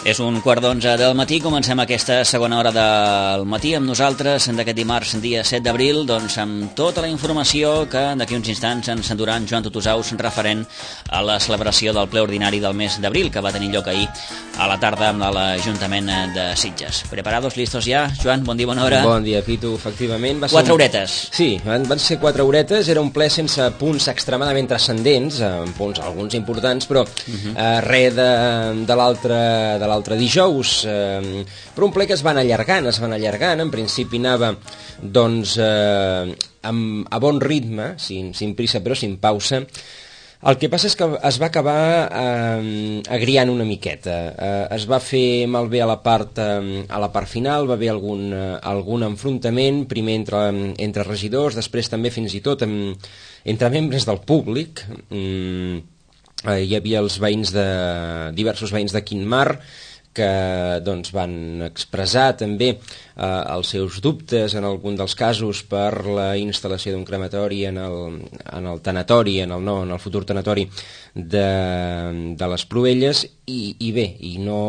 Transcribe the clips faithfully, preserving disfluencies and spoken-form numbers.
És un quart d'onze del matí, comencem aquesta segona hora del matí amb nosaltres d'aquest dimarts, dia set d'abril, doncs amb tota la informació que d'aquí uns instants ens endurà en Joan Tutusaus referent a la celebració del ple ordinari del mes d'abril que va tenir lloc ahir a la tarda amb l'Ajuntament de Sitges. Preparados, listos ja? Joan, bon dia, bona hora. Bon dia, Pitu, efectivament. Va ser quatre un... horetes. Sí, van, van ser quatre horetes, era un ple sense punts extremadament transcendents, amb punts alguns importants, però uh-huh. eh, res de, de l'altre de l'altre dijous, eh, però un ple que es van allargant, es van allargant, en principi anava doncs eh, amb, a bon ritme, sin, sin prisa però sin pausa. El que passa és que es va acabar eh, agriant una miqueta, eh, es va fer malbé a la part, eh, a la part final, va haver algun, eh, algun enfrontament, primer entre, entre regidors, després també fins i tot amb, entre membres del públic. mm, eh, hi havia els veïns de, diversos veïns de Quintmar que doncs, van expressar també eh, els seus dubtes en algun dels casos per la instal·lació d'un crematori en el, en el tanatori, en el, no, en el futur tanatori de, de les Pruelles i, i bé, i no...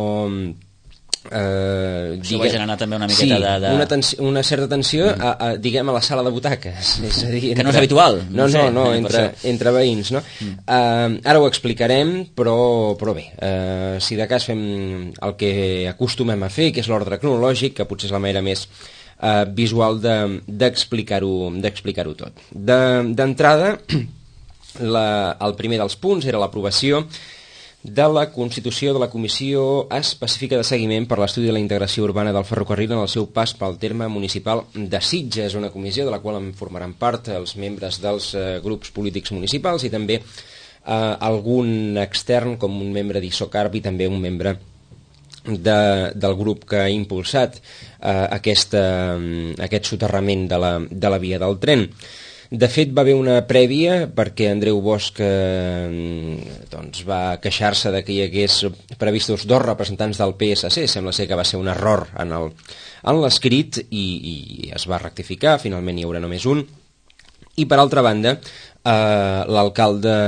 Eh, Això va generar també una miqueta sí, de... de... Una, tensi, una certa tensió mm. a, a, diguem, a la sala de butaques, és a dir, que entre... no és habitual, no, no, sé, no, no entre, entre veïns, no? Mm. Uh, ara ho explicarem, però, però bé, uh, si de cas fem el que acostumem a fer, que és l'ordre cronològic, que potser és la manera més uh, visual d'explicar-ho de, d'explicar-ho tot. D'entrada, de, el primer dels punts era l'aprovació de la constitució de la Comissió Específica de Seguiment per l'Estudi de la Integració Urbana del Ferrocarril en el seu pas pel terme municipal de Sitges, una comissió de la qual en formaran part els membres dels eh, grups polítics municipals i també eh, algun extern com un membre d'Isocarb i també un membre de, del grup que ha impulsat eh, aquesta, aquest soterrament de la, de la via del tren. De fet, va haver una prèvia perquè Andreu Bosch eh, doncs va queixar-se de que hi hagués previstos dos representants del P S C. Sembla ser que va ser un error en el, en l'escrit i, i es va rectificar, finalment hi haurà només un. I per altra banda, eh, l'alcalde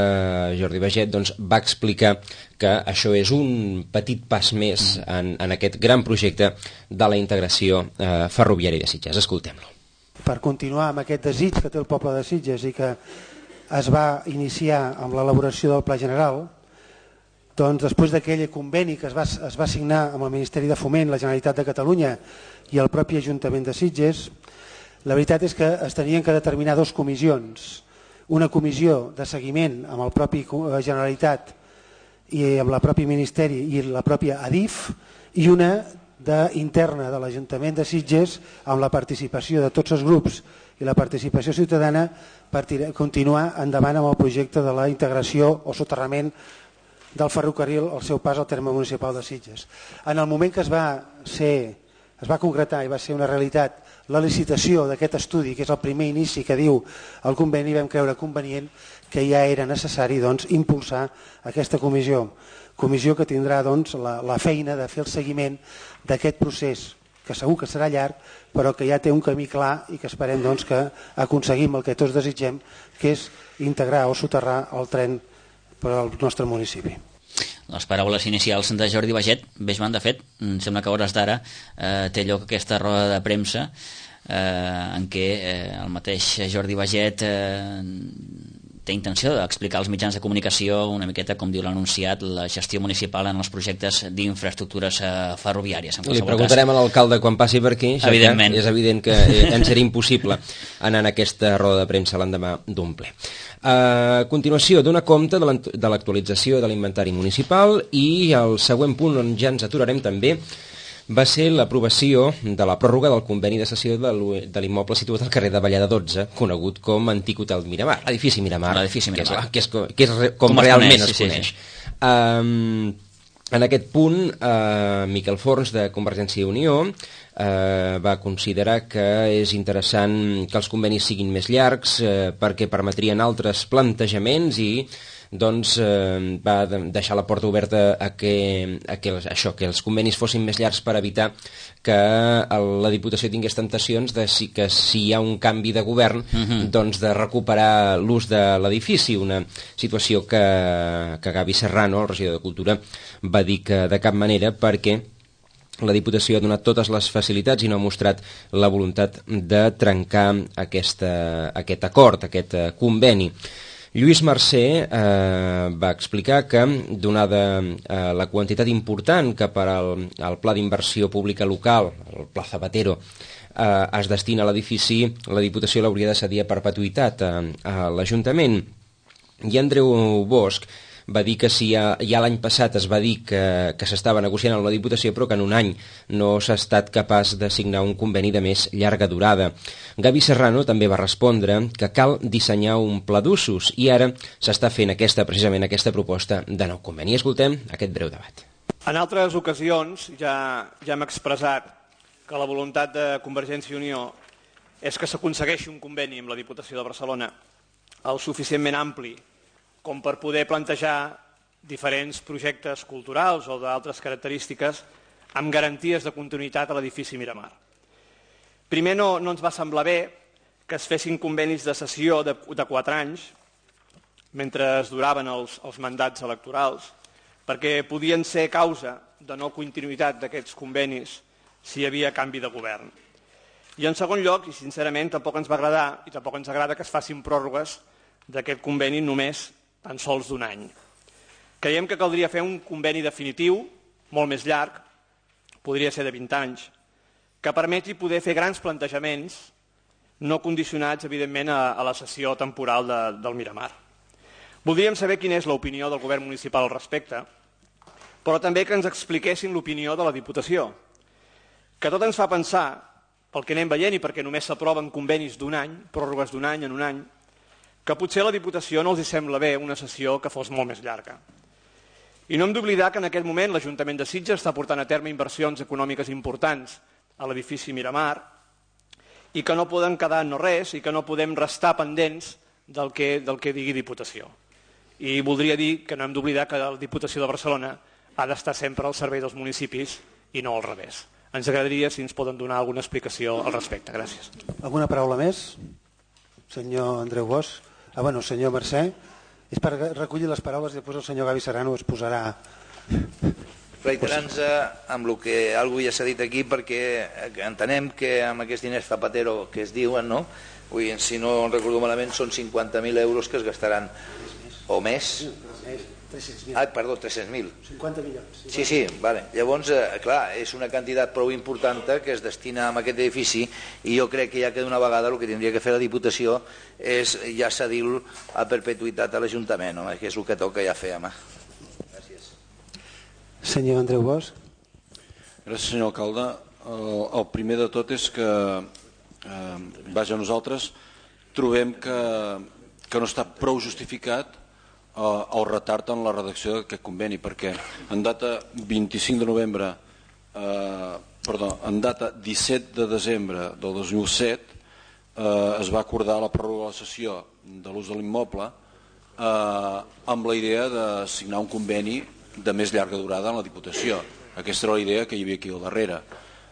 Jordi Baget doncs, va explicar que això és un petit pas més en, en aquest gran projecte de la integració eh, ferroviària de Sitges. Escoltem-lo. Per continuar amb aquest desig que té el poble de Sitges i que es va iniciar amb l'elaboració del Pla General, doncs després d'aquell conveni que es va, es va signar amb el Ministeri de Foment, la Generalitat de Catalunya i el propi Ajuntament de Sitges, la veritat és que es tenien que determinar dues comissions. Una comissió de seguiment amb el propi Generalitat i amb el propi Ministeri i la pròpia Adif i una de, interna de l'Ajuntament de Sitges amb la participació de tots els grups i la participació ciutadana per tirar, continuar endavant amb el projecte de la integració o soterrament del ferrocarril al seu pas al terme municipal de Sitges. En el moment que es va, ser, es va concretar i va ser una realitat la licitació d'aquest estudi, que és el primer inici que diu el conveni, vam creure convenient que ja era necessari doncs, impulsar aquesta comissió. Comissió que tindrà doncs, la, la feina de fer el seguiment d'aquest procés, que segur que serà llarg, però que ja té un camí clar i que esperem doncs, que aconseguim el que tots desitgem, que és integrar o soterrar el tren per al nostre municipi. Les paraules inicials de Jordi Baget, bé, Joan, de fet, sembla que a hores d'ara eh, té lloc aquesta roda de premsa eh, en què eh, el mateix Jordi Baget eh, té intenció d'explicar als mitjans de comunicació una miqueta, com diu l'anunciat, la gestió municipal en els projectes d'infraestructures eh, ferroviàries. Li preguntarem cas. A l'alcalde quan passi per aquí, ja evidentment. És evident que eh, ens era impossible anar en aquesta roda de premsa l'endemà d'un ple. A continuació, dona compte de l'actualització de l'inventari municipal i el següent punt on ja ens aturarem també va ser l'aprovació de la pròrroga del conveni de cessió de l'immoble situat al carrer de Vallada dotze, conegut com Antic Hotel Miramar, l'edifici Miramar, l'edifici Miramar. Que, és, que, és, que és com, com realment es coneix. Es coneix. Sí, sí. Um, en aquest punt, uh, Miquel Forns, de Convergència i Unió, uh, va considerar que és interessant que els convenis siguin més llargs uh, perquè permetrien altres plantejaments i doncs eh, va deixar la porta oberta a que, a que, això, que els convenis fossin més llargs per evitar que la Diputació tingués temptacions de si, que si hi ha un canvi de govern uh-huh. doncs de recuperar l'ús de l'edifici, una situació que, que Gavi Serrano, el regidor de Cultura, va dir que de cap manera, perquè la Diputació ha donat totes les facilitats i no ha mostrat la voluntat de trencar aquesta, aquest acord, aquest uh, conveni. Lluís Mercè eh, va explicar que, donada eh, la quantitat important que per al, al Pla d'Inversió Pública Local, el Pla Zapatero, eh, es destina a l'edifici, la Diputació l'hauria de cedir a perpetuïtat a, a l'Ajuntament. I Andreu Bosch va dir que si ja, ja l'any passat es va dir que, que s'estava negociant amb la Diputació, però que en un any no s'ha estat capaç de signar un conveni de més llarga durada. Gavi Serrano també va respondre que cal dissenyar un pla d'usos i ara s'està fent aquesta, precisament aquesta proposta de nou conveni. Escoltem aquest breu debat. En altres ocasions ja, ja hem expressat que la voluntat de Convergència i Unió és que s'aconsegueixi un conveni amb la Diputació de Barcelona el suficientment ampli com per poder plantejar diferents projectes culturals o d'altres característiques amb garanties de continuïtat a l'edifici Miramar. Primer, no, no ens va semblar bé que es fessin convenis de cessió de, de quatre anys mentre es duraven els, els mandats electorals, perquè podien ser causa de no continuïtat d'aquests convenis si hi havia canvi de govern. I en segon lloc, i sincerament tampoc ens va agradar i tampoc ens agrada que es facin pròrrogues d'aquest conveni només tan sols d'un any. Creiem que caldria fer un conveni definitiu, molt més llarg, podria ser de vint anys, que permeti poder fer grans plantejaments no condicionats, evidentment, a, a la sessió temporal de, del Miramar. Voldríem saber quina és l'opinió del govern municipal al respecte, però també que ens expliquessin l'opinió de la Diputació, que tot ens fa pensar, pel que anem veient i perquè només s'aproven convenis d'un any, pròrrogues d'un any en un any, que potser a la Diputació no els hi sembla bé una sessió que fos molt més llarga. I no hem d'oblidar que en aquest moment l'Ajuntament de Sitges està portant a terme inversions econòmiques importants a l'edifici Miramar i que no poden quedar en no res i que no podem restar pendents del que, del que digui Diputació. I voldria dir que no hem d'oblidar que la Diputació de Barcelona ha d'estar sempre al servei dels municipis i no al revés. Ens agradaria si ens poden donar alguna explicació al respecte. Gràcies. Alguna paraula més? Senyor Andreu Bosch. Ah, bueno, senyor Mercè, és per recollir les paraules i després el senyor Gavi Serrano es posarà... Reiterant-se amb el que algú ja s'ha dit aquí, perquè entenem que amb aquests diners Zapatero que es diuen, no? Vull dir, si no recordo malament, són cinquanta mil euros que es gastaran, o més. tres-cents mil. Ah, perdó, tres-cents mil. cinquanta milions. Sí, sí, vale. Llavors, eh, clar, és una quantitat prou important que es destina a aquest edifici i jo crec que ja que d'una vegada el que tindria que fer la Diputació és ja cedir-lo a perpetuïtat a l'Ajuntament, home, que és el que toca ja fer, home. Gràcies. Senyor Andreu Bosch. Gràcies, senyor alcalde. El, el primer de tot és que, eh, vaja, nosaltres trobem que, que no està prou justificat el retard en la redacció d'aquest conveni, perquè en data vint-i-cinc de novembre, eh, perdó, en data disset de desembre del dos mil set eh, es va acordar la pròrroga de la sessió de l'ús de l'immoble eh, amb la idea de signar un conveni de més llarga durada en la Diputació. Aquesta era la idea que hi havia aquí al darrere.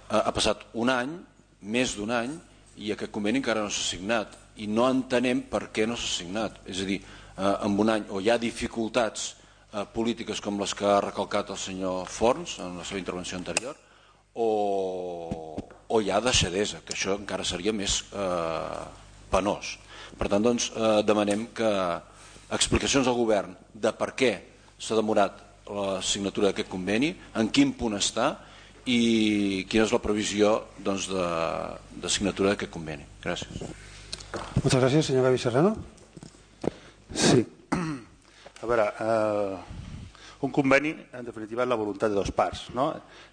Eh, ha passat un any, més d'un any, i aquest conveni encara no s'ha signat i no entenem per què no s'ha signat. És a dir, en un any o hi ha dificultats eh, polítiques com les que ha recalcat el senyor Forns en la seva intervenció anterior o, o hi ha deixadesa, que això encara seria més eh, penós. Per tant, doncs, eh, demanem que explicacions al govern de per què s'ha demorat la signatura d'aquest conveni, en quin punt està i quina és la previsió doncs, de, de signatura d'aquest conveni. Gràcies. Moltes gràcies, senyor Gavi Serrano. Sí. A veure, eh, un conveni, en definitiva, és la voluntat de dos parts. No?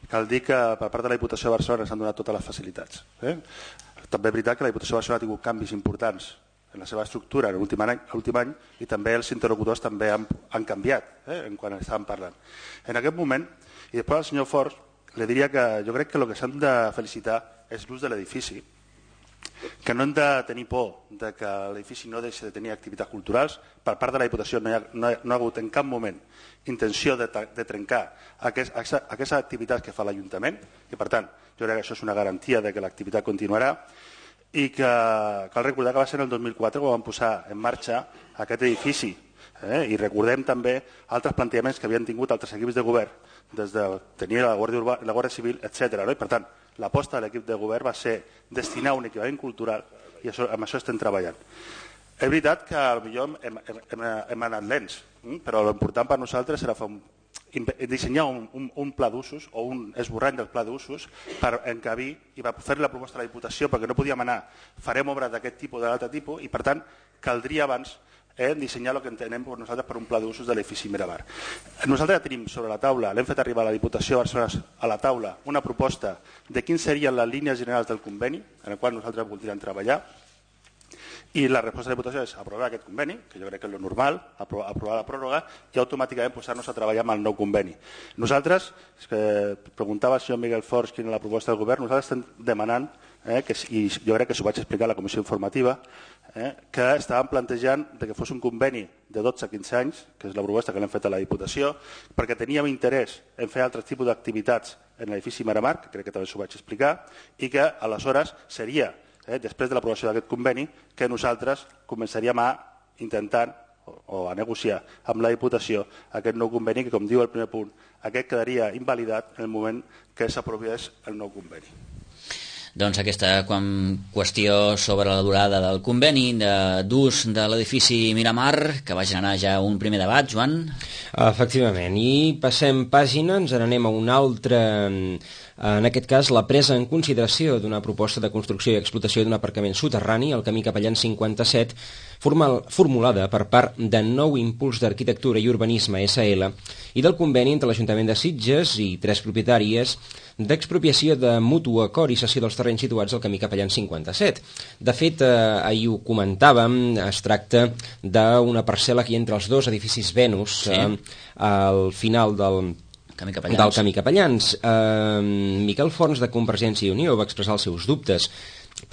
Cal dir que per part de la Diputació de Barcelona s'han donat totes les facilitats. Eh? També és veritat que la Diputació de Barcelona ha tingut canvis importants en la seva estructura en l'últim any, any i també els interlocutors també han, han canviat eh? en quan estàvem parlant. En aquest moment, i després al senyor Forns, li diria que jo crec que el que s'han de felicitar és l'ús de l'edifici que no hem de tenir por de que l'edifici no deixi de tenir activitats culturals. Per part de la Diputació no hi ha, no hi ha, no ha hagut en cap moment intenció de, de trencar aquest, aquestes activitats que fa l'Ajuntament i, per tant, jo crec que això és una garantia de que l'activitat continuarà i que cal recordar que va ser el dos mil quatre quan vam posar en marxa aquest edifici. Eh? I recordem també altres plantejaments que havien tingut altres equips de govern, des de tenir la Guàrdia, Urba, la Guàrdia Civil, etcètera. No? I, per tant, l'aposta de l'equip de govern va ser destinar un equipament cultural i això, amb això estem treballant. És veritat que potser hem, hem, hem, hem anat lents, però l'important per nosaltres era fer un, dissenyar un, un, un pla d'usos o un esborrany del pla d'usos per encabir i per fer la proposta a la Diputació, perquè no podíem anar, farem obres d'aquest tipus o de l'altre tipus i, per tant, caldria abans eh, dissenyar el que entenem per nosaltres per un pla d'usos de l'edifici Miramar. Nosaltres ja tenim sobre la taula, l'hem fet arribar a la Diputació de Barcelona a la taula, una proposta de quins serien les línies generals del conveni en el qual nosaltres voldríem treballar, i la resposta de la Diputació és aprovar aquest conveni, que jo crec que és el normal, aprovar la pròrroga i automàticament posar-nos a treballar amb el nou conveni. Nosaltres, que preguntava el senyor Miguel Forns quina és la proposta del govern, nosaltres estem demanant, eh, que, i jo crec que s'ho vaig explicar a la comissió informativa, eh, que estàvem plantejant de que fos un conveni de dotze a quinze anys, que és la proposta que l'hem fet a la Diputació, perquè teníem interès en fer altres tipus d'activitats en l'edifici Miramar, que crec que també s'ho vaig explicar, i que aleshores seria Eh, després de l'aprovació d'aquest conveni, que nosaltres començaríem a intentar o, o a negociar amb la Diputació aquest nou conveni que, com diu el primer punt, aquest quedaria invalidat en el moment que s'aprovés el nou conveni. Doncs aquesta qüestió sobre la durada del conveni d'ús de l'edifici Miramar, que va generar ja un primer debat, Joan. Efectivament, i passem pàgina, ens n'anem a un altre... En aquest cas, la presa en consideració d'una proposta de construcció i explotació d'un aparcament soterrani al camí Capellans cinquanta-set, formal, formulada per part de Nou Impuls d'Arquitectura i Urbanisme S L i del conveni entre l'Ajuntament de Sitges i tres propietàries d'expropiació de mutu acord i cessió dels terrenys situats al camí Capellans cinquanta-set. De fet, eh, ahir ho comentàvem, es tracta d'una parcel·la que hi ha entre els dos edificis Venus, sí. eh, al final del... Camí Capellans. del Camí Capellans. Eh, Miquel Forns, de Convergència i Unió, va expressar els seus dubtes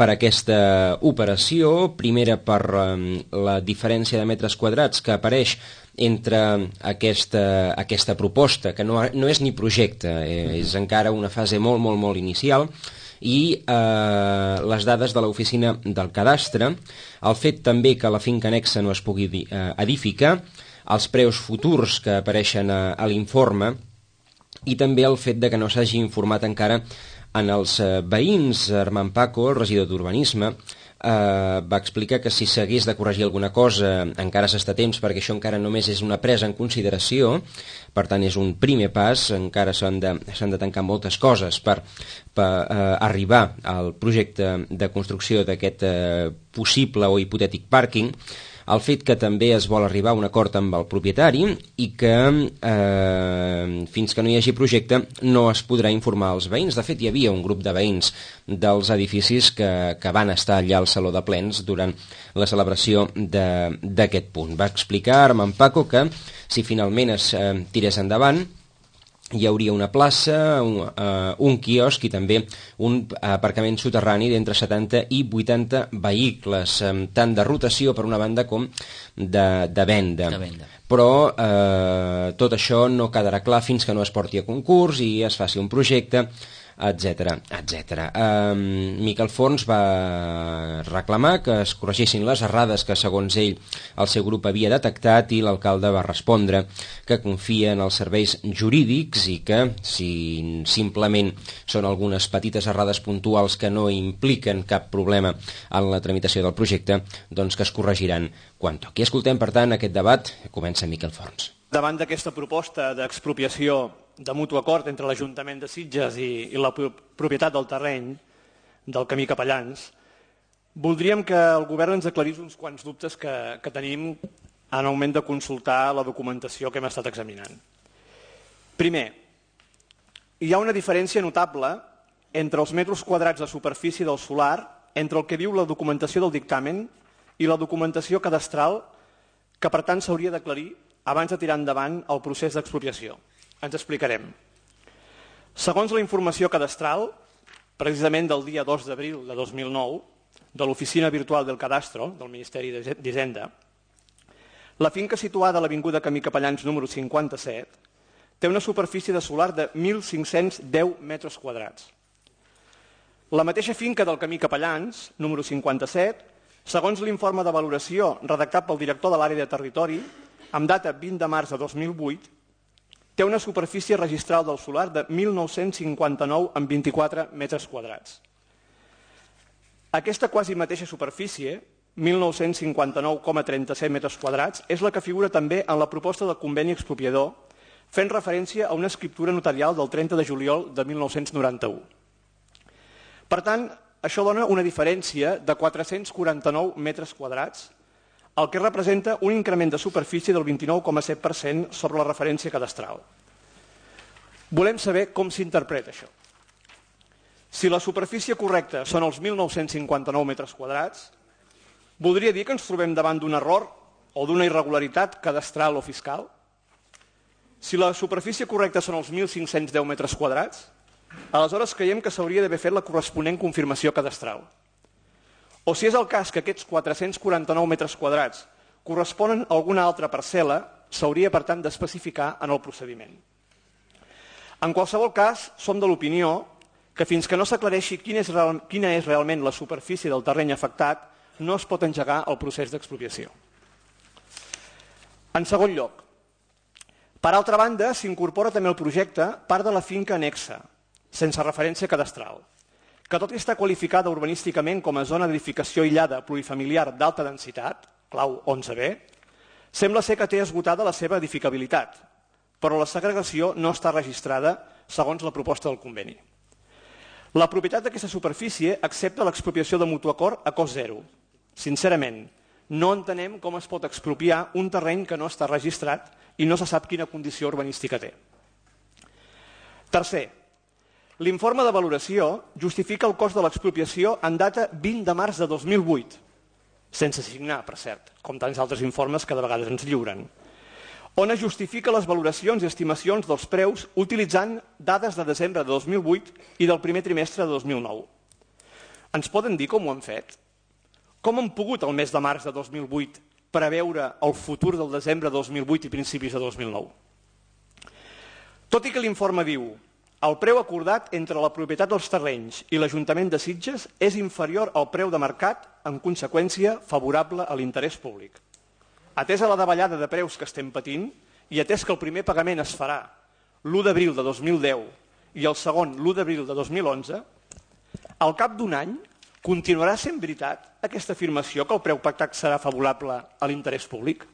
per aquesta operació, primera per eh, la diferència de metres quadrats que apareix entre aquesta, aquesta proposta, que no, no és ni projecte, eh, és encara una fase molt, molt, molt inicial, i eh, les dades de l'oficina del cadastre, el fet també que la finca anexa no es pugui eh, edificar, els preus futurs que apareixen a, a l'informe, i també el fet de que no s'hagi informat encara en els eh, veïns. Armand Paco, el regidor d'Urbanisme, eh, va explicar que si s'hagués de corregir alguna cosa encara s'està a temps, perquè això encara només és una presa en consideració, per tant és un primer pas, encara s'han de, s'han de tancar moltes coses per, per eh, arribar al projecte de construcció d'aquest eh, possible o hipotètic pàrquing. El fet que també es vol arribar a un acord amb el propietari i que eh, fins que no hi hagi projecte no es podrà informar als veïns. De fet, hi havia un grup de veïns dels edificis que, que van estar allà al Saló de Plens durant la celebració d'aquest punt. Va explicar Armand Paco que si finalment es eh, tirés endavant hi hauria una plaça, un, uh, un quiosc i també un aparcament soterrani d'entre setanta i vuitanta vehicles, um, tant de rotació per una banda com de, de venda. De venda. Però eh, tot això no quedarà clar fins que no es porti a concurs i es faci un projecte, etcètera, etcètera. Um, Miquel Forns va reclamar que es corregissin les errades que, segons ell, el seu grup havia detectat, i l'alcalde va respondre que confia en els serveis jurídics i que, si simplement són algunes petites errades puntuals que no impliquen cap problema en la tramitació del projecte, doncs que es corregiran quan toqui. Escoltem, per tant, aquest debat. Comença Miquel Forns. Davant d'aquesta proposta d'expropiació de mutu acord entre l'Ajuntament de Sitges i, i la propietat del terreny del camí Capellans, voldríem que el govern ens aclarís uns quants dubtes que, que tenim en el moment de consultar la documentació que hem estat examinant. Primer, hi ha una diferència notable entre els metres quadrats de superfície del solar, entre el que diu la documentació del dictamen i la documentació cadastral, que per tant s'hauria d'aclarir abans de tirar endavant el procés d'expropiació. Ens explicarem. Segons la informació cadastral, precisament del dia dos d'abril de dos mil nou, de l'Oficina Virtual del Cadastro del Ministeri d'Hisenda, la finca situada a l'Avinguda Camí Capellans número cinquanta-set té una superfície de solar de mil cinc-cents deu metres quadrats. La mateixa finca del Camí Capellans, número cinquanta-set, segons l'informe de valoració redactat pel director de l'àrea de territori, amb data vint de març de dos mil vuit, té una superfície registral del solar de mil nou-cents cinquanta-nou amb vint-i-quatre metres quadrats. Aquesta quasi mateixa superfície, mil nou-cents cinquanta-nou coma trenta-set metres quadrats, és la que figura també en la proposta del conveni expropiador, fent referència a una escriptura notarial del trenta de juliol de mil nou-cents noranta-u. Per tant, això dona una diferència de quatre-cents quaranta-nou metres quadrats, el que representa un increment de superfície del vint-i-nou coma set per cent sobre la referència cadastral. Volem saber com s'interpreta això. Si la superfície correcta són els mil nou-cents cinquanta-nou metres quadrats, voldria dir que ens trobem davant d'un error o d'una irregularitat cadastral o fiscal? Si la superfície correcta són els mil cinc-cents deu metres quadrats, aleshores creiem que s'hauria d'haver fet la corresponent confirmació cadastral. O si és el cas que aquests quatre-cents quaranta-nou metres quadrats corresponen a alguna altra parcel·la, s'hauria, per tant, d'especificar en el procediment. En qualsevol cas, som de l'opinió que fins que no s'aclareixi quina és, real, quina és realment la superfície del terreny afectat, no es pot engegar el procés d'expropiació. En segon lloc, per altra banda, s'incorpora també al projecte part de la finca anexa, sense referència cadastral, que tot i estar qualificada urbanísticament com a zona d'edificació aïllada plurifamiliar d'alta densitat, clau onze be, sembla ser que té esgotada la seva edificabilitat, però la segregació no està registrada segons la proposta del conveni. La propietat d'aquesta superfície accepta l'expropiació de mutu acord a cost zero. Sincerament, no entenem com es pot expropiar un terreny que no està registrat i no se sap quina condició urbanística té. Tercer, l'informe de valoració justifica el cost de l'expropiació en data vint de març de dos mil vuit, sense signar, per cert, com tants altres informes que de vegades ens lliuren, on es justifica les valoracions i estimacions dels preus utilitzant dades de desembre de dos mil vuit i del primer trimestre de dos mil nou. Ens poden dir com ho han fet? Com han pogut el mes de març de dos mil vuit preveure el futur del desembre de dos mil vuit i principis de dos mil nou? Tot i que l'informe diu el preu acordat entre la propietat dels terrenys i l'Ajuntament de Sitges és inferior al preu de mercat, en conseqüència favorable a l'interès públic. Atès a la davallada de preus que estem patint i atès que el primer pagament es farà l'u d'abril de dos mil deu i el segon l'u d'abril de dos mil onze, al cap d'un any continuarà sent veritat aquesta afirmació que el preu pactat serà favorable a l'interès públic?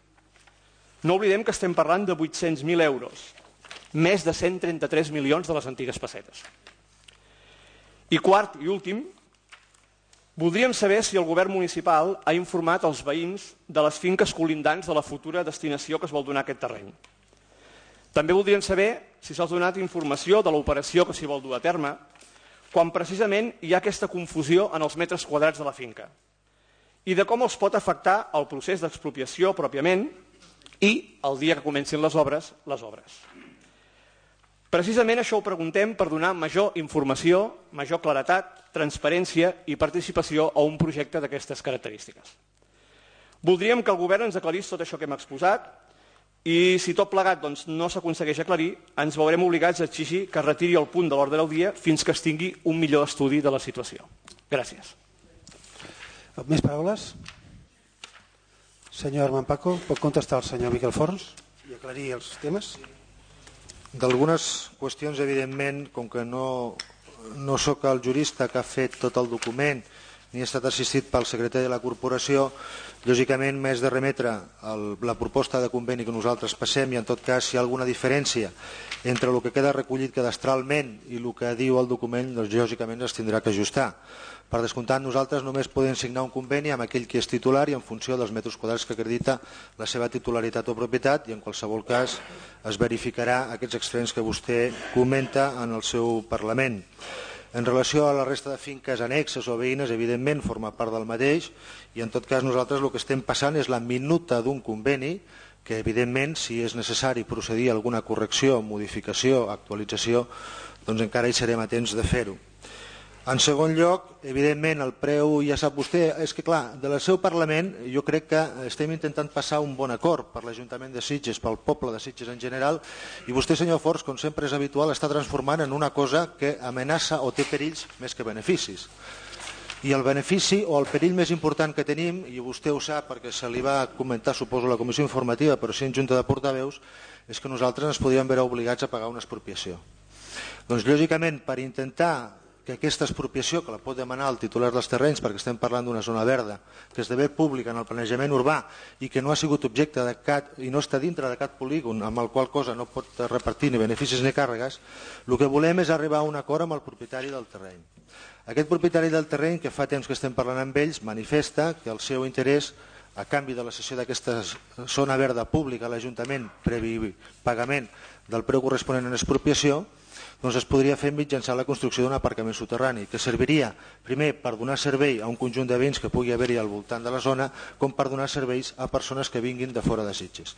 No oblidem que estem parlant de vuit-cents mil euros, més de cent trenta-tres milions de les antigues pessetes. I quart i últim, voldríem saber si el govern municipal ha informat els veïns de les finques colindants de la futura destinació que es vol donar a aquest terreny. També voldríem saber si s'ha donat informació de l'operació que s'hi vol dur a terme, quan precisament hi ha aquesta confusió en els metres quadrats de la finca, i de com els pot afectar el procés d'expropiació pròpiament i, el dia que comencin les obres, les obres. Precisament això ho preguntem per donar major informació, major claretat, transparència i participació a un projecte d'aquestes característiques. Voldríem que el govern ens aclarís tot això que hem exposat i si tot plegat doncs, no s'aconsegueix aclarir, ens veurem obligats a exigir que es retiri el punt de l'ordre del dia fins que es tingui un millor estudi de la situació. Gràcies. Més paraules? Senyor Armand Paco, pot contestar el senyor Miquel Forns i aclarir els temes? D'algunes qüestions, evidentment, com que no, no sóc el jurista que ha fet tot el document ni ha estat assistit pel secretari de la corporació, lògicament m'és de remetre el, la proposta de conveni que nosaltres passem i en tot cas si hi ha alguna diferència entre el que queda recollit cadastralment i el que diu el document, doncs lògicament es tindrà que ajustar. Per descomptat, nosaltres només podem signar un conveni amb aquell que és titular i en funció dels metres quadrats que acredita la seva titularitat o propietat i en qualsevol cas es verificarà aquests extrems que vostè comenta en el seu Parlament. En relació a la resta de finques annexes o veïnes, evidentment forma part del mateix i en tot cas nosaltres el que estem passant és la minuta d'un conveni que evidentment si és necessari procedir a alguna correcció, modificació, actualització, doncs encara hi serem atents de fer-ho. En segon lloc, evidentment, el preu, ja sap vostè, és que clar, del seu Parlament jo crec que estem intentant passar un bon acord per l'Ajuntament de Sitges, pel poble de Sitges en general, i vostè, senyor Forns, com sempre és habitual, està transformant en una cosa que amenaça o té perills més que beneficis. I el benefici o el perill més important que tenim, i vostè ho sap perquè se li va comentar, suposo, a la comissió informativa, però sí en Junta de Portaveus, és que nosaltres ens podríem veure obligats a pagar una expropiació. Doncs, lògicament, per intentar que aquesta expropiació, que la pot demanar el titular dels terrenys, perquè estem parlant d'una zona verda, que esdevé pública en el planejament urbà i que no ha sigut objecte de cap, i no està dintre de cap polígon, amb el qual cosa no pot repartir ni beneficis ni càrregues, el que volem és arribar a un acord amb el propietari del terreny. Aquest propietari del terreny, que fa temps que estem parlant amb ells, manifesta que el seu interès, a canvi de la cessió d'aquesta zona verda pública a l'Ajuntament, previ pagament del preu corresponent en expropiació, doncs es podria fer mitjançant la construcció d'un aparcament soterrani, que serviria primer per donar servei a un conjunt de béns que pugui haver-hi al voltant de la zona, com per donar serveis a persones que vinguin de fora de Sitges.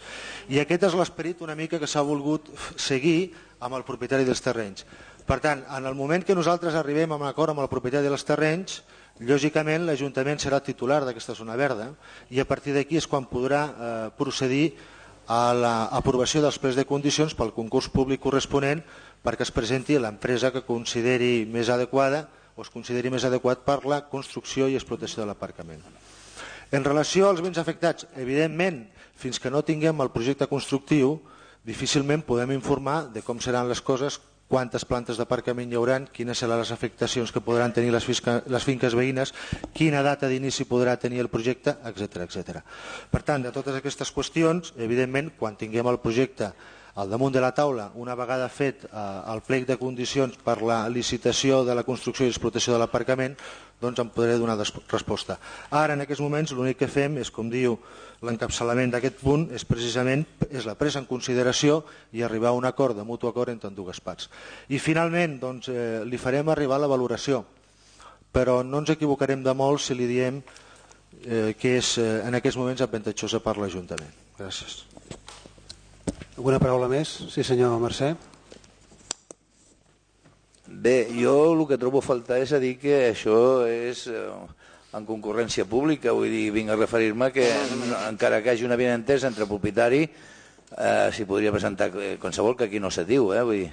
I aquest és l'esperit una mica que s'ha volgut seguir amb el propietari dels terrenys. Per tant, en el moment que nosaltres arribem a un acord amb el propietari dels terrenys, lògicament l'Ajuntament serà titular d'aquesta zona verda i a partir d'aquí és quan podrà eh, procedir a l'aprovació dels plens de condicions pel concurs públic corresponent perquè es presenti l'empresa que consideri més adequada o es consideri més adequat per la construcció i explotació de l'aparcament. En relació als béns afectats, evidentment, fins que no tinguem el projecte constructiu, difícilment podem informar de com seran les coses, quantes plantes d'aparcament hi haurà, quines seran les afectacions que podran tenir les, fisca, les finques veïnes, quina data d'inici podrà tenir el projecte, etcètera etcètera. Per tant, de totes aquestes qüestions, evidentment, quan tinguem el projecte al damunt de la taula, una vegada fet eh, el plec de condicions per la licitació de la construcció i explotació de l'aparcament, doncs em podré donar resposta. Ara, en aquests moments, l'únic que fem és, com diu l'encapçalament d'aquest punt, és precisament és la presa en consideració i arribar a un acord de mutu acord entre dues parts. I finalment, doncs, eh, li farem arribar la valoració, però no ens equivocarem de molt si li diem eh, que és eh, en aquests moments avantatjosa per l'Ajuntament. Gràcies. Alguna paraula més? Sí, senyor Mercè. Bé, jo el que trobo a faltar és a dir que això és eh, en concurrència pública, vull dir, vinc a referir-me que encara que hi hagi una avinentesa entre el propietari eh, s'hi podria presentar qualsevol, que aquí no se diu, eh, vull dir.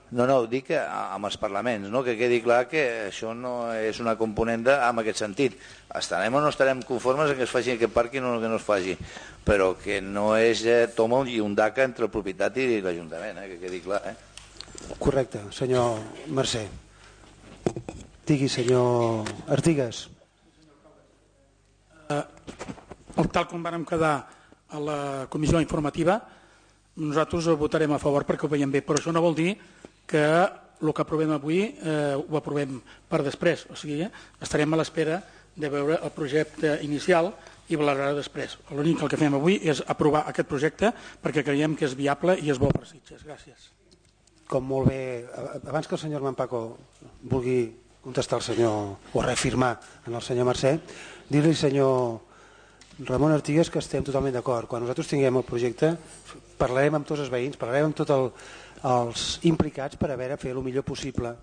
No, no, dic que amb els parlaments, no? Que quedi clar que això no és una component de, en aquest sentit. Estarem o no estarem conformes que es faci aquest parc i no que no es faci, però que no és eh, toma i un daca entre el propietari i l'Ajuntament, eh, que quedi clar. Eh? Correcte, senyor Mercè. Digui, senyor Artigas. Eh, tal com vàrem quedar a la comissió informativa, nosaltres ho votarem a favor perquè ho veiem bé, però això no vol dir que el que aprovem avui eh, ho aprovem per després, o sigui, eh, estarem a l'espera de veure el projecte inicial i valorar després. L'únic que fem avui és aprovar aquest projecte perquè creiem que és viable i és bo per Sitges. Gràcies. Com molt bé, abans que el senyor Mampaco vulgui contestar al senyor o reafirmar en el senyor Mercè, dir-li senyor Ramon Artigas que estem totalment d'acord. Quan nosaltres tinguem el projecte parlarem amb tots els veïns, parlarem amb tots el, els implicats per a veure fer el millor possible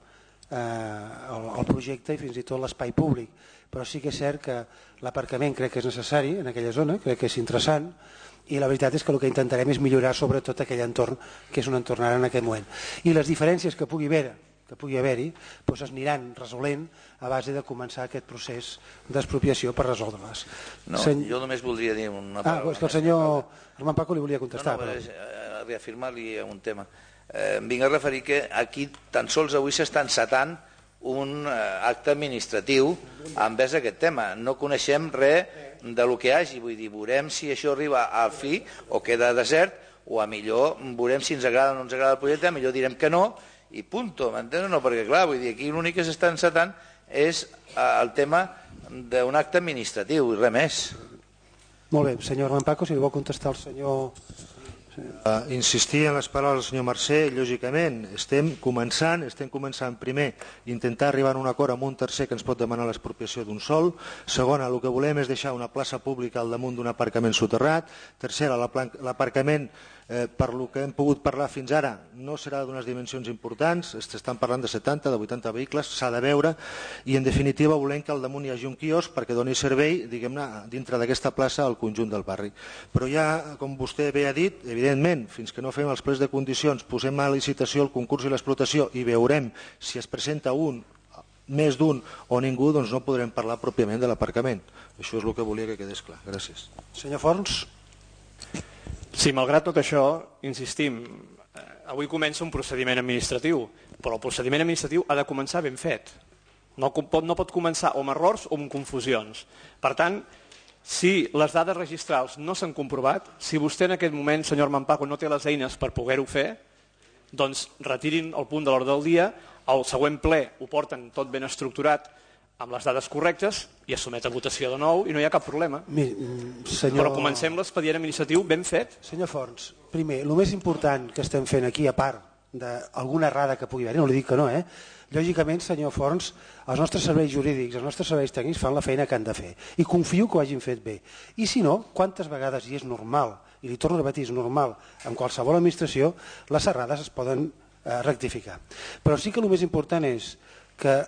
eh, el, el projecte i fins i tot l'espai públic. Però sí que és cert que l'aparcament crec que és necessari en aquella zona, crec que és interessant i la veritat és que el que intentarem és millorar sobretot aquell entorn que és un entorn ara en aquest moment. I les diferències que pugui haver que pugui haver-hi doncs es aniran resolent a base de començar aquest procés d'expropiació per resoldre-les. No, Sen... Jo només voldria dir una paraula. Ah, és que el senyor Armand Paco li volia contestar. No, no, però... a reafirmar-li un tema. Eh, em vinc a referir que aquí tan sols avui s'està encetant un acte administratiu envers aquest tema. No coneixem res de lo que hi hagi, vull dir, veurem si això arriba al fi o queda desert o a millor veurem si ens agrada o no ens agrada el projecte, a millor direm que no i punto, m'entens? No, perquè clar, vull dir, aquí l'únic que s'està encetant és el tema d'un acte administratiu i res més. Molt bé, senyor Armand Paco, si li vol contestar el senyor... Uh, insistir en les paraules del senyor Mercè, lògicament, estem començant, estem començant primer intentar arribar a un acord amb un tercer que ens pot demanar l'expropiació d'un sol, segona, el que volem és deixar una plaça pública al damunt d'un aparcament soterrat, tercera, l'aparcament Eh, per lo que hem pogut parlar fins ara, no serà d'unes dimensions importants, estan parlant de setanta, de vuitanta vehicles, s'ha de veure, i en definitiva volem que al damunt hi hagi un quiosc perquè doni servei, diguem-ne, dintre d'aquesta plaça al conjunt del barri. Però ja, com vostè bé ha dit, evidentment, fins que no fem els plecs de condicions, posem a licitació el concurs i l'explotació i veurem si es presenta un, més d'un o ningú, doncs no podrem parlar pròpiament de l'aparcament. Això és el que volia que quedés clar. Gràcies. Senyor Forns. Sí, malgrat tot això, insistim, avui comença un procediment administratiu, però el procediment administratiu ha de començar ben fet. No pot, no pot començar o amb errors o amb confusions. Per tant, si les dades registrals no s'han comprovat, si vostè en aquest moment, senyor Mampaco, no té les eines per poder-ho fer, doncs retirin el punt de l'ordre del dia, al següent ple ho porten tot ben estructurat, amb les dades correctes i es somet a votació de nou i no hi ha cap problema. Mi, senyor... Però comencem l'expedient administratiu ben fet. Senyor Forns, primer, el més important que estem fent aquí, a part d'alguna errada que pugui haver, no li dic que no, eh? Lògicament, senyor Forns, els nostres serveis jurídics, els nostres serveis tècnics fan la feina que han de fer i confio que ho hagin fet bé. I si no, quantes vegades, i és normal, i li torno a repetir, és normal, en qualsevol administració, les errades es poden eh, rectificar. Però sí que el més important és que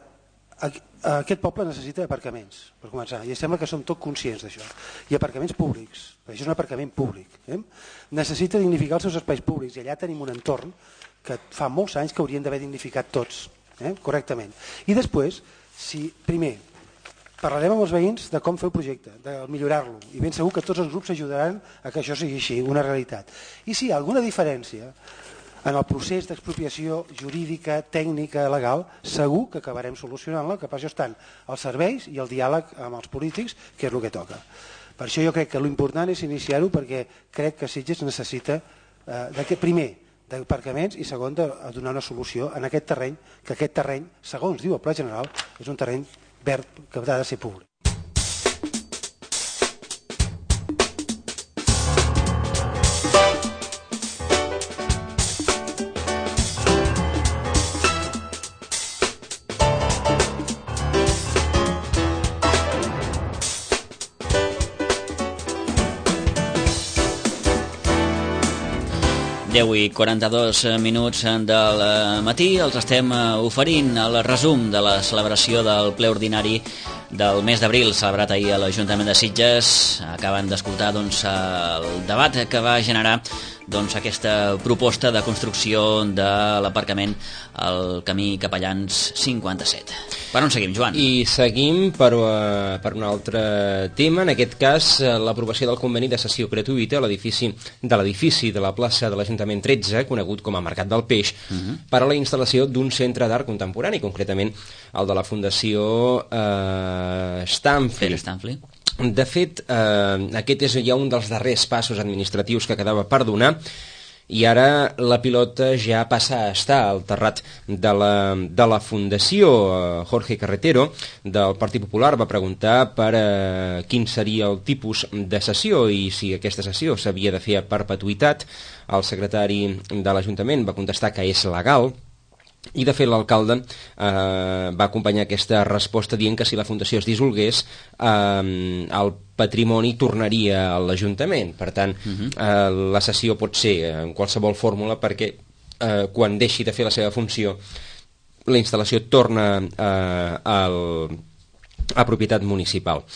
aquest poble necessita aparcaments, per començar, i sembla que som tots conscients d'això, i aparcaments públics, perquè això és un aparcament públic. Eh? Necessita dignificar els seus espais públics, i allà tenim un entorn que fa molts anys que haurien d'haver dignificat tots, eh? correctament. I després, si primer, parlarem amb els veïns de com fer el projecte, de millorar-lo, i ben segur que tots els grups ajudaran a que això sigui així, una realitat. I si hi ha alguna diferència en el procés d'expropiació jurídica, tècnica, legal, segur que acabarem solucionant-la, que per això estan els serveis i el diàleg amb els polítics, que és el que toca. Per això jo crec que l'important és iniciar-ho, perquè crec que Sitges necessita, eh, primer, d'aparcaments i segon, de donar una solució en aquest terreny, que aquest terreny, segons diu el Pla General, és un terreny verd que ha de ser públic. deu i quaranta-dos minuts del matí els estem oferint el resum de la celebració del ple ordinari del mes d'abril celebrat ahir a l'Ajuntament de Sitges. Acaben d'escoltar doncs, el debat que va generar doncs, aquesta proposta de construcció de l'aparcament al camí Capellans cinquanta-set. Per on seguim, Joan? I seguim per, uh, per un altre tema, en aquest cas l'aprovació del conveni de cessió gratuïta a l'edifici de l'edifici de la plaça de l'Ajuntament tretze, conegut com a Mercat del Peix, uh-huh. per a la instal·lació d'un centre d'art contemporani, concretament el de la Fundació eh, Stanfli. Stanfli. De fet, eh, aquest és ja un dels darrers passos administratius que quedava per donar, i ara la pilota ja passa a estar al terrat de la, de la Fundació. Jorge Carretero, del Partit Popular, va preguntar per eh, quin seria el tipus de sessió i si aquesta sessió s'havia de fer a perpetuïtat. El secretari de l'Ajuntament va contestar que és legal, i de fet l'alcalde eh, va acompanyar aquesta resposta dient que si la fundació es dissolgués eh, el patrimoni tornaria a l'Ajuntament. Per tant, uh-huh. eh, la cessió pot ser en qualsevol fórmula, perquè eh, quan deixi de fer la seva funció la instal·lació torna eh, al, a propietat municipal.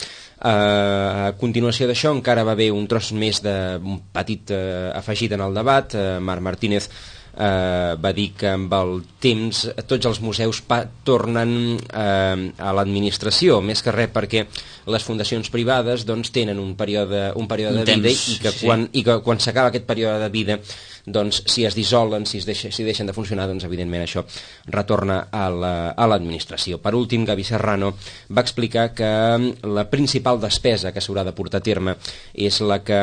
Uh, a continuació d'això encara va haver un tros més d'un petit uh, afegit en el debat. uh, Marc Martínez uh, va dir que amb el temps tots els museus pa tornen uh, a l'administració, més que res perquè les fundacions privades doncs, tenen un període, un període un de vida temps, i que quan, sí. i que quan s'acaba aquest període de vida, doncs, si es dissolen, si, es deixa, si deixen de funcionar, doncs, evidentment això retorna a l'administració. La, per últim, Gavi Serrano va explicar que la principal despesa que s'haurà de portar a terme és la que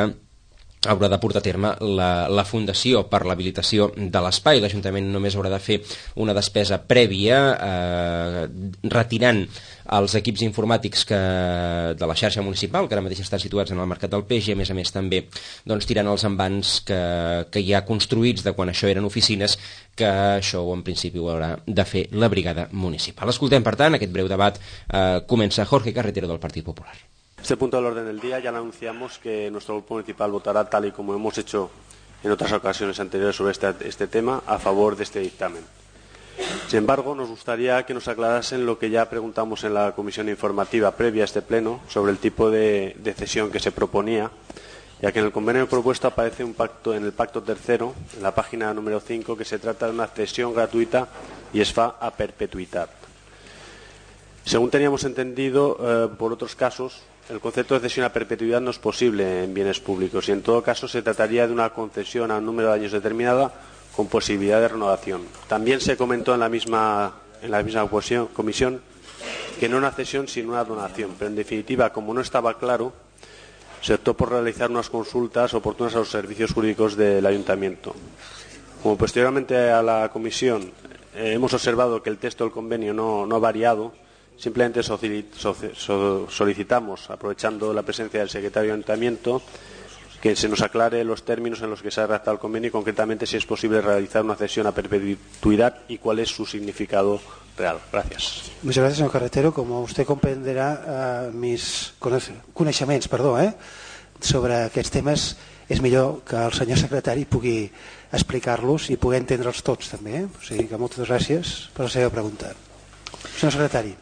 haurà de portar a terme la, la Fundació per l'habilitació de l'espai. L'Ajuntament només haurà de fer una despesa prèvia eh, retirant els equips informàtics que, de la xarxa municipal, que ara mateix estan situats en el Mercat del Peix, i a més a més també doncs, tirant els envans que, que hi ha construïts de quan això eren oficines, que això en principi ho haurà de fer la brigada municipal. Escoltem, per tant, aquest breu debat. Eh, comença Jorge Carretero del Partit Popular. Este punto del orden del día ya le anunciamos que nuestro grupo municipal votará tal y como hemos hecho en otras ocasiones anteriores sobre este, este tema a favor de este dictamen. Sin embargo, nos gustaría que nos aclarasen lo que ya preguntamos en la comisión informativa previa a este pleno sobre el tipo de, de cesión que se proponía, ya que en el convenio propuesto aparece un pacto en el pacto tercero, en la página número cinco, que se trata de una cesión gratuita y es fa a perpetuidad. Según teníamos entendido, eh, por otros casos, el concepto de cesión a perpetuidad no es posible en bienes públicos y en todo caso se trataría de una concesión a un número de años determinada con posibilidad de renovación. También se comentó en la misma, en la misma comisión que no una cesión sino una donación, pero en definitiva, como no estaba claro, se optó por realizar unas consultas oportunas a los servicios jurídicos del Ayuntamiento. Como posteriormente a la comisión eh, hemos observado que el texto del convenio no, no ha variado, simplemente solicitamos, aprovechando la presencia del secretario del Ayuntamiento, que se nos aclare los términos en los que se ha redactado el convenio y concretamente si es posible realizar una cesión a perpetuidad y cuál es su significado real. Gracias. Muchas gracias, señor Carretero. Como usted comprenderà, eh, mis coneixements perdó, eh, sobre aquests temes és millor que el senyor secretari pugui explicar-los i pugui entendre'ls tots també. Eh? O sigui que moltes gràcies per la seva pregunta. Senyor secretari.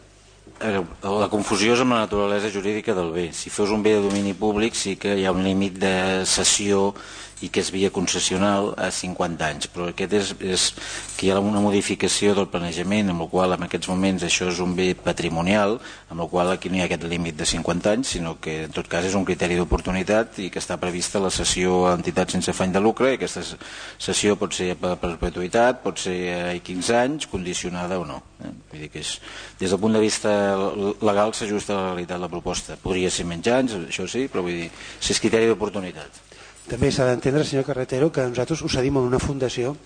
La confusió és amb la naturalesa jurídica del bé. Si fos un bé de domini públic sí que hi ha un límit de cessió i que és via concessional a cinquanta anys, però aquest és, és que hi ha una modificació del planejament amb el qual en aquests moments això és un bé patrimonial, amb el qual aquí no hi ha aquest límit de cinquanta anys, sinó que en tot cas és un criteri d'oportunitat i que està prevista la cessió a entitats sense afany de lucre i aquesta cessió pot ser per perpetuïtat, pot ser a quinze anys, condicionada o no. Vull dir que és, des del punt de vista legal s'ajusta a la realitat la proposta. Podria ser menys anys, això sí, però vull dir, si és criteri d'oportunitat. També s'ha d'entendre, senyor Carretero, que nosaltres ho cedim a una fundació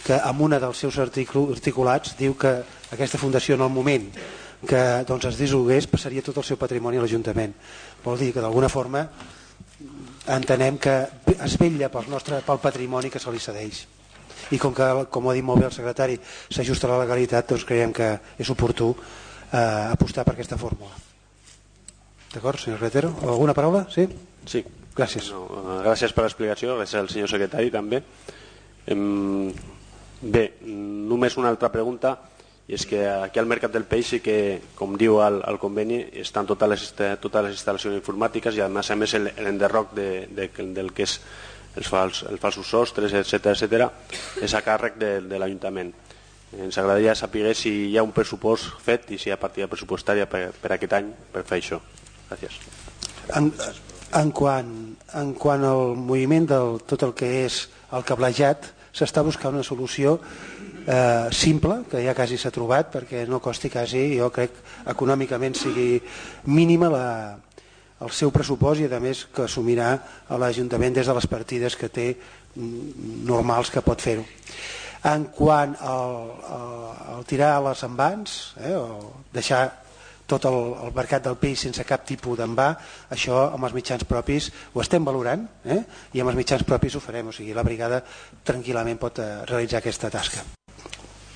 que en una dels seus articulats diu que aquesta fundació en el moment que doncs, es dissolgués passaria tot el seu patrimoni a l'Ajuntament. Vol dir que d'alguna forma entenem que es vetlla pel, nostre, pel patrimoni que se li cedeix. I com que, com ho ha dit molt bé el secretari, s'ajusta a la legalitat, doncs creiem que és oportú eh, apostar per aquesta fórmula. D'acord, senyor Carretero? Alguna paraula? Sí? Sí. Gràcies. No, gràcies per l'explicació, gràcies al senyor secretari també. Bé, només una altra pregunta, i és que aquí al Mercat del Peix sí que, com diu el, el conveni, estan totes les, totes les instal·lacions informàtiques i a més a més l'enderroc de, de, del que és els, fals, els falsos sostres, etcètera, etcètera, és a càrrec de, de l'Ajuntament. Ens agradaria saber si hi ha un pressupost fet i si hi ha partida pressupostària per, per aquest any per fer això. Gràcies. En, en, quant, en quant al moviment de tot el que és el cablejat, s'està buscant una solució eh, simple, que ja quasi s'ha trobat, perquè no costi quasi, jo crec, econòmicament sigui mínima la, el seu pressupost i a més que assumirà l'Ajuntament des de les partides que té normals que pot fer-ho. En quant al, al, al tirar les envans, eh, o deixar tot el, el mercat del peix sense cap tipus d'envà, això amb els mitjans propis ho estem valorant, eh? I amb els mitjans propis ho farem, o sigui, la brigada tranquil·lament pot eh, realitzar aquesta tasca.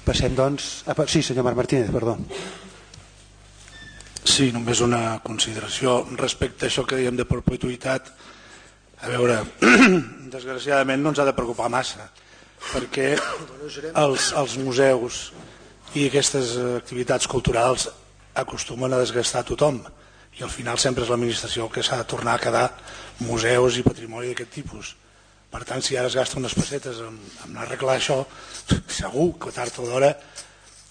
Passem doncs... Ah, sí, senyor Marc Martínez, perdó. Sí, només una consideració respecte a això que dèiem de perpetuïtat. A veure, desgraciadament no ens ha de preocupar massa, perquè els, els museus i aquestes activitats culturals acostumen a desgastar tothom i al final sempre és l'administració que s'ha de tornar a quedar museus i patrimoni d'aquest tipus. Per tant, si ara es gasta unes pessetes en, en arreglar això, segur que tard o d'hora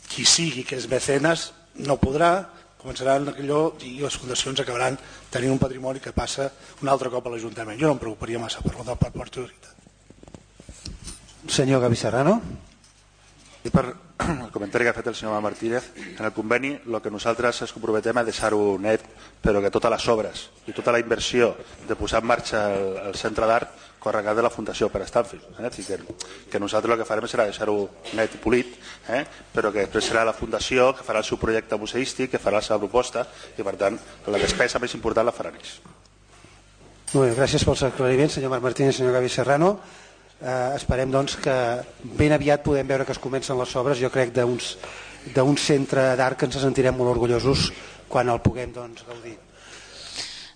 qui sigui que és mecenes no podrà, començaran allò i les fundacions acabaran tenint un patrimoni que passa un altre cop a l'Ajuntament. Jo no em preocuparia massa per la perpetuïtat. Senyor Gavi Serrano. I per el comentari que ha fet el senyor Martínez, en el conveni el que nosaltres ens comprometem a deixar-ho net, però que totes les obres i tota la inversió de posar en marxa el, el centre d'art corregat de la Fundació per Stanfield. Eh? Que, que nosaltres el que farem serà deixar-ho net i polit, eh? però que després serà la Fundació que farà el seu projecte museístic, que farà la seva proposta i per tant la despesa més important la faran ells. Molt bé, gràcies pels aclariments, senyor Marc Martínez i senyor Gavi Serrano. Eh, esperem doncs que ben aviat podem veure que es comencen les obres, jo crec d'un centre d'art que ens sentirem molt orgullosos quan el puguem doncs, gaudir.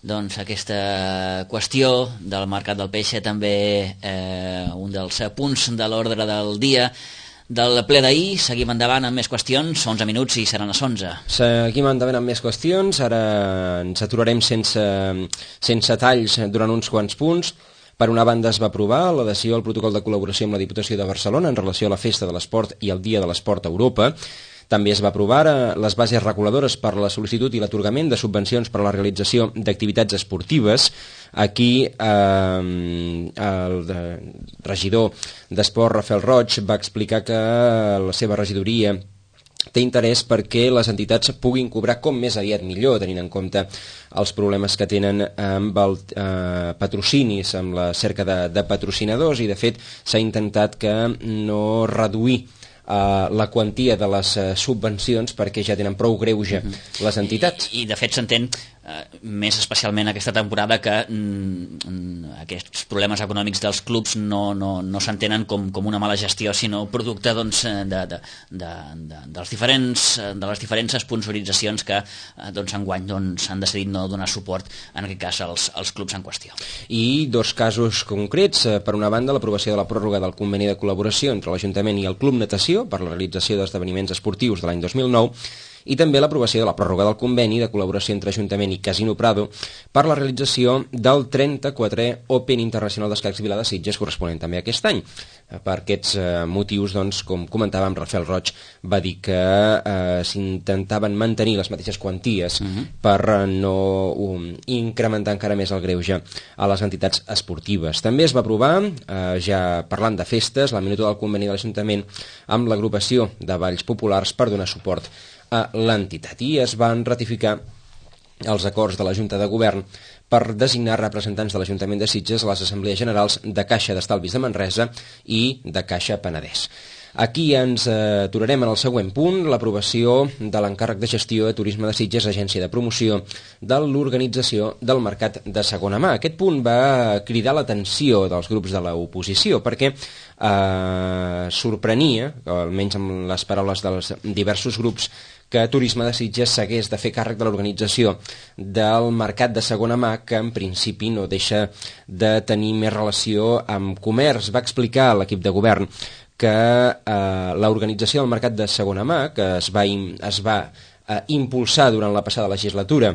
doncs, aquesta qüestió del mercat del peix, també eh, un dels punts de l'ordre del dia del ple d'ahir. Seguim endavant amb més qüestions, onze minuts i seran les onze. Seguim endavant amb més qüestions, ara ens aturarem sense, sense talls durant uns quants punts. Per una banda es va aprovar l'adhesió al protocol de col·laboració amb la Diputació de Barcelona en relació a la Festa de l'Esport i el Dia de l'Esport a Europa. També es va aprovar les bases reguladores per a la sol·licitud i l'atorgament de subvencions per a la realització d'activitats esportives. Aquí eh, el regidor d'Esport, Rafael Roig, va explicar que la seva regidoria té interès perquè les entitats puguin cobrar com més aviat millor, tenint en compte els problemes que tenen amb el eh, patrocinis, amb la cerca de, de patrocinadors, i de fet s'ha intentat que no reduir Uh, la quantia de les uh, subvencions perquè ja tenen prou greuge mm-hmm. les entitats. I, i de fet s'entén uh, més especialment aquesta temporada que mm, aquests problemes econòmics dels clubs no, no, no s'entenen com, com una mala gestió, sinó producte doncs, de, de, de, de, dels diferents, de les diferents sponsoritzacions que uh, doncs, enguany doncs, han decidit no donar suport en aquest cas als, als clubs en qüestió. I dos casos concrets, uh, per una banda l'aprovació de la pròrroga del conveni de col·laboració entre l'Ajuntament i el Club Natació per la realització d'esdeveniments esportius de l'any dos mil nou, i també l'aprovació de la pròrroga del conveni de col·laboració entre Ajuntament i Casino Prado per la realització del trenta-quatrè Open Internacional d'Escacs Vila de Sitges, corresponent també aquest any. Per aquests eh, motius, doncs, com comentàvem, Rafael Roig va dir que eh, s'intentaven mantenir les mateixes quanties uh-huh. per no um, incrementar encara més el greuge a les entitats esportives. També es va aprovar, eh, ja parlant de festes, la minuta del conveni de l'Ajuntament amb l'agrupació de balls populars per donar suport a l'entitat, i es van ratificar els acords de la Junta de Govern per designar representants de l'Ajuntament de Sitges a les Assemblees Generals de Caixa d'Estalvis de Manresa i de Caixa Penedès. Aquí ens aturarem en el següent punt, l'aprovació de l'encàrrec de gestió de turisme de Sitges, agència de promoció de l'organització del mercat de segona mà. Aquest punt va cridar l'atenció dels grups de l'oposició perquè eh, sorprenia, almenys amb les paraules dels diversos grups, que Turisme de Sitges s'hagués de fer càrrec de l'organització del mercat de segona mà, que en principi no deixa de tenir més relació amb comerç. Va explicar a l'equip de govern que eh, l'organització del mercat de segona mà, que es va, es va eh, impulsar durant la passada legislatura,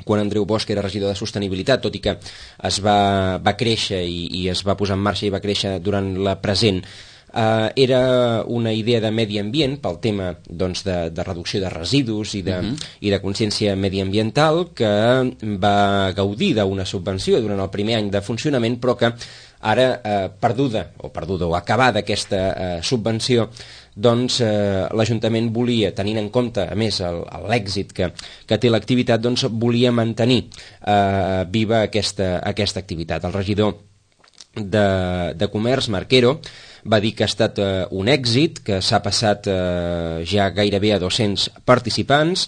quan Andreu Bosch era regidor de Sostenibilitat, tot i que es va, va créixer i, i es va posar en marxa i va créixer durant la present, Uh, era una idea de medi ambient pel tema doncs, de, de reducció de residus i de, uh-huh. i de consciència mediambiental, que va gaudir d'una subvenció durant el primer any de funcionament, però que ara, eh, perduda o perduda o acabada aquesta eh, subvenció, doncs eh, l'Ajuntament volia, tenint en compte a més l'èxit que, que té l'activitat, doncs volia mantenir eh, viva aquesta, aquesta activitat. El regidor de, de Comerç, Marquero, va dir que ha estat eh, un èxit, que s'ha passat eh, ja gairebé a dos-cents participants,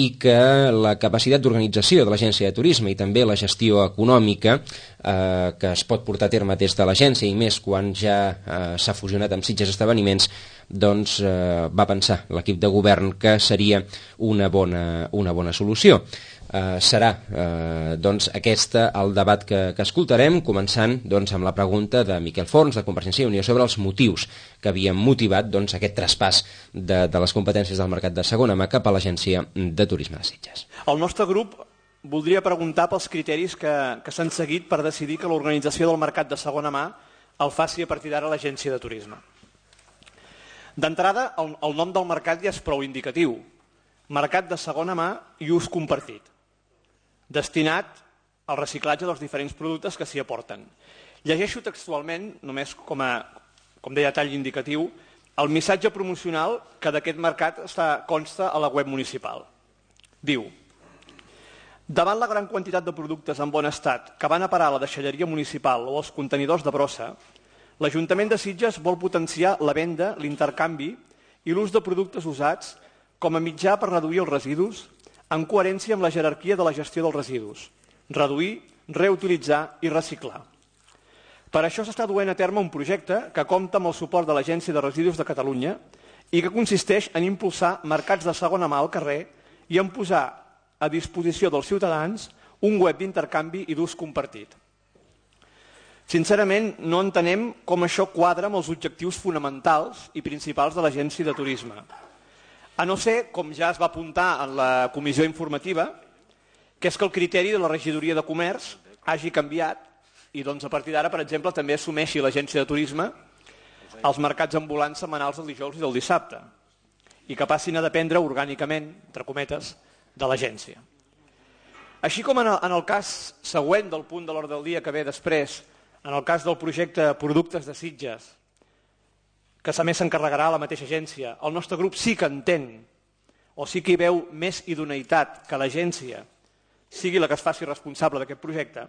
i que la capacitat d'organització de l'agència de turisme i també la gestió econòmica eh, que es pot portar a terme des de l'agència, i més quan ja eh, s'ha fusionat amb Sitges Esdeveniments, doncs eh, va pensar l'equip de govern que seria una bona, una bona solució. Uh, serà uh, doncs aquesta el debat que, que escoltarem, començant doncs, amb la pregunta de Miquel Forns, de Convergència i Unió, sobre els motius que havien motivat doncs, aquest traspàs de, de les competències del mercat de segona mà cap a l'Agència de Turisme de Sitges. El nostre grup voldria preguntar pels criteris que, que s'han seguit per decidir que l'organització del mercat de segona mà el faci a partir d'ara l'Agència de Turisme. D'entrada, el, el nom del mercat ja és prou indicatiu. Mercat de segona mà i ús compartit, destinat al reciclatge dels diferents productes que s'hi aporten. Llegeixo textualment, només com a, com deia, tall indicatiu, el missatge promocional que d'aquest mercat està, consta a la web municipal. Diu: davant la gran quantitat de productes en bon estat que van a parar a la deixalleria municipal o als contenidors de brossa, l'Ajuntament de Sitges vol potenciar la venda, l'intercanvi i l'ús de productes usats com a mitjà per reduir els residus, en coherència amb la jerarquia de la gestió dels residus: reduir, reutilitzar i reciclar. Per això s'està duent a terme un projecte que compta amb el suport de l'Agència de Residus de Catalunya i que consisteix en impulsar mercats de segona mà al carrer i en posar a disposició dels ciutadans un web d'intercanvi i d'ús compartit. Sincerament, no entenem com això quadra amb els objectius fonamentals i principals de l'Agència de Turisme. A no ser, com ja es va apuntar en la comissió informativa, que és que el criteri de la regidoria de comerç hagi canviat i doncs, a partir d'ara, per exemple, també assumeixi l'Agència de Turisme els mercats ambulants setmanals del dijous i del dissabte i que passin a dependre orgànicament, entre cometes, de l'agència. Així com en el, en el cas següent del punt de l'ordre del dia que ve després, en el cas del projecte Productes de Sitges, que a més s'encarregarà la mateixa agència, el nostre grup sí que entén o sí que hi veu més idoneïtat que l'agència sigui la que es faci responsable d'aquest projecte.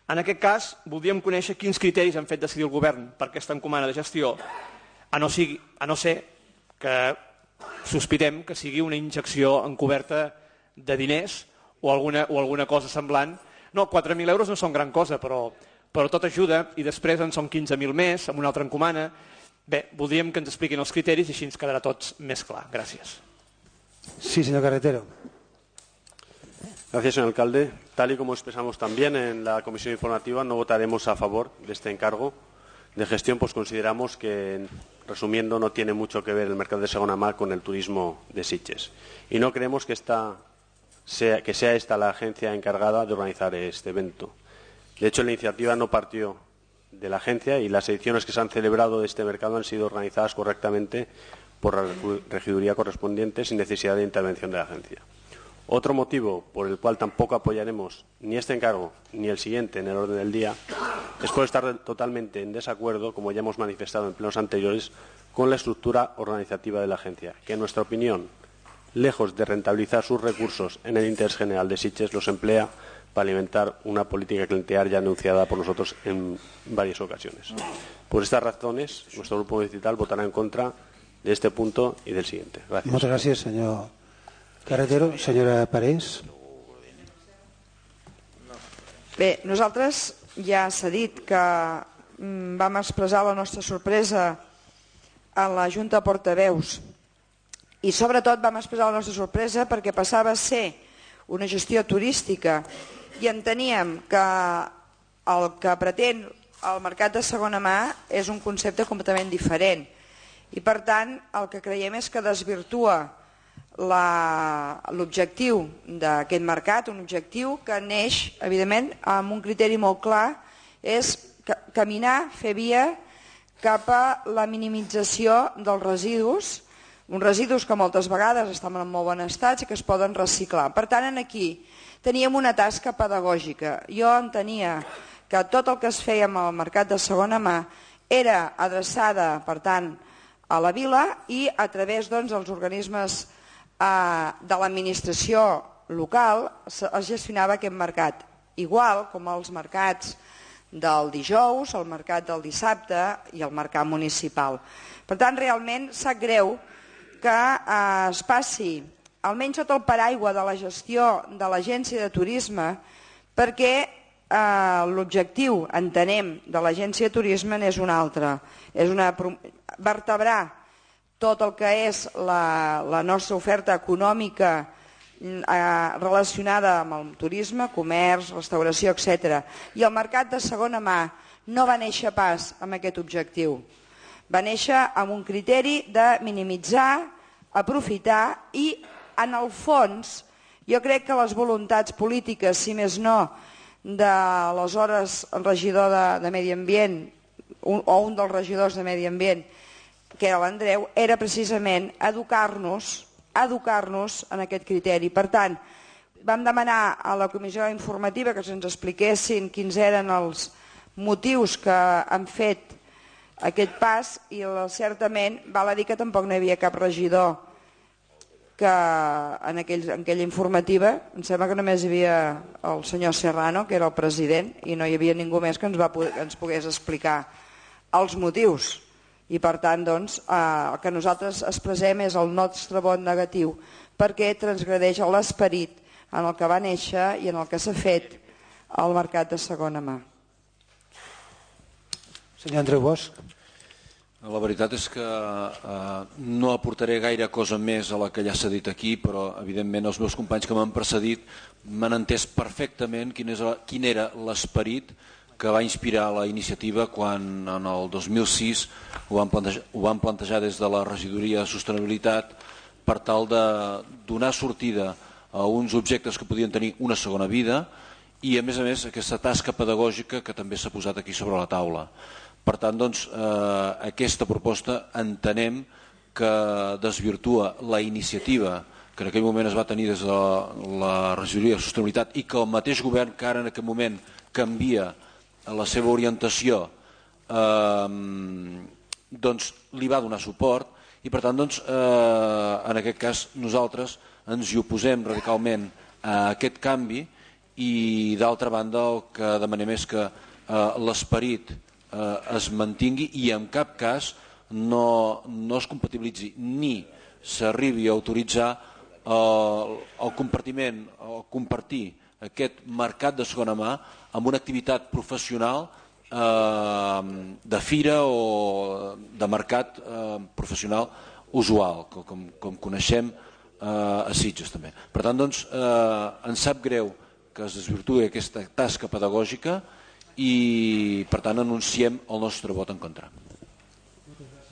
En aquest cas, voldríem conèixer quins criteris han fet decidir el govern per aquesta encomana de gestió, a no, sigui, a no ser que sospitem que sigui una injecció encoberta de diners o alguna, o alguna cosa semblant. No, quatre mil euros no són gran cosa, però, però tot ajuda i després en són quinze mil més amb una altra encomana. Bé, voldríem que ens expliquin els criteris i així ens quedarà tots més clar. Gràcies. Sí, señor Carretero. Gracias, señor alcalde. Tal y como expresamos también en la comisión informativa, no votaremos a favor de este encargo de gestión, pues consideramos que, resumiendo, no tiene mucho que ver el mercado de segunda mano con el turismo de Sitges. Y no creemos que, esta sea, que sea esta la agencia encargada de organizar este evento. De hecho, la iniciativa no partió de la agencia y las ediciones que se han celebrado de este mercado han sido organizadas correctamente por la regiduría correspondiente sin necesidad de intervención de la agencia. Otro motivo por el cual tampoco apoyaremos ni este encargo ni el siguiente en el orden del día es por estar totalmente en desacuerdo, como ya hemos manifestado en plenos anteriores, con la estructura organizativa de la agencia, que en nuestra opinión, lejos de rentabilizar sus recursos en el interés general de Sitges, los emplea para alimentar una política clientelar ya anunciada por nosotros en varias ocasiones. Por estas razones, nuestro grupo municipal votará en contra de este punto y del siguiente. Gracias. Muchas gracias, señor Carretero. Senyora Parés. Bé, nosaltres ja s'ha dit que vam expressar la nostra sorpresa a la Junta de Portaveus i sobretot vam expressar la nostra sorpresa perquè passava a ser una gestió turística i enteníem que el que pretén el mercat de segona mà és un concepte completament diferent i per tant el que creiem és que desvirtua l'objectiu d'aquest mercat, un objectiu que neix evidentment amb un criteri molt clar, és caminar, fer via cap a la minimització dels residus, uns residus que moltes vegades estan en molt bon estat i que es poden reciclar. Per tant, aquí teníem una tasca pedagògica. Jo entenia que tot el que es feia amb el mercat de segona mà era adreçada, per tant, a la vila i a través dels organismes de l'administració local es gestionava aquest mercat, igual com els mercats del dijous, el mercat del dissabte i el mercat municipal. Per tant, realment sap greu que es passi, almenys sota el paraigua de la gestió de l'agència de turisme, perquè l'objectiu, entenem, de l'agència de turisme és un altre, és vertebrar tot el que és la, la nostra oferta econòmica eh, relacionada amb el turisme, comerç, restauració, etcètera. I el mercat de segona mà no va néixer pas amb aquest objectiu. Va néixer amb un criteri de minimitzar, aprofitar i, en el fons, jo crec que les voluntats polítiques, si més no, de l'aleshores regidor de, de Medi Ambient un, o un dels regidors de Medi Ambient, que era l'Andreu, era precisament educar-nos educar-nos en aquest criteri. Per tant, vam demanar a la comissió informativa que se'ns expliquessin quins eren els motius que han fet aquest pas i certament val a dir que tampoc no hi havia cap regidor que en, aquell, en aquella informativa, em sembla que només hi havia el senyor Serrano, que era el president, i no hi havia ningú més que ens, va, que ens pogués explicar els motius. I per tant, doncs, eh, el que nosaltres expressem és el nostre vot negatiu perquè transgredeix l'esperit en el que va néixer i en el que s'ha fet al mercat de segona mà. Senyor Andreu Bosch. La veritat és que eh, no aportaré gaire cosa més a la que ja s'ha dit aquí, però evidentment els meus companys que m'han precedit m'han entès perfectament quin, és, quin era l'esperit que va inspirar la iniciativa quan en el dos mil sis ho van plantejar, ho van plantejar des de la regidoria de sostenibilitat per tal de donar sortida a uns objectes que podien tenir una segona vida i a més a més aquesta tasca pedagògica que també s'ha posat aquí sobre la taula. Per tant, doncs, eh, aquesta proposta entenem que desvirtua la iniciativa que en aquell moment es va tenir des de la, la regidoria de sostenibilitat i que el mateix govern que ara en aquest moment canvia la seva orientació eh, doncs li va donar suport i per tant doncs, eh, en aquest cas nosaltres ens hi oposem radicalment a aquest canvi i d'altra banda el que demanem és que eh, l'esperit eh, es mantingui i en cap cas no, no es compatibilitzi ni s'arribi a autoritzar el, el compartiment o compartir aquest mercat de segona mà amb una activitat professional eh, de fira o de mercat eh, professional usual, com, com coneixem eh, a Sitges també. Per tant, doncs, eh, ens sap greu que es desvirtuï aquesta tasca pedagògica i, per tant, anunciem el nostre vot en contra.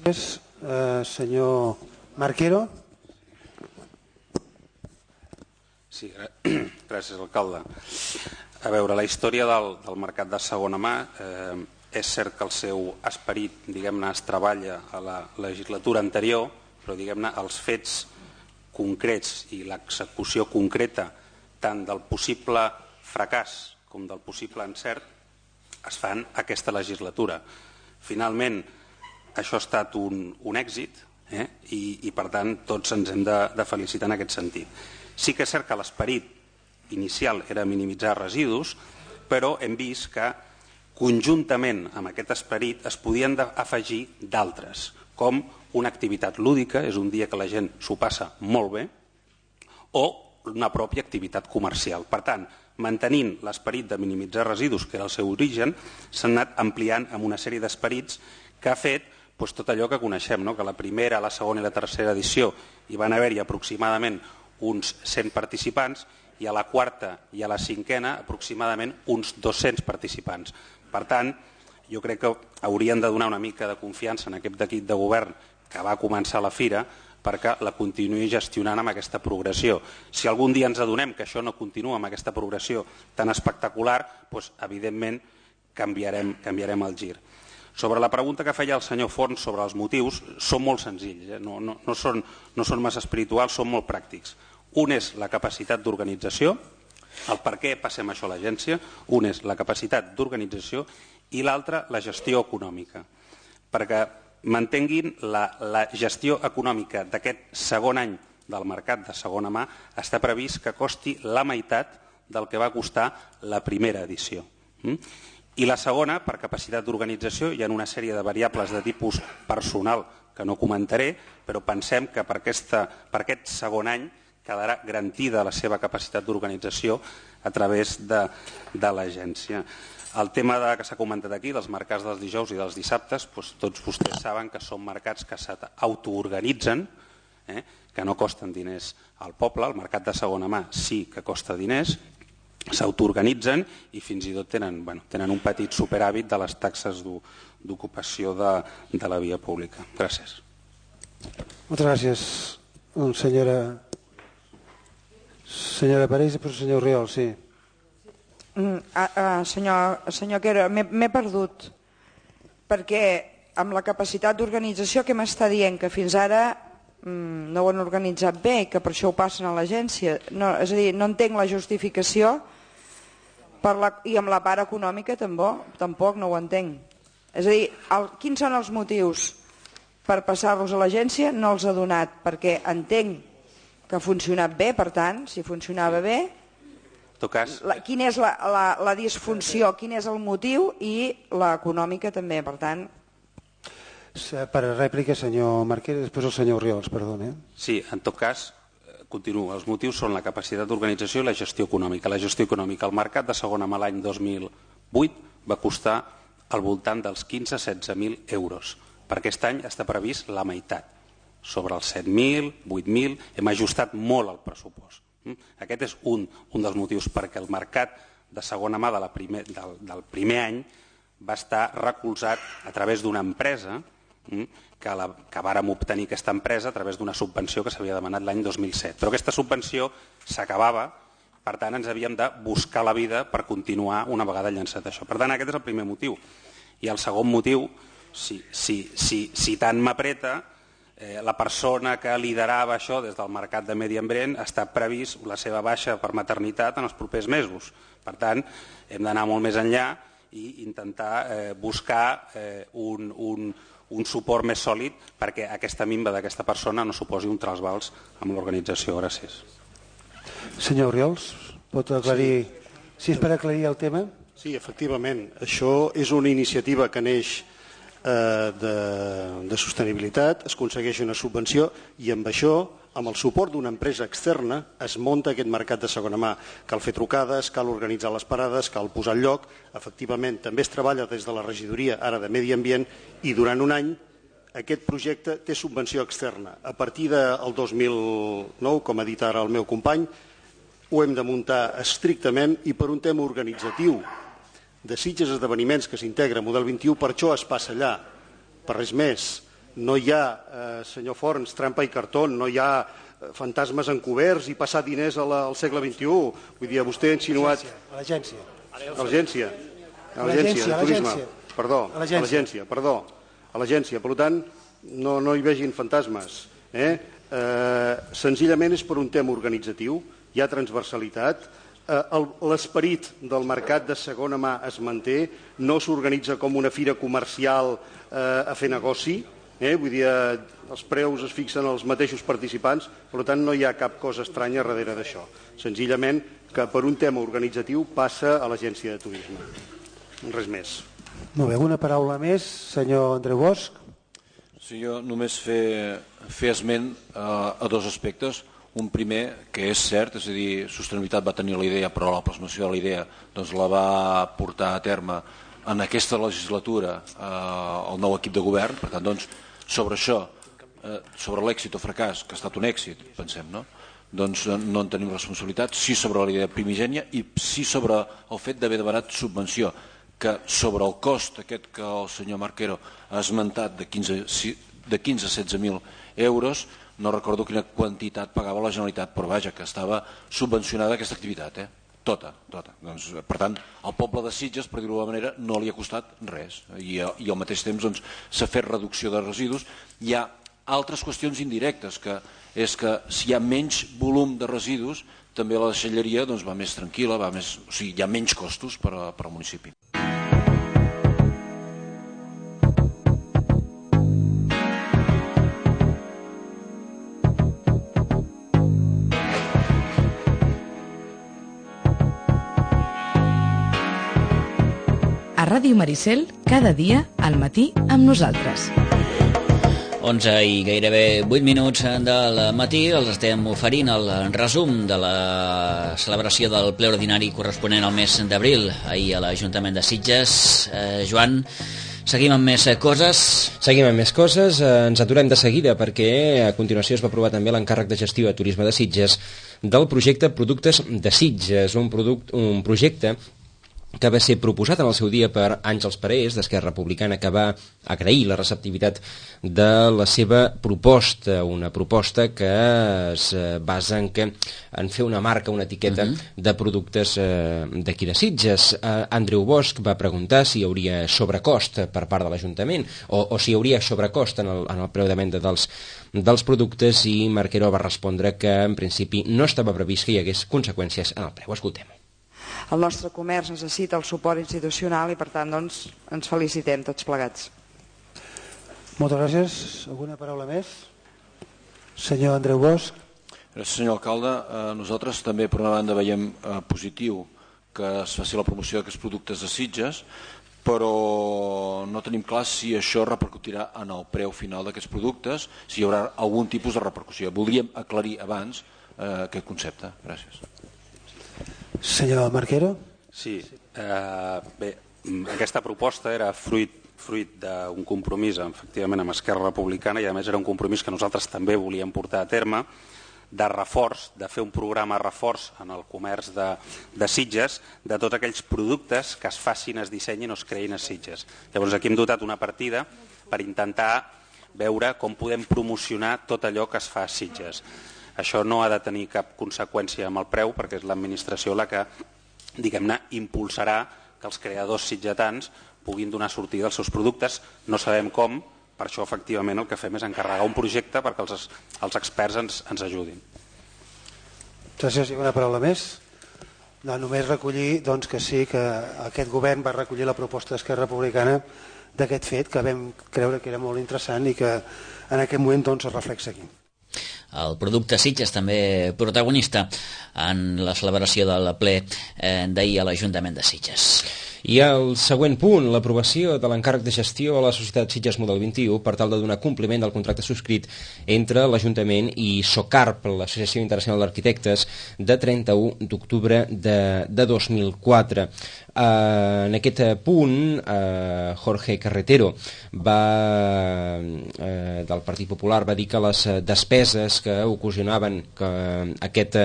Gràcies, eh, senyor Marquero. Sí, gràcies, alcalde. A veure, la història del, del mercat de segona mà, eh, és cert que el seu esperit, diguem-ne, es treballa a la legislatura anterior, però, diguem-ne, els fets concrets i l'execució concreta tant del possible fracàs com del possible encert es fan aquesta legislatura. Finalment, això ha estat un, un èxit eh? I, i, per tant, tots ens hem de, de felicitar en aquest sentit. Sí que és cert que l'esperit inicial era minimitzar residus, però hem vist que conjuntament amb aquest esperit es podien afegir d'altres, com una activitat lúdica, és un dia que la gent s'ho passa molt bé, o una pròpia activitat comercial. Per tant, mantenint l'esperit de minimitzar residus, que era el seu origen, s'han anat ampliant amb una sèrie d'esperits que ha fet doncs, tot allò que coneixem, no? Que la primera, la segona i la tercera edició hi van haver-hi aproximadament uns cent participants i a la quarta i a la cinquena aproximadament uns dos-cents participants. Per tant, jo crec que haurien de donar una mica de confiança en aquest equip de govern que va començar la fira perquè la continuï gestionant amb aquesta progressió. Si algun dia ens adonem que això no continua amb aquesta progressió tan espectacular, doncs, evidentment canviarem, canviarem el gir. Sobre la pregunta que feia el senyor Forns sobre els motius, són molt senzills, eh? no, no, no, són, no són massa espirituals, són molt pràctics. Un és la capacitat d'organització, el per què passem això a l'agència, un és la capacitat d'organització i l'altre la gestió econòmica. Perquè mantenguin la, la gestió econòmica d'aquest segon any del mercat de segona mà està previst que costi la meitat del que va costar la primera edició. Mm? I la segona, per capacitat d'organització, hi ha una sèrie de variables de tipus personal que no comentaré, però pensem que per, aquesta, per aquest segon any quedarà garantida la seva capacitat d'organització a través de, de l'agència. El tema de, que s'ha comentat aquí, dels mercats dels dijous i dels dissabtes, doncs tots vostès saben que són mercats que s'autoorganitzen, eh, que no costen diners al poble. El mercat de segona mà sí que costa diners, s'autoorganitzen i fins i tot tenen, bueno, tenen un petit superàvit de les taxes d'ocupació de, de la via pública. Gràcies. Moltes gràcies, senyora, senyora Parés i per senyor Oriol, sí. Mm, ah, ah, senyor, senyor Quero, m'he perdut, perquè amb la capacitat d'organització que m'està dient que fins ara mm, no ho han organitzat bé i que per això ho passen a l'agència, no, és a dir, no entenc la justificació per la, i amb la part econòmica tampoc, tampoc no ho entenc. És a dir, el, quins són els motius per passar-los a l'agència? No els ha donat, perquè entenc que ha funcionat bé, per tant, si funcionava bé, cas... la, quina és la, la, la disfunció, quin és el motiu i l'econòmica també, per tant... Per rèplica, senyor Marquès, després el senyor Oriols, perdona. Sí, en tot cas, continuo. Els motius són la capacitat d'organització i la gestió econòmica. La gestió econòmica, el mercat de segona mà l'any dos mil vuit va costar al voltant dels quinze a setze mil euros. Per aquest any està previst la meitat, sobre els set mil, vuit mil, hem ajustat molt el pressupost. Aquest és un, un dels motius, perquè el mercat de segona mà de la primer, del, del primer any va estar recolzat a través d'una empresa que, la, que vàrem obtenir aquesta empresa a través d'una subvenció que s'havia demanat l'any dos mil set. Però aquesta subvenció s'acabava, per tant ens havíem de buscar la vida per continuar una vegada llançat això. Per tant, aquest és el primer motiu. I el segon motiu, si, si, si, si tant m'apreta, eh, la persona que liderava això des del mercat de medi ambient està previst la seva baixa per maternitat en els propers mesos. Per tant, hem d'anar molt més enllà i intentar eh, buscar eh, un, un, un suport més sòlid perquè aquesta minva d'aquesta persona no suposi un trasbals amb l'organització. Gràcies. Senyor Oriols, pot aclarir... Si és per aclarir el tema? Sí, efectivament. Això és una iniciativa que neix eh, de, de sostenibilitat, es aconsegueix una subvenció i amb això, amb el suport d'una empresa externa, es munta aquest mercat de segona mà. Cal fer trucades, cal organitzar les parades, cal posar al lloc. Efectivament, també es treballa des de la regidoria ara de Medi Ambient i durant un any aquest projecte té subvenció externa. A partir del dos mil nou, com ha dit ara el meu company, ho hem de muntar estrictament i per un tema organitzatiu de Sitges Esdeveniments que s'integra a Model vint i u, per això es passa allà, per res més. No hi ha, eh, senyor Forns, trampa i cartó, no hi ha fantasmes encoberts i passar diners a la, al segle vint i u. Vull dir, vostè ha insinuat... A l'agència. A l'agència. A l'agència de turisme. Perdó, a l'agència, perdó. A l'agència, per tant, no, no hi vegin fantasmes. Eh? Eh, senzillament és per un tema organitzatiu, hi ha transversalitat, eh, l'esperit del mercat de segona mà es manté, no s'organitza com una fira comercial eh, a fer negoci, eh? Vull dir, eh, els preus es fixen als mateixos participants, per tant no hi ha cap cosa estranya darrere d'això. Senzillament que per un tema organitzatiu passa a l'agència de turisme. Res més. Molt bé, alguna paraula més, senyor Andreu Bosch? Sí, jo només fer, fer esment a, a dos aspectes. Un primer, que és cert, és a dir, Sostenibilitat va tenir la idea, però la plasmació de la idea doncs, la va portar a terme en aquesta legislatura eh, el nou equip de govern. Per tant, doncs, sobre això, eh, sobre l'èxit o fracàs, que ha estat un èxit, pensem, no? Doncs no en tenim responsabilitat, sí sobre la idea primigènia i sí sobre el fet d'haver demanat subvenció, que sobre el cost aquest que el senyor Marquero ha esmentat de quinze a setze mil euros, no recordo quina quantitat pagava la Generalitat, però vaja, que estava subvencionada aquesta activitat, eh? Tota, tota. Doncs, per tant, al poble de Sitges, per dir-ho d'alguna manera, no li ha costat res. I, i al mateix temps doncs, s'ha fet reducció de residus. Hi ha altres qüestions indirectes, que és que si hi ha menys volum de residus, també la deixalleria doncs, va més tranquil·la, va més, o sigui, hi ha menys costos per, a, per al municipi. A Ràdio Maricel, cada dia al matí amb nosaltres. onze i gairebé vuit minuts del matí els estem oferint el resum de la celebració del ple ordinari corresponent al mes d'abril ahir a l'Ajuntament de Sitges. Eh, Joan, seguim amb més coses. Seguim amb més coses, eh, ens aturem de seguida perquè a continuació es va aprovar també l'encàrrec de gestió de turisme de Sitges del projecte Productes de Sitges, un, product, un projecte que va ser proposat en el seu dia per Àngels Parés, d'Esquerra Republicana, que va agrair la receptivitat de la seva proposta, una proposta que es basa en, que, en fer una marca, una etiqueta uh-huh. de productes eh, d'aquí de Sitges. Eh, Andreu Bosch va preguntar si hi hauria sobrecost per part de l'Ajuntament o, o si hi hauria sobrecost en el, en el preu de venda dels, dels productes i Marquero va respondre que en principi no estava previst que hi hagués conseqüències en el preu. Escoltem. El nostre comerç necessita el suport institucional i per tant doncs, ens felicitem tots plegats. Moltes gràcies. Alguna paraula més? Senyor Andreu Bosch. Gràcies, senyor alcalde. Eh, nosaltres també per una banda veiem eh, positiu que es faci la promoció d'aquests productes de Sitges, però no tenim clar si això repercutirà en el preu final d'aquests productes, si hi haurà algun tipus de repercussió. Voldríem aclarir abans eh, aquest concepte. Gràcies. Senyor Marquero. Sí, eh, bé, aquesta proposta era fruit, fruit d'un compromís efectivament amb Esquerra Republicana i a més era un compromís que nosaltres també volíem portar a terme de reforç, de fer un programa reforç en el comerç de, de Sitges, de tots aquells productes que es facin, es dissenyin o es creïn a Sitges. Llavors aquí hem dotat una partida per intentar veure com podem promocionar tot allò que es fa a Sitges. Això no ha de tenir cap conseqüència amb el preu, perquè és l'administració la que, diguem-ne, impulsarà que els creadors sitgetans puguin donar sortida als seus productes. No sabem com, per això efectivament el que fem és encarregar un projecte perquè els, els experts ens, ens ajudin. Gràcies. I una paraula més? No, només recollir doncs, que sí, que aquest govern va recollir la proposta d'Esquerra Republicana d'aquest fet, que vam creure que era molt interessant i que en aquest moment doncs, es reflexa aquí. El producte Sitges també protagonista en la celebració del ple eh, d'ahir a l'Ajuntament de Sitges. I el següent punt, l'aprovació de l'encàrrec de gestió a la societat Sitges Model vint-i-u per tal de donar compliment del contracte subscrit entre l'Ajuntament i SOCARP, l'Associació Internacional d'Arquitectes, de trenta-u d'octubre de, de dos mil quatre. Uh, en aquest punt, uh, Jorge Carretero va, uh, del Partit Popular va dir que les despeses que ocasionaven que aquest,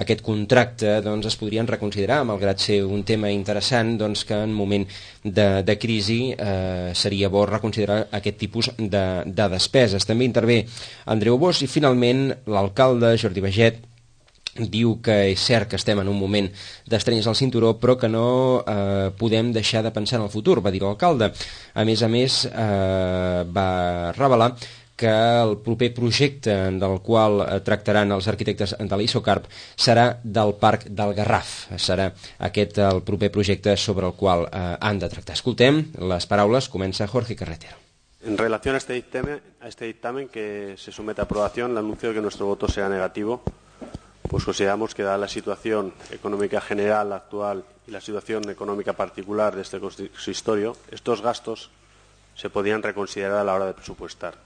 aquest contracte doncs, es podrien reconsiderar, malgrat ser un tema interessant, doncs, que en moment de, de crisi eh, seria bo reconsiderar aquest tipus de, de despeses. També intervé Andreu Bosch i finalment l'alcalde Jordi Baget diu que és cert que estem en un moment d'estrenyes al cinturó, però que no eh, podem deixar de pensar en el futur, va dir l'alcalde. A més a més, eh, va revelar que el proper projecte del qual tractaran els arquitectes de l'ISOCARP serà del Parc del Garraf. Serà aquest el proper projecte sobre el qual eh, han de tractar. Escoltem les paraules, comença Jorge Carretero. En relación a este dictamen, a este dictamen que se somete a aprobación, le anuncio que nuestro voto será negativo, pues consideramos que dada la situación económica general actual y la situación económica particular de este consistorio, estos gastos se podrían reconsiderar a la hora de presupuestar.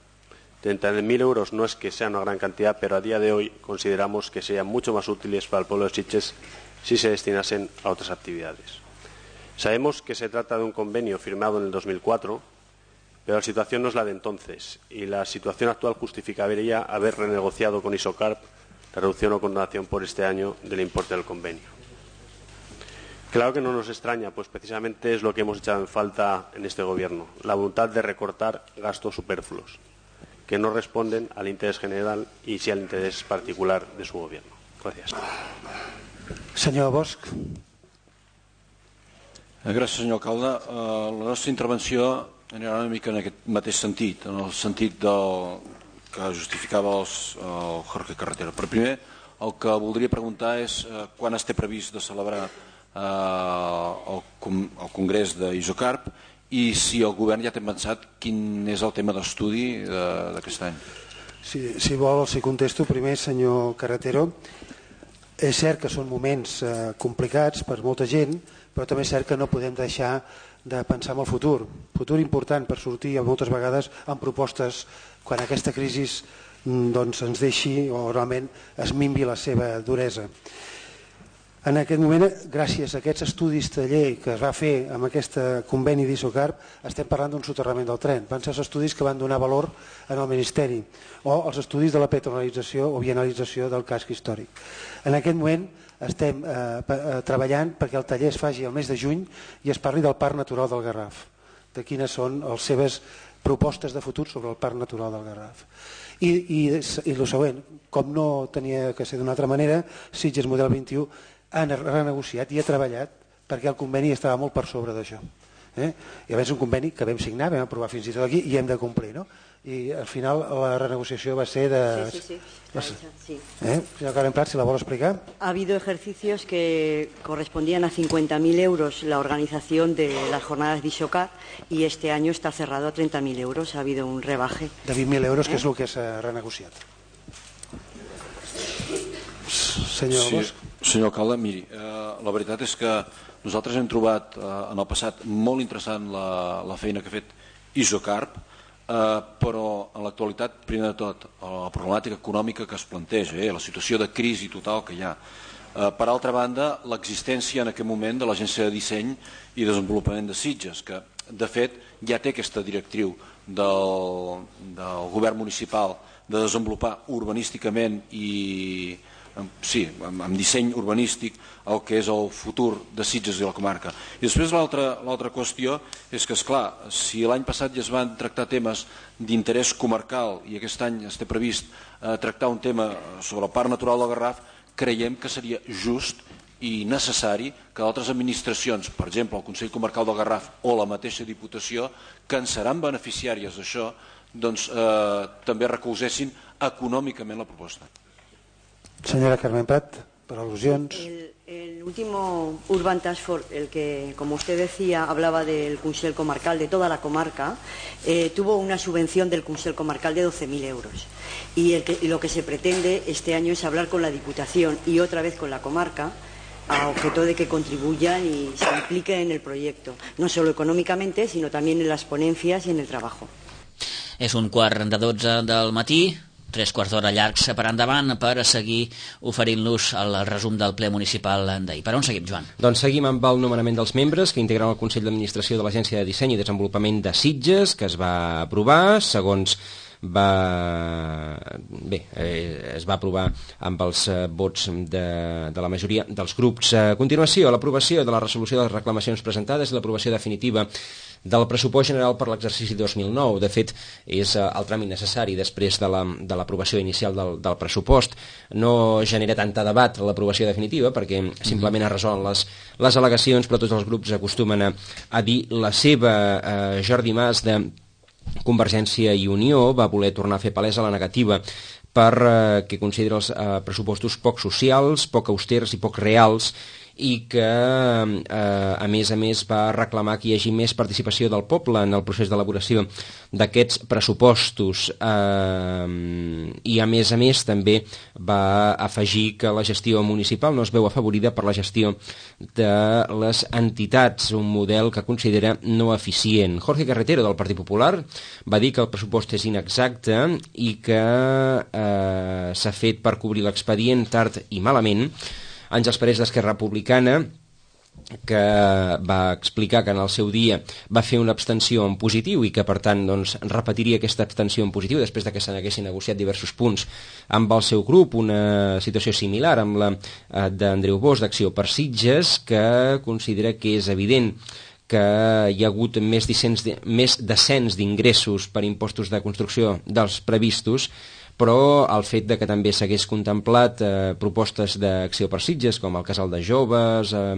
treinta mil euros no es que sea una gran cantidad, pero a día de hoy consideramos que serían mucho más útiles para el pueblo de Sitges si se destinasen a otras actividades. Sabemos que se trata de un convenio firmado en el dos mil cuatro, pero la situación no es la de entonces y la situación actual justificaría haber renegociado con ISOCARP la reducción o condonación por este año del importe del convenio. Claro que no nos extraña, pues precisamente es lo que hemos echado en falta en este gobierno, la voluntad de recortar gastos superfluos, que no responden al interés general y sí al interés particular de su gobierno. Gracias. Senyor Bosch. Gràcies, senyor alcalde. Uh, la nostra intervenció anirà una mica en aquest mateix sentit, en el sentit del que justificava els, el Jorge Carretero. Però primer, el que voldria preguntar és uh, quan es té previst de celebrar uh, el, el Congrés d'ISOCARP i si el govern ja té pensat quin és el tema d'estudi d'aquest any. Si, si vol, si contesto primer, senyor Carretero. És cert que són moments eh, complicats per molta gent, però també és cert que no podem deixar de pensar en el futur. Futur important per sortir moltes vegades amb propostes quan aquesta crisi doncs, ens deixi o realment es minvi la seva duresa. En aquest moment, gràcies a aquests estudis de llei que es va fer amb aquest conveni d'ISOCARP, estem parlant d'un soterrament del tren. Van ser els estudis que van donar valor en el Ministeri, o els estudis de la patronalització o bienalització del casc històric. En aquest moment estem eh, treballant perquè el taller es faci el mes de juny i es parli del Parc Natural del Garraf, de quines són les seves propostes de futur sobre el Parc Natural del Garraf. I, i, i el següent, com no tenia que ser d'una altra manera, Sitges Model vint-i-u han renegociat i ha treballat perquè el conveni estava molt per sobre d'això. Eh? I a més un conveni que vam signar, vam aprovar fins i tot aquí i hem de complir, no? I al final la renegociació va ser de... Sí, sí, sí. sí. Eh? Señor Karen Prat, si la vol explicar. Ha habido ejercicios que correspondían a cincuenta mil euros la organización de las jornadas de ISOCARP y este año está cerrado a treinta mil euros. Ha habido un rebaje. De vint mil euros, eh? que és el que s'ha renegociat. Senyor sí, Bosch. Senyor alcalde, miri, eh, la veritat és que nosaltres hem trobat eh, en el passat molt interessant la, la feina que ha fet ISOCARP, eh, però en l'actualitat, primer de tot, la problemàtica econòmica que es planteja, eh, la situació de crisi total que hi ha. Eh, per altra banda, l'existència en aquest moment de l'Agència de Disseny i Desenvolupament de Sitges, que de fet ja té aquesta directriu del, del govern municipal de desenvolupar urbanísticament i sí, amb disseny urbanístic el que és el futur de Sitges i la comarca. I després l'altra qüestió és que, esclar, si l'any passat ja es van tractar temes d'interès comarcal i aquest any es té previst tractar un tema sobre el Parc Natural del Garraf, creiem que seria just i necessari que altres administracions, per exemple el Consell Comarcal del Garraf o la mateixa Diputació, que en seran beneficiàries d'això, doncs també recolzessin econòmicament la proposta. Señora Carmen Prat, por alusiones. El, el último Urban Task Force, el que, como usted decía, hablaba del Consell Comarcal, de toda la comarca, eh, tuvo una subvención del Consell Comarcal de doce mil euros. Y, el que, y lo que se pretende este año es hablar con la Diputación y otra vez con la comarca, a objeto de que contribuyan y se impliquen en el proyecto, no solo económicamente, sino también en las ponencias y en el trabajo. És un quart de dotze del matí, tres quarts d'hora llargs per endavant per seguir oferint-los el resum del ple municipal d'ahir. Per on seguim, Joan? Doncs seguim amb el nomenament dels membres que integren el Consell d'Administració de l'Agència de Disseny i Desenvolupament de Sitges, que es va aprovar segons va... bé, eh, es va aprovar amb els eh, vots de, de la majoria dels grups. A continuació, l'aprovació de la resolució de les reclamacions presentades i l'aprovació definitiva del pressupost general per l'exercici dos mil nou. De fet, és el tràmit necessari després de l'aprovació inicial del, del pressupost. No genera tanta debat l'aprovació definitiva perquè simplement es resolen les, les al·legacions, però tots els grups acostumen a, a dir la seva. eh, Jordi Mas, de Convergència i Unió, va voler tornar a fer palesa la negativa per eh, que considera els eh, pressupostos poc socials, poc austers i poc reals, i que eh, a més a més va reclamar que hi hagi més participació del poble en el procés d'elaboració d'aquests pressupostos, eh, i a més a més també va afegir que la gestió municipal no es veu afavorida per la gestió de les entitats, un model que considera no eficient. Jorge Carretero, del Partit Popular, va dir que el pressupost és inexacte i que eh, s'ha fet per cobrir l'expedient tard i malament. Àngels Parés, d'Esquerra Republicana, que va explicar que en el seu dia va fer una abstenció en positiu i que per tant doncs, repetiria aquesta abstenció en positiu després de que se n'haguessin negociat diversos punts amb el seu grup, una situació similar amb la eh, d'Andreu Bosch, d'Acció per Sitges, que considera que és evident que hi ha hagut més, de, més descens d'ingressos per impostos de construcció dels previstos, però el fet de que també s'hagués contemplat eh, propostes d'Acció per Sitges, com el casal de joves, eh,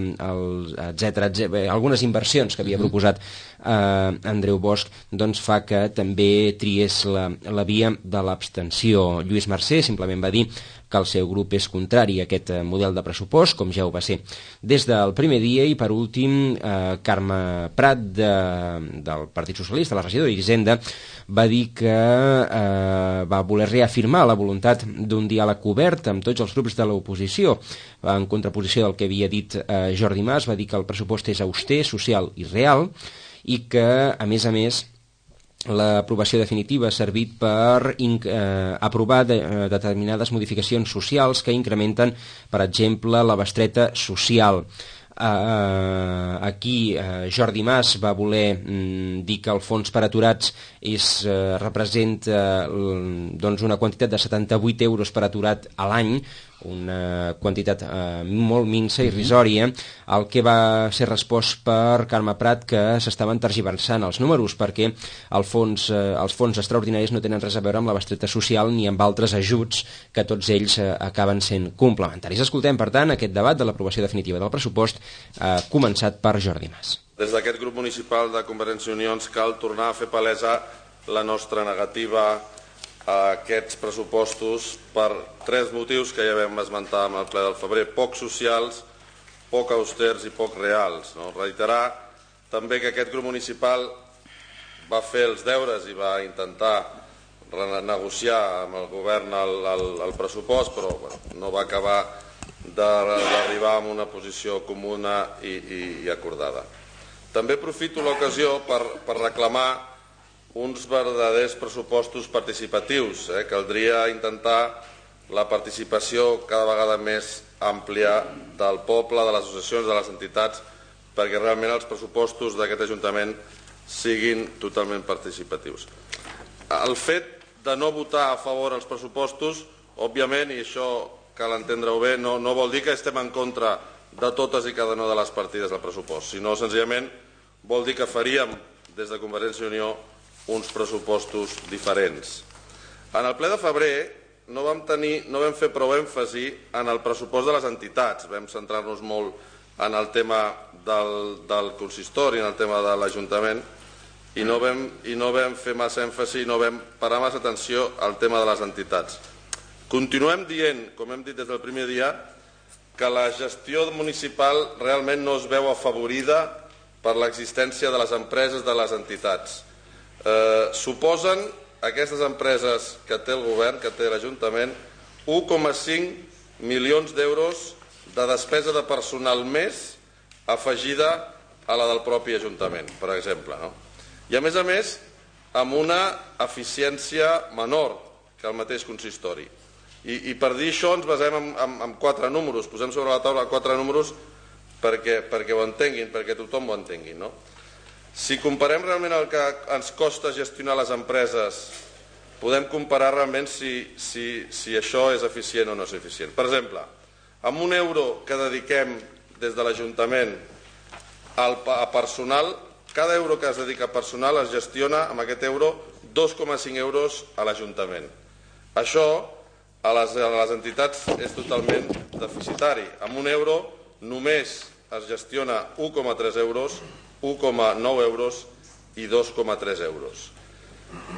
etcètera, etcètera, algunes inversions que havia proposat eh, Andreu Bosch, doncs fa que també triés la, la via de l'abstenció. Lluís Mercè simplement va dir que el seu grup és contrari a aquest model de pressupost, com ja ho va ser des del primer dia. I per últim, eh, Carme Prat, de, del Partit Socialista, la regidora d'Hisenda, va dir que eh, va voler reafirmar la voluntat d'un diàleg obert amb tots els grups de l'oposició, en contraposició del que havia dit eh, Jordi Mas. Va dir que el pressupost és auster, social i real, i que, a més a més, l'aprovació definitiva ha servit per eh, aprovar de, eh, determinades modificacions socials que incrementen, per exemple, la bestreta social. Uh, aquí uh, Jordi Mas va voler mm, dir que el fons per aturats és, uh, representa uh, doncs una quantitat de setanta-vuit euros per aturat a l'any, una quantitat uh, molt minsa, irrisòria, el que va ser respost per Carme Prat que s'estaven tergiversant els números perquè el fons, uh, els fons extraordinaris no tenen res a veure amb la bestreta social ni amb altres ajuts que tots ells uh, acaben sent complementaris. Escoltem, per tant, aquest debat de l'aprovació definitiva del pressupost, uh, començat per Jordi Mas. Des d'aquest grup municipal de Convergència i Unió ens cal tornar a fer palesa la nostra negativa a aquests pressupostos per tres motius que ja vam esmentar en el ple del febrer: poc socials, poc austers i poc reals. No? Reiterar també que aquest grup municipal va fer els deures i va intentar renegociar amb el govern el, el, el pressupost, però bueno, no va acabar d'arribar a una posició comuna i, i, i acordada. També aprofito l'ocasió per, per reclamar uns verdaders pressupostos participatius. Eh? Caldria intentar la participació cada vegada més àmplia del poble, de les associacions, de les entitats, perquè realment els pressupostos d'aquest Ajuntament siguin totalment participatius. El fet de no votar a favor els pressupostos, òbviament, i això cal entendre-ho bé, no, no vol dir que estem en contra de totes i cada una de les partides del pressupost, sinó senzillament vol dir que faríem des de Convergència i Unió uns pressupostos diferents. En el ple de febrer no vam, tenir, no vam fer prou èmfasi en el pressupost de les entitats, vam centrar-nos molt en el tema del, del consistori, en el tema de l'Ajuntament, i no vam, i no vam fer massa èmfasi, no vam parar massa atenció al tema de les entitats. Continuem dient, com hem dit des del primer dia, que la gestió municipal realment no es veu afavorida per l'existència de les empreses de les entitats. Eh, suposen aquestes empreses que té el govern, que té l'Ajuntament, un coma cinc milions d'euros de despesa de personal més afegida a la del propi Ajuntament, per exemple. No? I a més a més, amb una eficiència menor que el mateix consistori. I, i per dir això ens basem en, en, en quatre números, posem sobre la taula quatre números perquè, perquè ho entenguin, perquè tothom ho entengui. No? Si comparem realment el que ens costa gestionar les empreses, podem comparar realment si, si, si això és eficient o no és eficient. Per exemple, amb un euro que dediquem des de l'Ajuntament al, a personal, cada euro que es dedica a personal es gestiona amb aquest euro dos coma cinc euros a l'Ajuntament. Això a les, a les entitats és totalment deficitari. Amb un euro només es gestiona un coma tres euros, un coma nou euros i dos coma tres euros.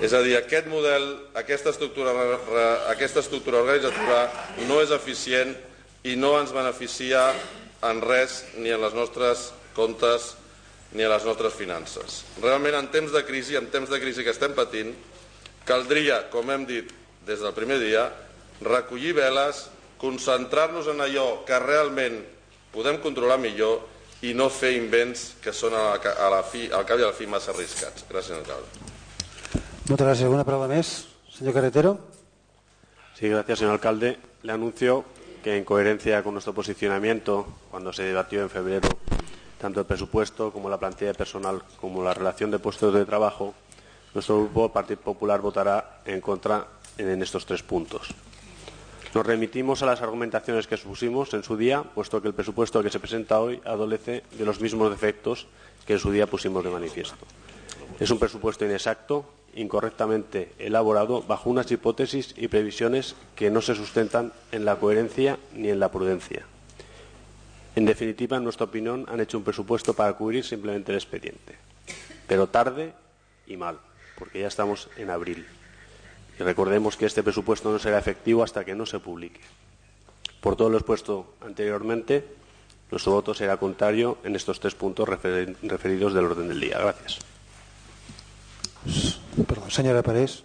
És a dir, aquest model, aquesta estructura, aquesta estructura organitzativa no és eficient i no ens beneficia en res, ni en les nostres comptes ni en les nostres finances. Realment, en temps de crisi, en temps de crisi que estem patint, caldria, com hem dit des del primer dia, recollir veles, concentrar-nos en allò que realment podem controlar millor i no fer invents que són a la, a la fi, al cap i a la fi massa arriscats. Gràcies, alcalde. Muchas gracias. ¿Alguna palabra más? Señor Carretero. Sí, gracias, señor alcalde. Le anuncio que en coherencia con nuestro posicionamiento, cuando se debatió en febrero tanto el presupuesto como la plantilla de personal como la relación de puestos de trabajo, nuestro grupo Partido Popular votará en contra en estos tres puntos. Nos remitimos a las argumentaciones que expusimos en su día, puesto que el presupuesto que se presenta hoy adolece de los mismos defectos que en su día pusimos de manifiesto. Es un presupuesto inexacto, incorrectamente elaborado, bajo unas hipótesis y previsiones que no se sustentan en la coherencia ni en la prudencia. En definitiva, en nuestra opinión, han hecho un presupuesto para cubrir simplemente el expediente, pero tarde y mal, porque ya estamos en abril. Y recordemos que este presupuesto no será efectivo hasta que no se publique. Por todo lo expuesto anteriormente, nuestro voto será contrario en estos tres puntos refer- referidos del orden del día. Gracias. Perdó, senyora Parés.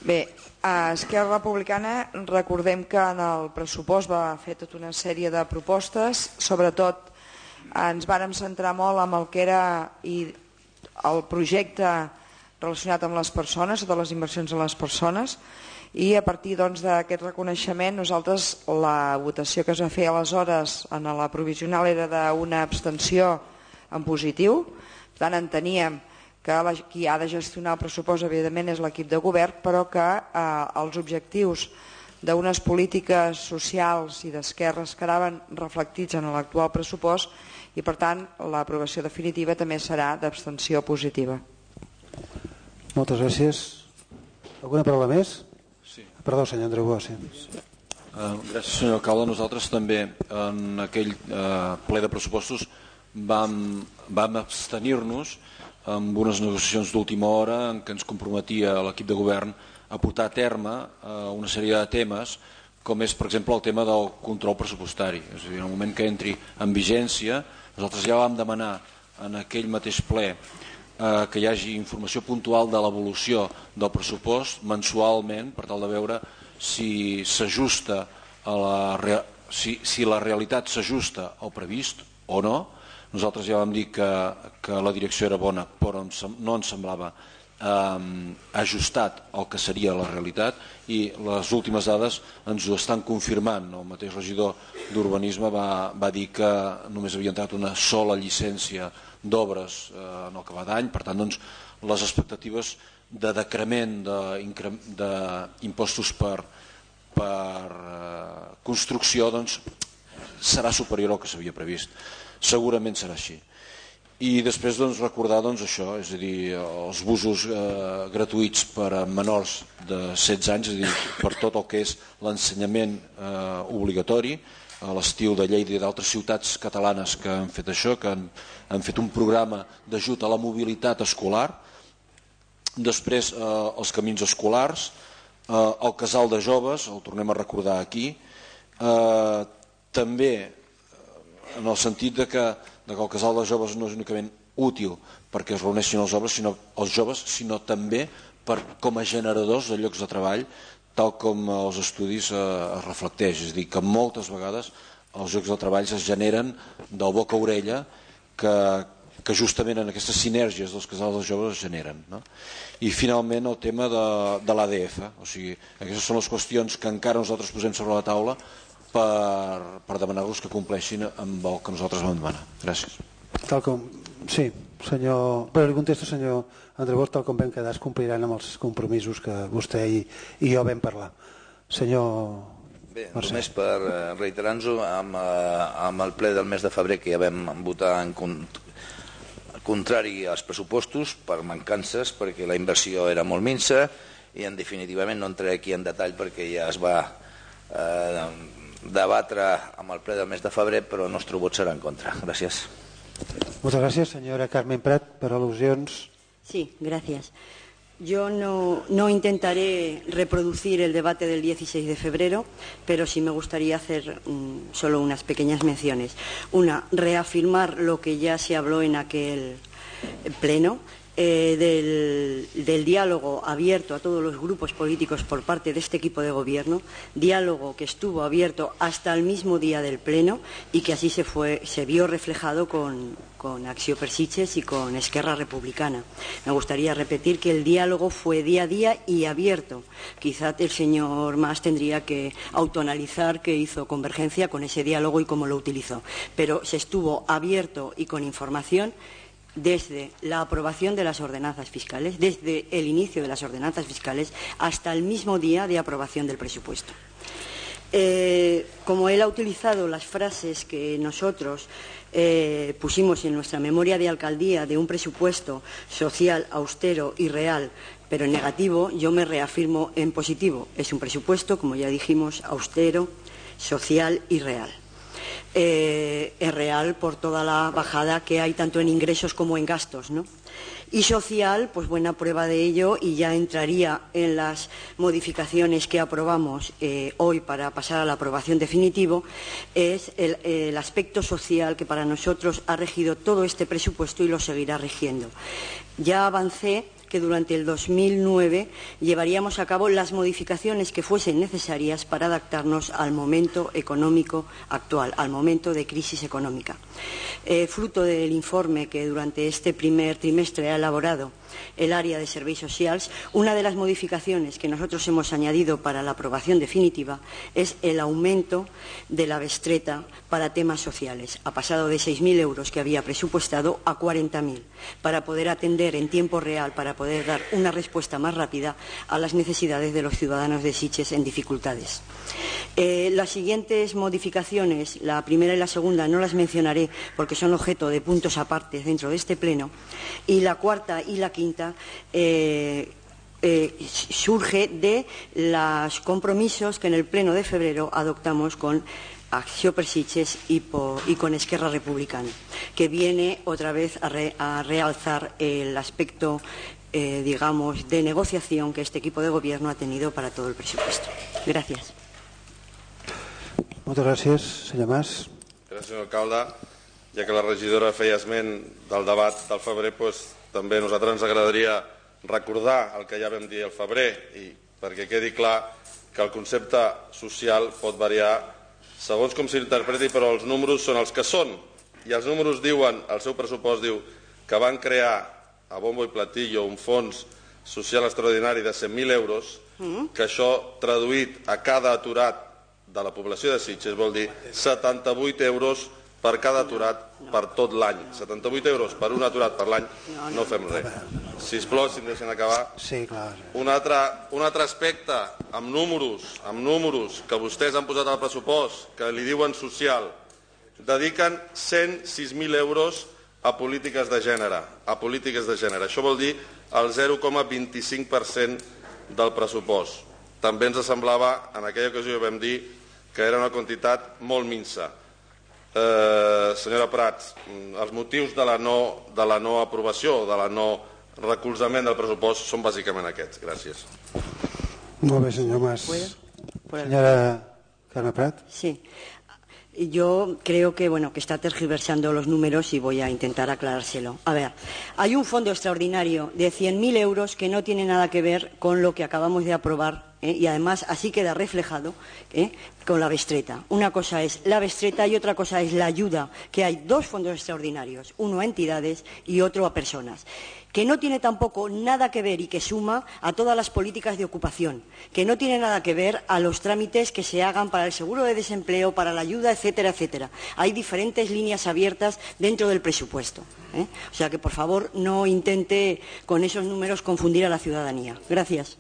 Bé, a Esquerra Republicana recordem que en el pressupost va fer tota una sèrie de propostes, sobretot ens vàrem centrar molt en el que era i el projecte relacionat amb les persones, totes les inversions en les persones, i a partir doncs, d'aquest reconeixement nosaltres la votació que es va fer aleshores en la provisional era d'una abstenció en positiu, per tant enteníem que la, qui ha de gestionar el pressupost evidentment és l'equip de govern, però que eh, els objectius d'unes polítiques socials i d'esquerres quedaven reflectits en l'actual pressupost i per tant l'aprovació definitiva també serà d'abstenció positiva. Moltes gràcies. Alguna paraula més? Sí. Perdó, senyor Andreu Bosch. Uh, gràcies, senyor alcalde. Nosaltres també en aquell uh, ple de pressupostos vam, vam abstenir-nos amb unes negociacions d'última hora en què ens comprometia l'equip de govern a portar a terme uh, una sèrie de temes com és, per exemple, el tema del control pressupostari. És a dir, en el moment que entri en vigència, nosaltres ja vam demanar en aquell mateix ple eh, que hi hagi informació puntual de l'evolució del pressupost mensualment per tal de veure si s'ajusta a la, si, si la realitat s'ajusta al previst o no. Nosaltres ja vam dir que, que la direcció era bona, però no ens semblava eh, ajustat al que seria la realitat i les últimes dades ens ho estan confirmant. El mateix regidor d'Urbanisme va, va dir que només havia entrat una sola llicència d'obres eh, en el que va d'any, per tant doncs, les expectatives de decrement d'impostos per, per eh, construcció doncs, serà superior al que s'havia previst. Segurament serà així. I després doncs, recordar doncs, això, és a dir, els busos eh, gratuïts per a menors de setze anys, és a dir, per tot el que és l'ensenyament eh, obligatori, a l'estil de Lleida i d'altres ciutats catalanes que han fet això, que han, han fet un programa d'ajut a la mobilitat escolar. Després eh, els camins escolars, eh, el casal de joves, el tornem a recordar aquí, eh, també en el sentit de que que el casal de joves no és únicament útil perquè es reuneixin els joves, sinó, els joves, sinó també per, com a generadors de llocs de treball, tal com els estudis eh, es reflecteix. És a dir, que moltes vegades els llocs de treball es generen del boca a orella que, que justament en aquestes sinergies dels casals de joves es generen. No? I finalment el tema de, de l'A D F. O sigui, aquestes són les qüestions que encara nosaltres posem sobre la taula per, per demanar-los que compleixin amb el que nosaltres vam demanar. Gràcies. Tal com, sí, senyor... Però li contesto, senyor André Bosch, tal com vam quedar, es compliran amb els compromisos que vostè i, i jo vam parlar. Senyor... Bé, només per reiterar-nos amb, amb el ple del mes de febrer que ja vam votar en contrari als pressupostos per mancances, perquè la inversió era molt minsa i en definitivament no entraré aquí en detall perquè ja es va eh, debatre amb el ple del mes de febrer, però el nostre vot serà en contra. Gràcies. Muchas gracias, señora Carmen Prat, per al·lusions. Sí, gracias. Yo no, no intentaré reproducir el debate del dieciséis de febrero, pero sí me gustaría hacer um, solo unas pequeñas menciones. Una, reafirmar lo que ya se habló en aquel pleno, eh, del, del diálogo abierto a todos los grupos políticos por parte de este equipo de gobierno, diálogo que estuvo abierto hasta el mismo día del pleno y que así se, fue, se vio reflejado con, con Acció per Sitges y con Esquerra Republicana. Me gustaría repetir que el diálogo fue día a día y abierto. Quizá el señor Mas tendría que autoanalizar qué hizo Convergencia con ese diálogo y cómo lo utilizó. Pero se estuvo abierto y con información desde la aprobación de las ordenanzas fiscales, desde el inicio de las ordenanzas fiscales hasta el mismo día de aprobación del presupuesto. Eh, como él ha utilizado las frases que nosotros eh, pusimos en nuestra memoria de alcaldía de un presupuesto social, austero y real, pero en negativo, yo me reafirmo en positivo. Es un presupuesto, como ya dijimos, austero, social y real. Eh, es real por toda la bajada que hay tanto en ingresos como en gastos, ¿no? Y social, pues buena prueba de ello, y ya entraría en las modificaciones que aprobamos eh, hoy para pasar a la aprobación definitivo, es el, el aspecto social que para nosotros ha regido todo este presupuesto y lo seguirá rigiendo. Ya avancé que durante el dos mil nueve llevaríamos a cabo las modificaciones que fuesen necesarias para adaptarnos al momento económico actual, al momento de crisis económica. Eh, fruto del informe que durante este primer trimestre ha elaborado el área de serveis socials, una de las modificaciones que nosotros hemos añadido para la aprobación definitiva es el aumento de la bestreta para temas sociales. Ha pasado de seis mil euros que había presupuestado a cuarenta mil, para poder atender en tiempo real, para poder dar una respuesta más rápida a las necesidades de los ciudadanos de Sitges en dificultades. Eh, las siguientes modificaciones, la primera y la segunda, no las mencionaré porque son objeto de puntos aparte dentro de este pleno, y la cuarta y la quinta eh, eh, surge de los compromisos que en el pleno de febrero adoptamos con Acció per Sitges y, por, y con Esquerra Republicana, que viene otra vez a, re, a realzar el aspecto eh, digamos, de negociación que este equipo de gobierno ha tenido para todo el presupuesto. Gracias. Moltes gràcies, senyor Mas. Gràcies, senyor alcalde. Ja que la regidora feia esment del debat del febrer, doncs, també a nosaltres ens agradaria recordar el que ja vam dir al febrer, i perquè quedi clar que el concepte social pot variar segons com s'interpreti, però els números són els que són. I els números diuen, el seu pressupost diu que van crear a bombo i platillo un fons social extraordinari de cent mil euros, que això traduït a cada aturat de la població de Sitges vol dir setanta-vuit euros per cada aturat per tot l'any. setanta-vuit euros per un aturat per l'any, no fem res. Sisplau, si em deixen acabar. Sí, clar. Un altre, un altre aspecte, amb números, amb números que vostès han posat al pressupost, que li diuen social, dediquen cent sis mil euros a polítiques de gènere. A polítiques de gènere. Això vol dir el zero coma vint-i-cinc per cent del pressupost. També ens semblava, en aquella ocasió vam dir, que era una quantitat molt minsa. Eh, senyora Prats, els motius de la no, de la no aprovació, de la no recolzament del pressupost són bàsicament aquests. Gràcies. Molt bé, senyor Mas. Senyora Carme Prat. Sí. Yo creo que, bueno, que está tergiversando los números y voy a intentar aclarárselo. A ver, hay un fondo extraordinario de cien mil euros que no tiene nada que ver con lo que acabamos de aprobar, ¿eh? Y además así queda reflejado, ¿eh? Con la bestreta. Una cosa es la bestreta y otra cosa es la ayuda, que hay dos fondos extraordinarios, uno a entidades y otro a personas, que no tiene tampoco nada que ver y que suma a todas las políticas de ocupación, que no tiene nada que ver a los trámites que se hagan para el seguro de desempleo, para la ayuda, etcétera, etcétera. Hay diferentes líneas abiertas dentro del presupuesto, ¿eh? O sea que, por favor, no intente con esos números confundir a la ciudadanía. Gracias.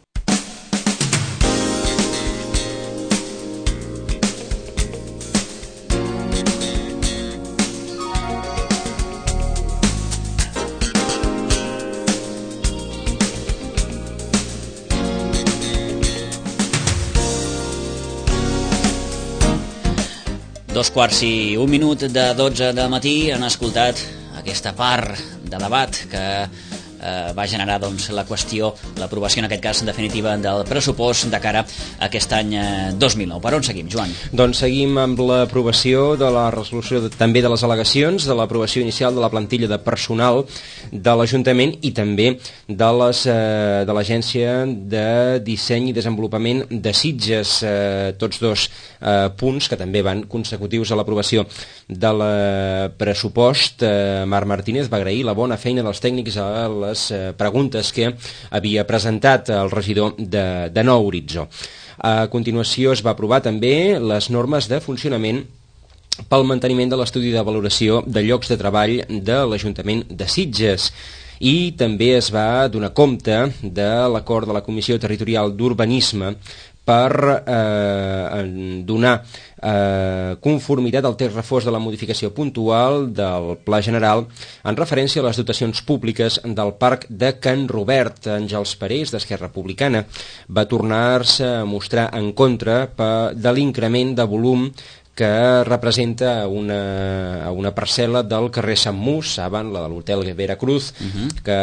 Dos quarts i un minut de dotze del matí han escoltat aquesta part de debat que eh, va generar doncs, la qüestió, l'aprovació en aquest cas en definitiva del pressupost de cara a aquest any eh, dos mil nou. Per on seguim, Joan? Doncs seguim amb l'aprovació de la resolució de, també de les al·legacions, de l'aprovació inicial de la plantilla de personal de l'Ajuntament i també de les eh, de l'Agència de Disseny i Desenvolupament de Sitges, eh, tots dos eh, punts que també van consecutius a l'aprovació del pressupost. eh, Marc Martínez va agrair la bona feina dels tècnics a les eh, preguntes que havia presentat el regidor de, de Nou Horitzó. A continuació es va aprovar també les normes de funcionament pel manteniment de l'estudi de valoració de llocs de treball de l'Ajuntament de Sitges. I també es va donar compte de l'acord de la Comissió Territorial d'Urbanisme per eh, donar eh, conformitat al text refós de la modificació puntual del Pla General en referència a les dotacions públiques del Parc de Can Robert. Àngels Parés, d'Esquerra Republicana, va tornar-se a mostrar en contra de l'increment de volum que representa una, una parcel·la del carrer Sant Mus, saben, la de l'hotel Veracruz, uh-huh. que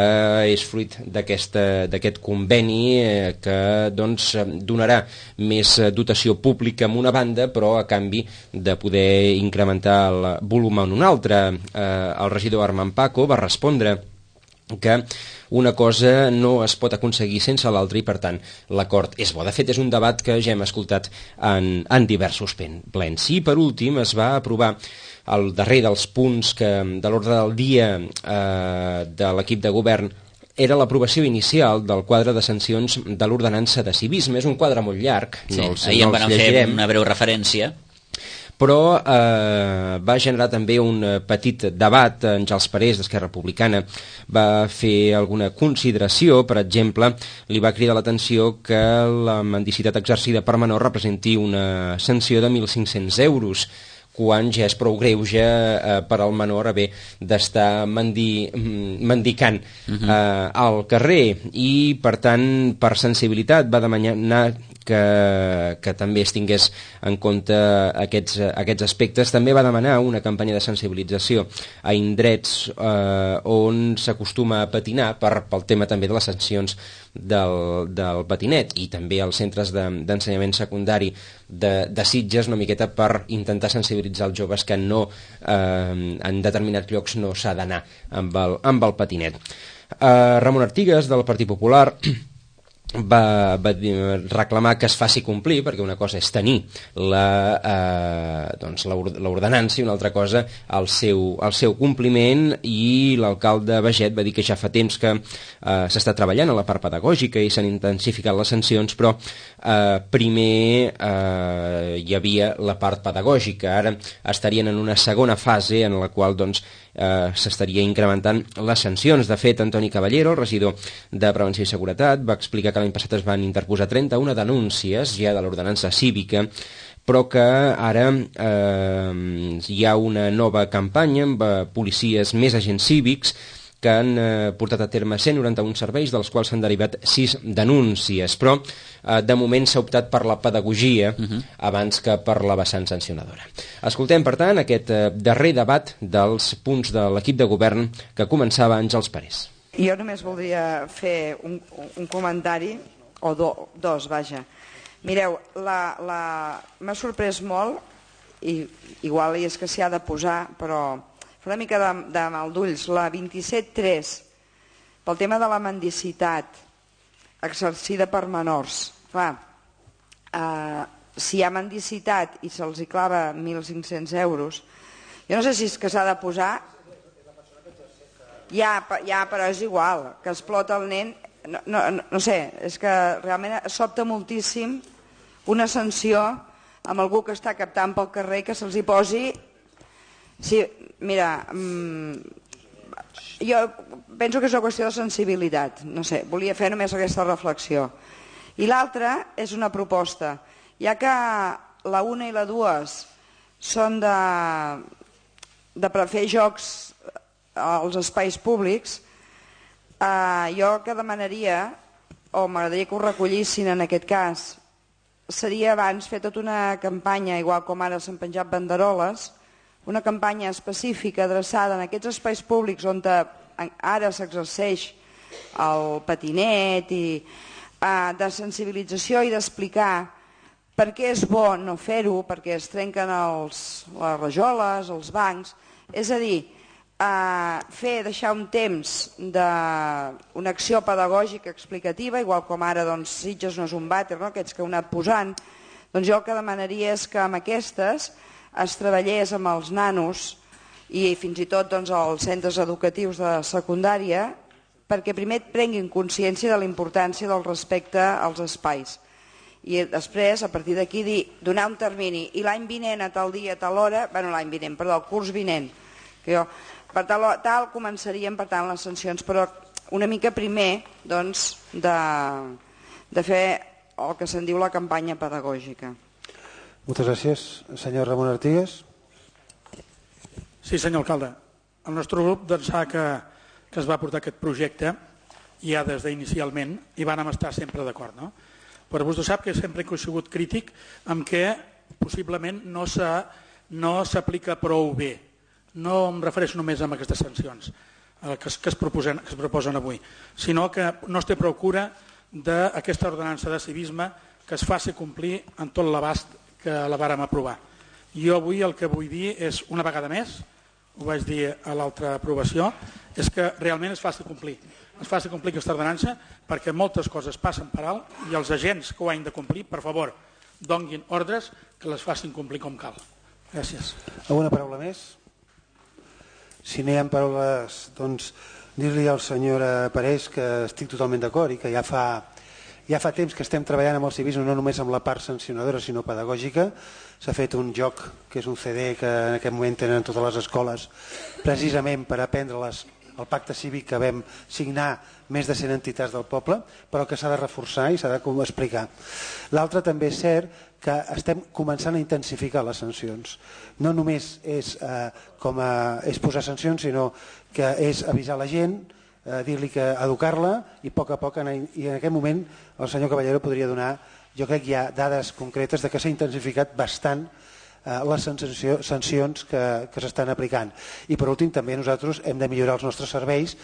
és fruit d'aquest conveni eh, que doncs, donarà més dotació pública en una banda, però a canvi de poder incrementar el volum en una altra. Eh, el regidor Armand Paco va respondre que una cosa no es pot aconseguir sense l'altra i, per tant, l'acord és bo. De fet, és un debat que ja hem escoltat en, en diversos plens. I, per últim, es va aprovar el darrer dels punts que, de l'ordre del dia eh, de l'equip de govern era l'aprovació inicial del quadre de sancions de l'ordenança de civisme. És un quadre molt llarg, sí, no els, ahir no en van fer una breu referència, però eh, va generar també un petit debat. Àngels Parés, d'Esquerra Republicana, va fer alguna consideració. Per exemple, li va cridar l'atenció que la mendicitat exercida per menor representi una sanció de mil cinc-cents euros, quan ja és prou greuge eh, per al menor haver d'estar mendi, mendicant uh-huh. eh, al carrer. I, per tant, per sensibilitat va demanar que, que també es tingués en compte aquests, aquests aspectes. També va demanar una campanya de sensibilització a indrets eh, on s'acostuma a patinar per, pel tema també de les sancions del, del patinet, i també als centres d'ensenyament de, secundari de, de Sitges, una miqueta per intentar sensibilitzar els joves que no, eh, en determinats llocs no s'ha d'anar amb, el, amb el patinet. Eh, Ramon Artigas, del Partit Popular, Va, va reclamar que es faci complir, perquè una cosa és tenir la, eh, doncs l'ordenança i una altra cosa el seu, el seu compliment. I l'alcalde Baget va dir que ja fa temps que eh, s'està treballant a la part pedagògica i s'han intensificat les sancions, però eh, primer eh, hi havia la part pedagògica. Ara estarien en una segona fase en la qual doncs, eh, s'estaria incrementant les sancions. De fet, Antoni Caballero, el regidor de Prevenció i Seguretat, va explicar que l'any passat es van interposar trenta-una denúncies ja de l'ordenança cívica, però que ara eh, hi ha una nova campanya amb eh, policies més agents cívics que han eh, portat a terme cent noranta-un serveis, dels quals s'han derivat sis denúncies, però eh, de moment s'ha optat per la pedagogia uh-huh. abans que per la vessant sancionadora. Escoltem, per tant, aquest eh, darrer debat dels punts de l'equip de govern que començava Àngels Parés. Jo només voldria fer un, un comentari, o do, dos, vaja. Mireu, la, la... m'ha sorprès molt, i igual és que s'hi ha de posar, però fa una mica de, de mal d'ulls, la vint-i-set tres, pel tema de la mendicitat exercida per menors. Clar, eh, si hi ha mendicitat i se'ls hi clava mil cinc-cents euros, jo no sé si és que s'ha de posar... Ja, ja, però és igual, que explota el nen... No, no, no sé, és que realment sobta moltíssim una sanció amb algú que està captant pel carrer que se'ls hi posi... Sí, mira, mmm, jo penso que és una qüestió de sensibilitat, no sé, volia fer només aquesta reflexió. I l'altra és una proposta. Ja que la una i la dues són de, de fer jocs als espais públics, eh, jo el que demanaria, o m'agradaria que ho recollissin en aquest cas, seria abans fer tota una campanya, igual com ara s'han penjat banderoles, una campanya específica adreçada en aquests espais públics on ara s'exerceix el patinet, i eh, de sensibilització i d'explicar per què és bo no fer-ho, perquè es trenquen els, les rajoles, els bancs, és a dir, Uh, fer, deixar un temps d'una acció pedagògica explicativa, igual com ara doncs, Sitges no és un vàter, no? Aquests que heu anat posant, doncs jo el que demanaria és que amb aquestes es treballés amb els nanos i fins i tot doncs, els centres educatius de secundària, perquè primer prenguin consciència de la importància del respecte als espais i després a partir d'aquí dir, donar un termini i l'any vinent a tal dia, a tal hora, bueno l'any vinent, perdó, el curs vinent, que jo per tal, tal començarien per tant les sancions, però una mica primer doncs, de, de fer el que se'n diu la campanya pedagògica. Moltes gràcies. Senyor Ramon Artigas. Sí, senyor alcalde. El nostre grup doncs, sap que, que es va portar aquest projecte ja des d'inicialment i vàrem estar sempre d'acord. No? Però vostè sap que sempre he sigut crític amb què possiblement no s'aplica no prou bé. No em refereixo només a aquestes sancions que es, que, es proposen, que es proposen avui, sinó que no es té prou cura d'aquesta ordenança de civisme que es faci complir en tot l'abast que la vàrem aprovar. Jo avui el que vull dir és, una vegada més, ho vaig dir a l'altra aprovació, és que realment es faci complir. Es faci complir aquesta ordenança perquè moltes coses passen per alt i els agents que ho han de complir, per favor, donguin ordres que les facin complir com cal. Gràcies. Alguna paraula més? Si no hi ha paraules, doncs dir-li al senyor Parés que estic totalment d'acord i que ja fa, ja fa temps que estem treballant amb el civisme, no només amb la part sancionadora sinó pedagògica. S'ha fet un joc que és un C D que en aquest moment tenen totes les escoles precisament per aprendre les, el pacte cívic que vam signar més de cent entitats del poble, però que s'ha de reforçar i s'ha d'explicar. L'altre també és cert que estem començant a intensificar les sancions. No només és, eh, com a, és posar sancions, sinó que és avisar la gent, eh, dir-li que educar-la i a poc a poc, anar, i en aquest moment el senyor Caballero podria donar, jo crec que hi ha dades concretes de que s'ha intensificat bastant eh, les sancions que, que s'estan aplicant. I per últim també nosaltres hem de millorar els nostres serveis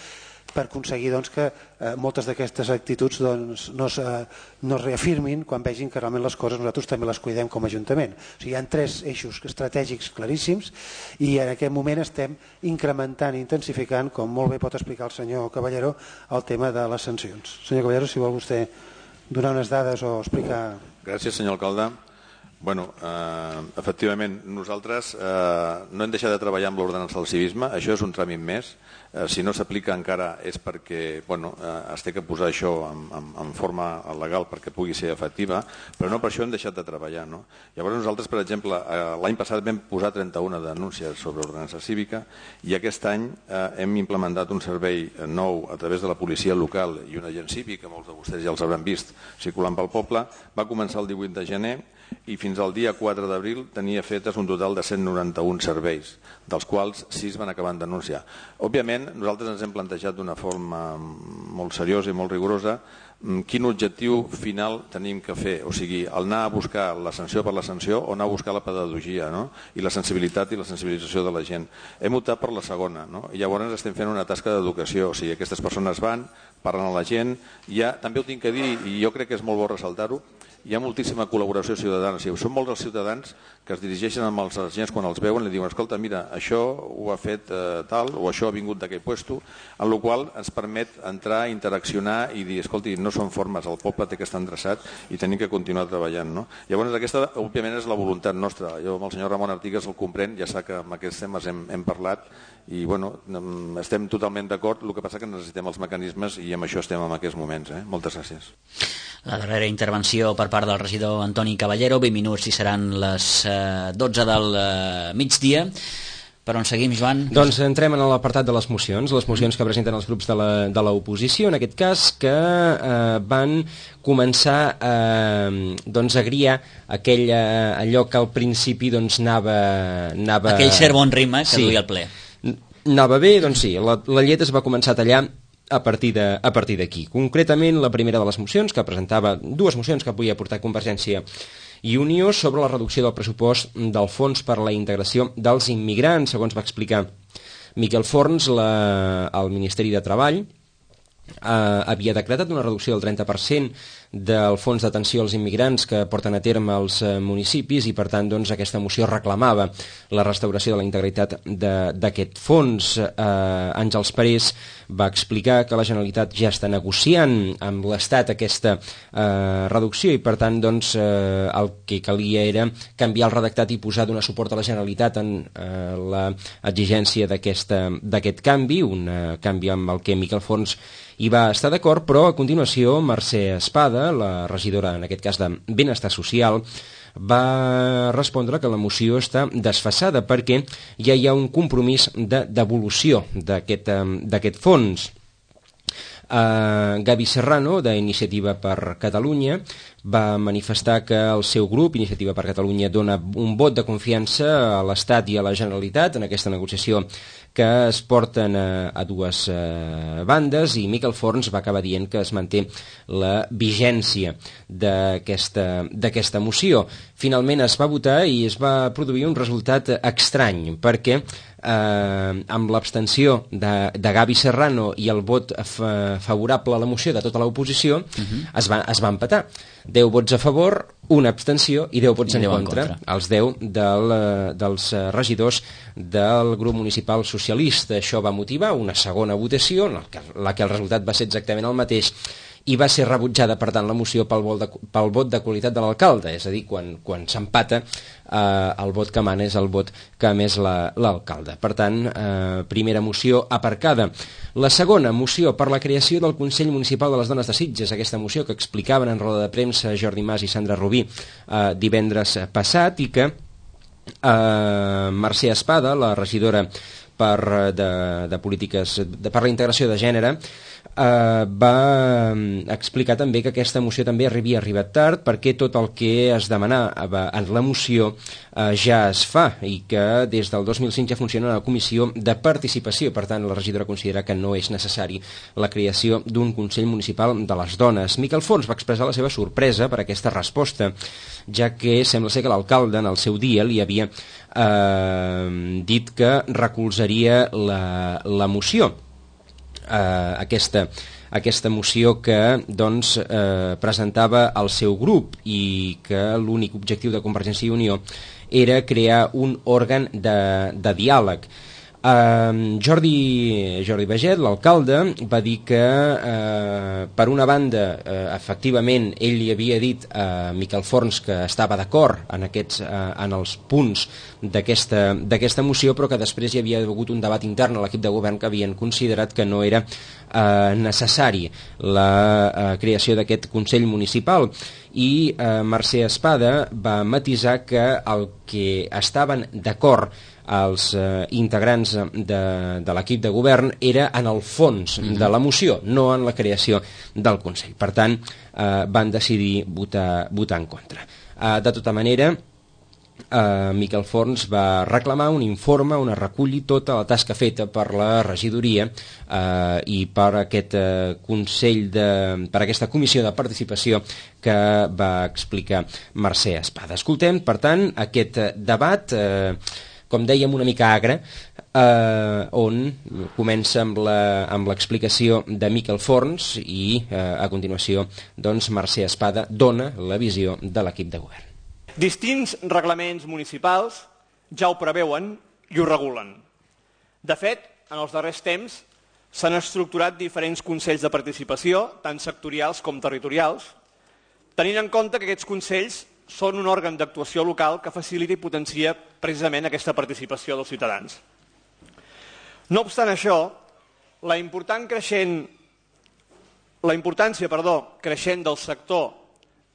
per aconseguir doncs, que eh, moltes d'aquestes actituds doncs, no, es, eh, no es reafirmin quan vegin que realment les coses nosaltres també les cuidem com a Ajuntament. O sigui, hi ha tres eixos estratègics claríssims i en aquest moment estem incrementant i intensificant, com molt bé pot explicar el senyor Caballero, el tema de les sancions. Senyor Caballero, si vol vostè donar unes dades o explicar... Gràcies, senyor alcalde. Bueno, eh, efectivament, nosaltres eh, no hem deixat de treballar amb l'ordenança del civisme, això és un tràmit més, eh, si no s'aplica encara és perquè bueno, eh, es té que posar això en, en, en forma legal perquè pugui ser efectiva, però no per això hem deixat de treballar. No? Llavors nosaltres, per exemple, eh, l'any passat vam posar trenta-una denúncies sobre ordenança cívica i aquest any eh, hem implementat un servei nou a través de la policia local i un agent cívic, que molts de vostès ja els hauran vist circulant pel poble, va començar el divuit de gener i fins al dia quatre d'abril tenia fetes un total de cent noranta-un serveis, dels quals sis van acabar en denúncia. Òbviament, nosaltres ens hem plantejat d'una forma molt seriosa i molt rigorosa quin objectiu final tenim que fer, o sigui, el anar a buscar la sanció per la sanció o anar a buscar la pedagogia, no? I la sensibilitat i la sensibilització de la gent. Hem optat per la segona, no? I llavors estem fent una tasca d'educació, o sigui, aquestes persones van, parlen a la gent, ja, també ho tinc que dir, i jo crec que és molt bo ressaltar-ho, hi ha moltíssima col·laboració ciutadana. O sigui, són molts els ciutadans que es dirigeixen amb els agents quan els veuen i diuen, escolta, mira, això ho ha fet eh, tal, o això ha vingut d'aquell puesto, en la qual ens permet entrar, interaccionar i dir, escolti, no són formes, el poble té que estar endreçat i tenim que continuar treballant. No? Llavors, aquesta, òbviament, és la voluntat nostra. Jo amb el senyor Ramon Artigas el comprenc, ja sap que amb aquests temes hem, hem parlat i bueno, estem totalment d'acord, el que passa que necessitem els mecanismes i amb això estem en aquests moments. Eh? Moltes gràcies. La darrera intervenció per part del regidor Antoni Caballero, vint minuts i seran les eh, dotze del eh, migdia. Per on seguim, Joan? Doncs entrem en l'apartat de les mocions, les mocions que presenten els grups de l'oposició, en aquest cas, que eh, van començar eh, doncs, a griar aquell, eh, allò que al principi doncs, anava, anava... Aquell cert bon ritme que sí, duia el ple. Anava bé, doncs sí, la, la llet es va començar a tallar a partir de, a partir d'aquí. Concretament, la primera de les mocions, que presentava dues mocions que volia portar Convergència i Unió sobre la reducció del pressupost del Fons per a la Integració dels Immigrants. Segons va explicar Miquel Forns, la, el Ministeri de Treball eh, havia decretat una reducció del trenta per cent del fons d'atenció als immigrants que porten a terme els eh, municipis i per tant doncs, aquesta moció reclamava la restauració de la integritat d'aquest fons. Eh, Àngels Parés va explicar que la Generalitat ja està negociant amb l'Estat aquesta eh, reducció i per tant doncs, eh, el que calia era canviar el redactat i posar donar suport a la Generalitat en eh, l'exigència d'aquest canvi, un eh, canvi amb el que Miquel Forns hi va estar d'acord, però a continuació Mercè Espada, la regidora en aquest cas de Benestar Social, va respondre que la moció està desfasada perquè ja hi ha un compromís de devolució d'aquest fons. Uh, Gavi Serrano, d'Iniciativa per Catalunya, va manifestar que el seu grup, Iniciativa per Catalunya, dona un vot de confiança a l'Estat i a la Generalitat en aquesta negociació que es porten a, a dues uh, bandes, i Miquel Forns va acabar dient que es manté la vigència d'aquesta moció. Finalment es va votar i es va produir un resultat estrany, perquè eh, amb l'abstenció de, de Gavi Serrano i el vot fa, favorable a la moció de tota l'oposició, uh-huh. es, va, es va empatar. deu vots a favor, una abstenció i deu vots I en, contra, en contra. Els deu del, dels regidors del grup municipal socialista. Això va motivar una segona votació, en la que, la que el resultat va ser exactament el mateix, i va ser rebutjada, per tant, la moció pel vot de, pel vot de qualitat de l'alcalde, és a dir, quan, quan s'empata eh, el vot que mana és el vot que ha emès l'alcalde. La, per tant, eh, primera moció aparcada. La segona moció per la creació del Consell Municipal de les Dones de Sitges, aquesta moció que explicaven en roda de premsa Jordi Mas i Sandra Rubí eh, divendres passat, i que eh, Mercè Espada, la regidora per, de, de polítiques de, per la integració de gènere, Uh, va explicar també que aquesta moció també havia arribat tard perquè tot el que es demanava en la moció uh, ja es fa, i que des del dos mil cinc ja funciona una comissió de participació. Per tant, la regidora considera que no és necessari la creació d'un Consell Municipal de les Dones. Miquel Forns va expressar la seva sorpresa per aquesta resposta, ja que sembla ser que l'alcalde en el seu dia li havia uh, dit que recolzaria la, la moció. Uh, aquesta, aquesta moció que doncs, uh, presentava el seu grup, i que l'únic objectiu de Convergència i Unió era crear un òrgan de, de diàleg. Uh, Jordi, Jordi Baget, l'alcalde, va dir que uh, per una banda uh, efectivament ell li havia dit a Miquel Forns que estava d'acord en, aquests, uh, en els punts d'aquesta d'aquesta moció, però que després hi havia hagut un debat intern a l'equip de govern que havien considerat que no era uh, necessari la uh, creació d'aquest Consell Municipal, i uh, Mercè Espada va matisar que el que estaven d'acord els eh, integrants de, de l'equip de govern era en el fons mm-hmm. de la moció, no en la creació del Consell. Per tant, eh, van decidir votar, votar en contra. Eh, de tota manera, eh, Miquel Forns va reclamar un informe on es reculli tota la tasca feta per la regidoria eh, i per aquest eh, Consell de, per aquesta comissió de participació que va explicar Mercè Espada. Escoltem, per tant, aquest debat eh, com dèiem, una mica agre, eh, on comença amb la, amb l'explicació de Miquel Forns i eh, a continuació doncs, Mercè Espada dona la visió de l'equip de govern. Distints reglaments municipals ja ho preveuen i ho regulen. De fet, en els darrers temps s'han estructurat diferents consells de participació, tant sectorials com territorials, tenint en compte que aquests consells són un òrgan d'actuació local que facilita i potencia precisament aquesta participació dels ciutadans. No obstant això, la, important creixent, la importància perdó, creixent del sector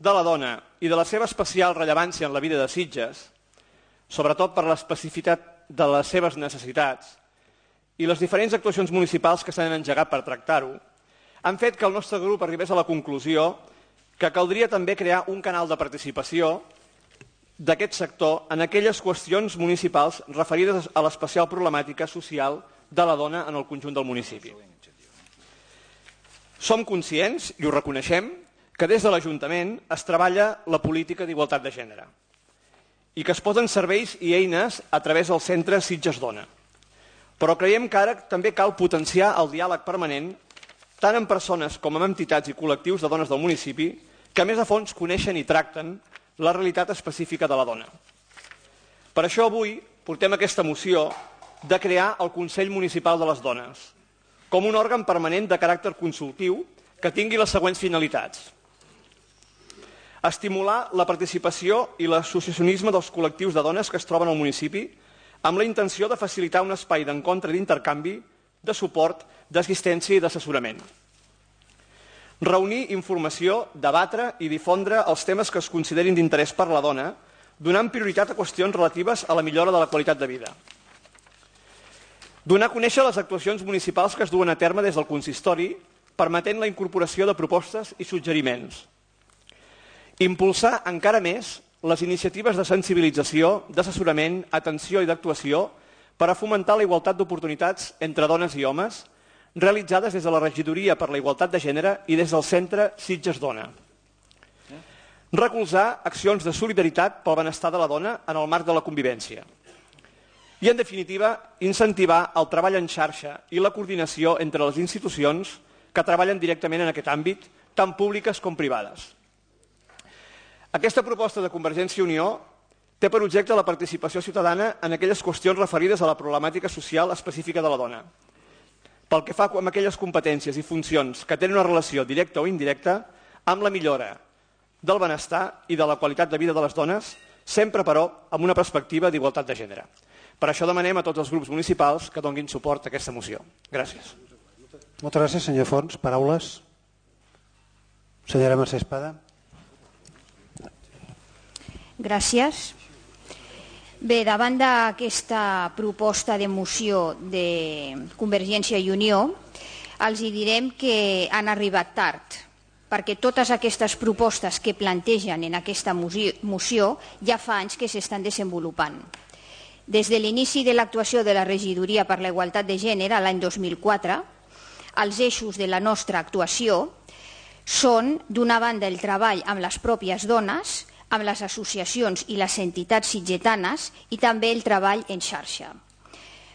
de la dona i de la seva especial rellevància en la vida de Sitges, sobretot per l'especificitat de les seves necessitats i les diferents actuacions municipals que s'han engegat per tractar-ho, han fet que el nostre grup arribés a la conclusió que caldria també crear un canal de participació d'aquest sector en aquelles qüestions municipals referides a l'especial problemàtica social de la dona en el conjunt del municipi. Som conscients, i ho reconeixem, que des de l'Ajuntament es treballa la política d'igualtat de gènere i que es posen serveis i eines a través del centre Sitges Dona. Però creiem que ara també cal potenciar el diàleg permanent tant amb persones com amb entitats i col·lectius de dones del municipi que més a fons coneixen i tracten la realitat específica de la dona. Per això avui portem aquesta moció de crear el Consell Municipal de les Dones, com un òrgan permanent de caràcter consultiu que tingui les següents finalitats. Estimular la participació i l'associacionisme dels col·lectius de dones que es troben al municipi amb la intenció de facilitar un espai d'encontre i d'intercanvi, de suport, d'assistència i d'assessorament. Reunir informació, debatre i difondre els temes que es considerin d'interès per la dona, donant prioritat a qüestions relatives a la millora de la qualitat de vida. Donar a conèixer les actuacions municipals que es duen a terme des del consistori, permetent la incorporació de propostes i suggeriments. Impulsar encara més les iniciatives de sensibilització, d'assessorament, atenció i d'actuació per a fomentar la igualtat d'oportunitats entre dones i homes, realitzades des de la Regidoria per la Igualtat de Gènere i des del Centre Sitges Dona. Recolzar accions de solidaritat pel benestar de la dona en el marc de la convivència. I, en definitiva, incentivar el treball en xarxa i la coordinació entre les institucions que treballen directament en aquest àmbit, tant públiques com privades. Aquesta proposta de Convergència i Unió té per objecte la participació ciutadana en aquelles qüestions referides a la problemàtica social específica de la dona, pel que fa amb aquelles competències i funcions que tenen una relació directa o indirecta amb la millora del benestar i de la qualitat de vida de les dones, sempre, però, amb una perspectiva d'igualtat de gènere. Per això demanem a tots els grups municipals que donin suport a aquesta moció. Gràcies. Moltes gràcies, senyor Forns. Paraules? Senyora Mercè Espada. Gràcies. Bé, davant d'aquesta proposta de moció de Convergència i Unió, els hi direm que han arribat tard, perquè totes aquestes propostes que plantegen en aquesta moció ja fa anys que s'estan desenvolupant. Des de l'inici de l'actuació de la Regidoria per la Igualtat de Gènere l'any dos mil quatre, els eixos de la nostra actuació són, d'una banda, el treball amb les pròpies dones, amb les associacions i les entitats sitgetanes i també el treball en xarxa.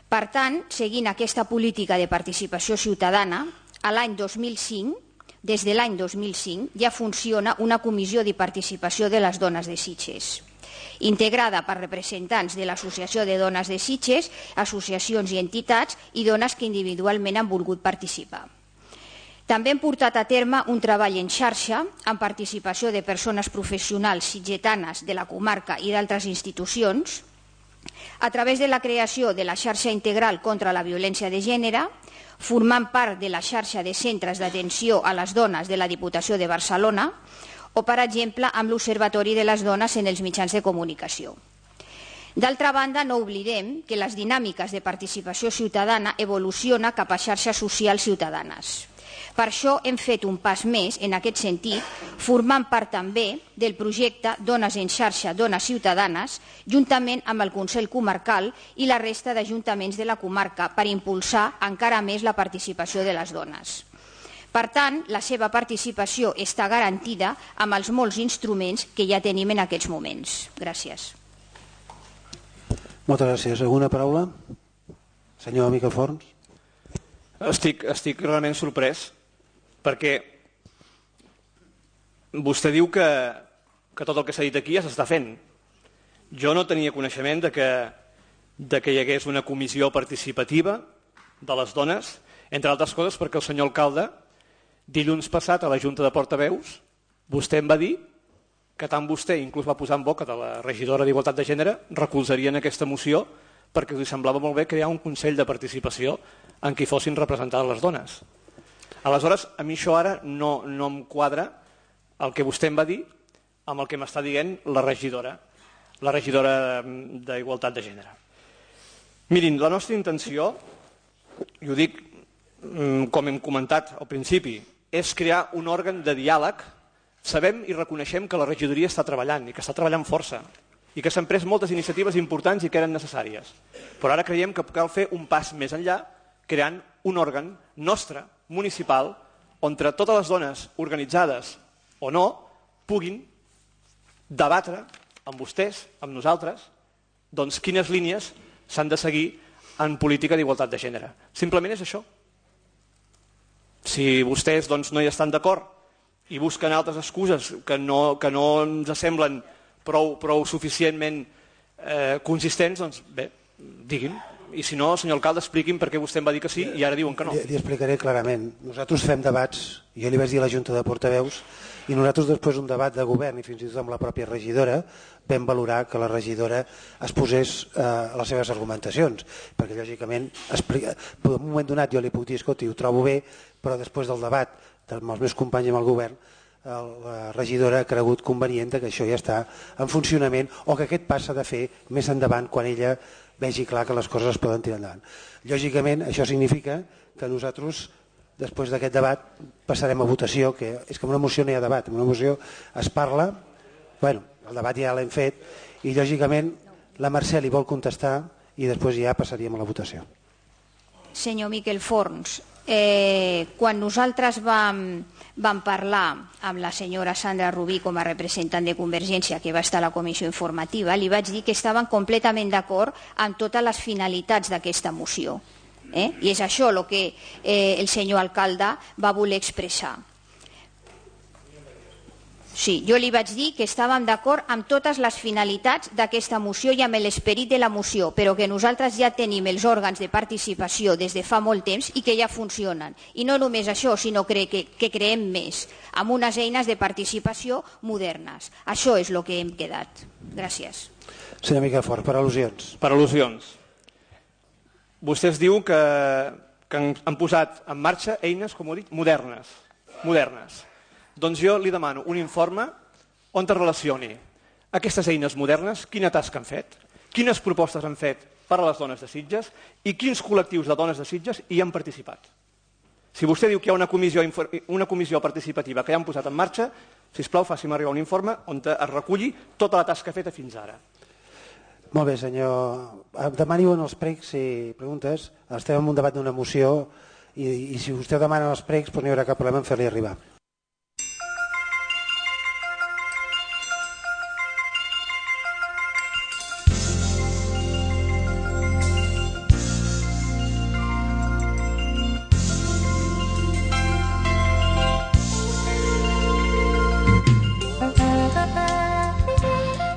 Per tant, seguint aquesta política de participació ciutadana, a l'any dos mil cinc, des de l'any dos mil cinc, ja funciona una comissió de participació de les dones de Sitges. integrada per representants de l'Associació de Dones de Sitges, associacions i entitats i dones que individualment han volgut participar. També hem portat a terme un treball en xarxa amb participació de persones professionals sitgetanes de la comarca i d'altres institucions a través de la creació de la xarxa integral contra la violència de gènere, formant part de la xarxa de centres d'atenció a les dones de la Diputació de Barcelona o, per exemple, amb l'Observatori de les Dones en els mitjans de comunicació. D'altra banda, no oblidem que les dinàmiques de participació ciutadana evolucionen cap a xarxes socials ciutadanes. Per això hem fet un pas més en aquest sentit, formant part també del projecte Dones en xarxa, Dones Ciutadanes, juntament amb el Consell Comarcal i la resta d'ajuntaments de la comarca per impulsar encara més la participació de les dones. Per tant, la seva participació està garantida amb els molts instruments que ja tenim en aquests moments. Gràcies. Moltes gràcies. Alguna paraula? Senyor Miquel Forns. Estic, estic realment sorprès perquè vostè diu que, que tot el que s'ha dit aquí ja s'està fent. Jo no tenia coneixement de que, de que hi hagués una comissió participativa de les dones, entre altres coses perquè el senyor alcalde, dilluns passat a la Junta de Portaveus, vostè em va dir que tant vostè, inclús va posar en boca de la regidora d'Igualtat de Gènere, recolzarien aquesta moció perquè us semblava molt bé crear un Consell de Participació en què fossin representades les dones. Aleshores, a mi això ara no, no em quadra el que vostè em va dir amb el que m'està dient la regidora, la regidora d'Igualtat de Gènere. Mirin, la nostra intenció, i ho dic com hem comentat al principi, és crear un òrgan de diàleg. Sabem i reconeixem que la regidoria està treballant i que està treballant força i que s'han pres moltes iniciatives importants i que eren necessàries. Però ara creiem que cal fer un pas més enllà creant un òrgan nostre, municipal, on totes les dones organitzades o no puguin debatre amb vostès, amb nosaltres, doncs quines línies s'han de seguir en política d'igualtat de gènere. Simplement és això. Si vostès doncs, no hi estan d'acord i busquen altres excuses que no, que no ens semblen prou, prou suficientment eh, consistents, doncs bé, diguin. I si no, senyor alcalde, expliqui'm per què vostè em va dir que sí i ara diuen que no. Li, li explicaré clarament. Nosaltres fem debats, jo li vaig dir a la Junta de Portaveus, i nosaltres després un debat de govern i fins i tot amb la pròpia regidora vam valorar que la regidora es posés eh, a les seves argumentacions, perquè lògicament explica, en un moment donat jo li puc dir, escolti, ho trobo bé, però després del debat amb els meus companys amb el govern la regidora ha cregut convenient que això ja està en funcionament o que aquest pas s'ha de fer més endavant quan ella vegi clar que les coses es poden tirar endavant. Lògicament, això significa que nosaltres, després d'aquest debat, passarem a votació, que és que en una moció no hi ha debat, en una moció es parla, bueno, el debat ja l'hem fet, i lògicament la Mercè li vol contestar i després ja passaríem a la votació. Senyor Miquel Forns, eh, quan nosaltres vam, vam parlar amb la senyora Sandra Rubí com a representant de Convergència que va estar a la comissió informativa, li vaig dir que estaven completament d'acord amb totes les finalitats d'aquesta moció. Eh? I és això el que eh, el senyor alcalde va voler expressar. Sí, jo li vaig dir que estàvem d'acord amb totes les finalitats d'aquesta moció i amb l'esperit de la moció, però que nosaltres ja tenim els òrgans de participació des de fa molt temps i que ja funcionen. I no només això, sinó que, que, que creem més, amb unes eines de participació modernes. Això és el que hem quedat. Gràcies. Senyor Miquel Forns, per al·lusions. Per al·lusions. Vostès diu que, que han posat en marxa eines, com ho dic, modernes. modernes. Doncs jo li demano un informe on es relacioni aquestes eines modernes, quina tasca han fet, quines propostes han fet per a les dones de Sitges i quins col·lectius de dones de Sitges hi han participat. Si vostè diu que hi ha una comissió, una comissió participativa que ja han posat en marxa, sisplau, faci'm arribar un informe on es reculli tota la tasca feta fins ara. Molt bé, senyor. Demani-ho en els pregs i preguntes. Estem en un debat d'una moció i, i si vostè demana els pregs doncs no hi haurà cap problema en fer-li arribar.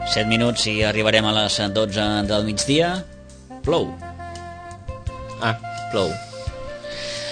set minuts i arribarem a les dotze del migdia. Plou. Ah, plou.